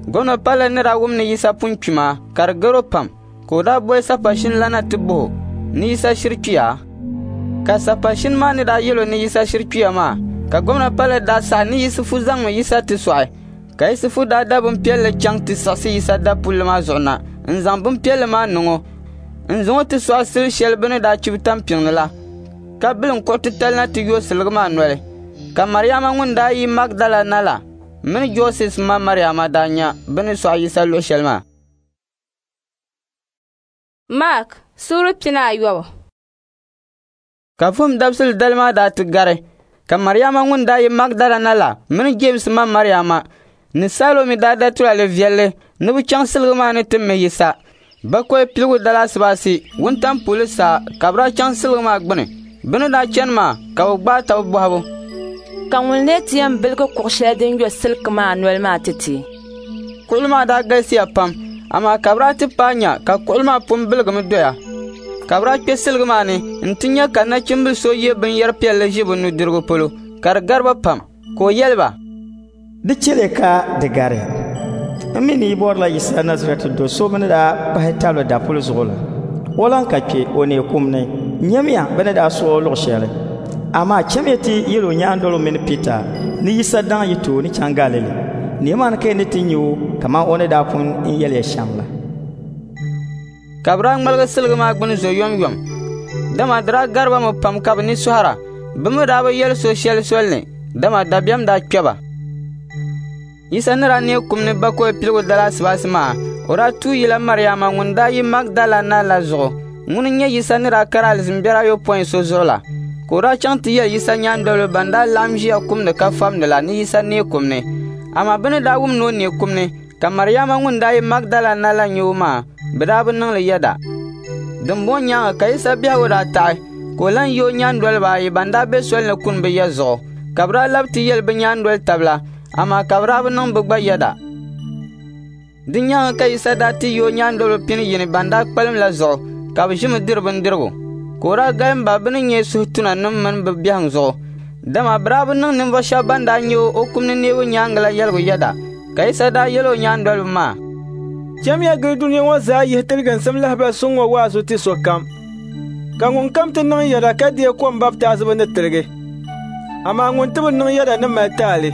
Gomna Pailɛt ni daa wum ni Yisa pun kpi maa, ka di gar o pam, ka o daa boli sapashin la na ti bɔh o ni Yisa shiri kpiya? Ka sapashin maa ni daa yɛl o ni Yisa shiri kpiya maa, ka Gomna Pailɛt daa saɣi ni Yisifu zaŋmi Yisa ti sɔɣi. Ka Yisifu daa da bimpiɛlli chaŋ ti siɣisi Yisa dapulli maa zuɣu na n-zaŋ bimpiɛlli maa niŋ o, n-zaŋ o ti sɔɣi sil shɛli bɛ ni daa chibi tampiŋ ni la, ka bilim kuɣ titali na ti yooi siligi maa noli. Ka Mariama ŋun daa yi Magdala na la mini Joses ma Mariama daa nya bɛ ni sɔɣi Yisa luɣ shɛli maa. Mark suura 18. Ka Vuhim Dabisili dali maa daa ti gari, ka Mariama ŋun daa yi Magdala na la mini Jeemsi ma Mariama ni Salomi daa da tulaale viɛlli ni bɛ chaŋ siligi maa ni ti mihi Yisa. Bakɔi piligu dali asibaasi wuntaŋ puli saa ka bɛ daa chaŋ siligi maa gbini. Bɛ ni daa chani maa ka bɛ gbaai taba bɔhibu, Ka ŋun lee ti yɛn biligi kuɣ shɛli din yo siliki maa noli maa ti ti? Kuɣili maa daa galisiya pam, amaa ka bɛ daa ti paai nya ka kuɣili maa pun biligimi doya. Ka bɛ daa kpe siligi maa ni nti nya ka nachimbil so ye binyɛr piɛlli ʒi bɛ nudirigu polo, ka di gari ba pam. Ka o yɛli ba, Di chɛliya ka di gariya. M mi ni yi bɔrila Yisa Nazarɛti do so bɛ ni daa kpahi tabili dapulli zuɣu la. O lan ka kpe, o neei kum ni. Nyamiya bɛ ni daa sɔɣ o luɣ shɛli. Amaa chamiya ti yɛl o nyaandoliba mini Pita ni Yisa daŋ yi tooni chaŋ Galili. Nimaani ka yi ni ti nya o kaman o ni daa pun n yɛli ya shɛm la. Ka bɛ daa ŋmaligi siligi maa gbini zo yomyom, dama di daa gari ba mi pam ka bɛ ni sɔhira. Bɛ mi daa bi yɛli so shɛli sol ni, dama dabiɛm daa kpe ba. Yisa ni daa neei kum ni bakɔi piligu dali asibaasi maa, o daa tuui yila Mariama ŋun daa yi Magdala na la zuɣu. Ŋuni n-nyɛ Yisa ni daa kari alizin biɛri ayopɔin so zuɣu la. Ka o daa chaŋ ti yɛli Yisa nyaandoliba ban daa laɣim ʒiya kumdi ka famdi la ni Yisa neei kum ni. Amaa bɛ ni daa wum ni o neei kum ni, ka Mariama ŋun daa yi Magdala na la nya o maa, bɛ daa bi niŋ li yɛda. Dimbɔŋɔ nyaaŋa ka Yisa biɛhigu daa taɣi, ka o lan yi o nyaandoliba ayi ban daa be soli ni kuni bɛ ya zuɣu, ka bɛ daa lab ti yɛli bɛ nyaandoli taba la, amaa ka bɛ daa bi niŋ bɛ gba yɛda. Di nyaaŋa ka Yisa daa ti yi o nyaandoliba pini yini ban daa kpalim la zuɣu, ka bɛ ʒimi diri bindirigu. Ka o daa galim ba bɛ ni nyɛ suhutunanim mini bɛ biɛhiŋ zuɣu, dama bɛ daa bi niŋ ninvuɣ shɛba ban daa nya o kum ni neebu nyaaŋa la yɛligu yɛda. Ka Yisa daa yɛl o nyaandoliba maa, Chamiya gili dunia ŋɔ zaa yihi tiliginsim lahibal suŋ ŋɔ waazu ti sokam. Ka ŋunkam ti niŋ yɛda ka deei kom baptaizibu ni tiligi, amaa ŋun ti bi niŋ yɛda ni mali taali.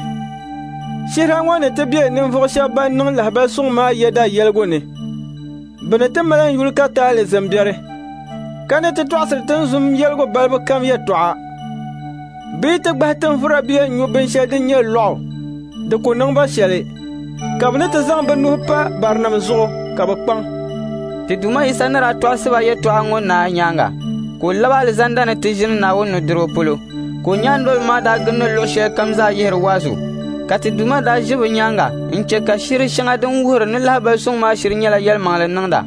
Shihira ŋɔ ni ti be ninvuɣ shɛb ban niŋ lahibal suŋ maa yɛda yɛligu ni. Bɛ ni ti mali n yuli ka taai alizin biɛri, ka ni ti tɔɣisiri tinzun yɛligu balibu kam yɛtɔɣa. Bɛ yi ti gbahi tinvura bee n-nyu binshɛli din nyɛ lɔɣu, di ku niŋ ba shɛli, ka bɛ ni ti zaŋ bɛ nuhi pa barinim zuɣu ka bɛ kpaŋ. Ti Duuma Yisa ni daa tɔɣisi ba yɛtɔɣa ŋɔ naai nyaaŋa, ka o lab alizanda ni ti ʒini Naawuni nudirigu polo, ka o nyaandoliba maa daa gindi luɣ shɛlikam zaa yihiri waazu. Ka ti Duuma daa ʒi bɛ nyaaŋa n-chɛ ka shiri shɛŋa din wuhiri ni lahibal suŋ maa shiri nyɛla yɛlimaŋli niŋda.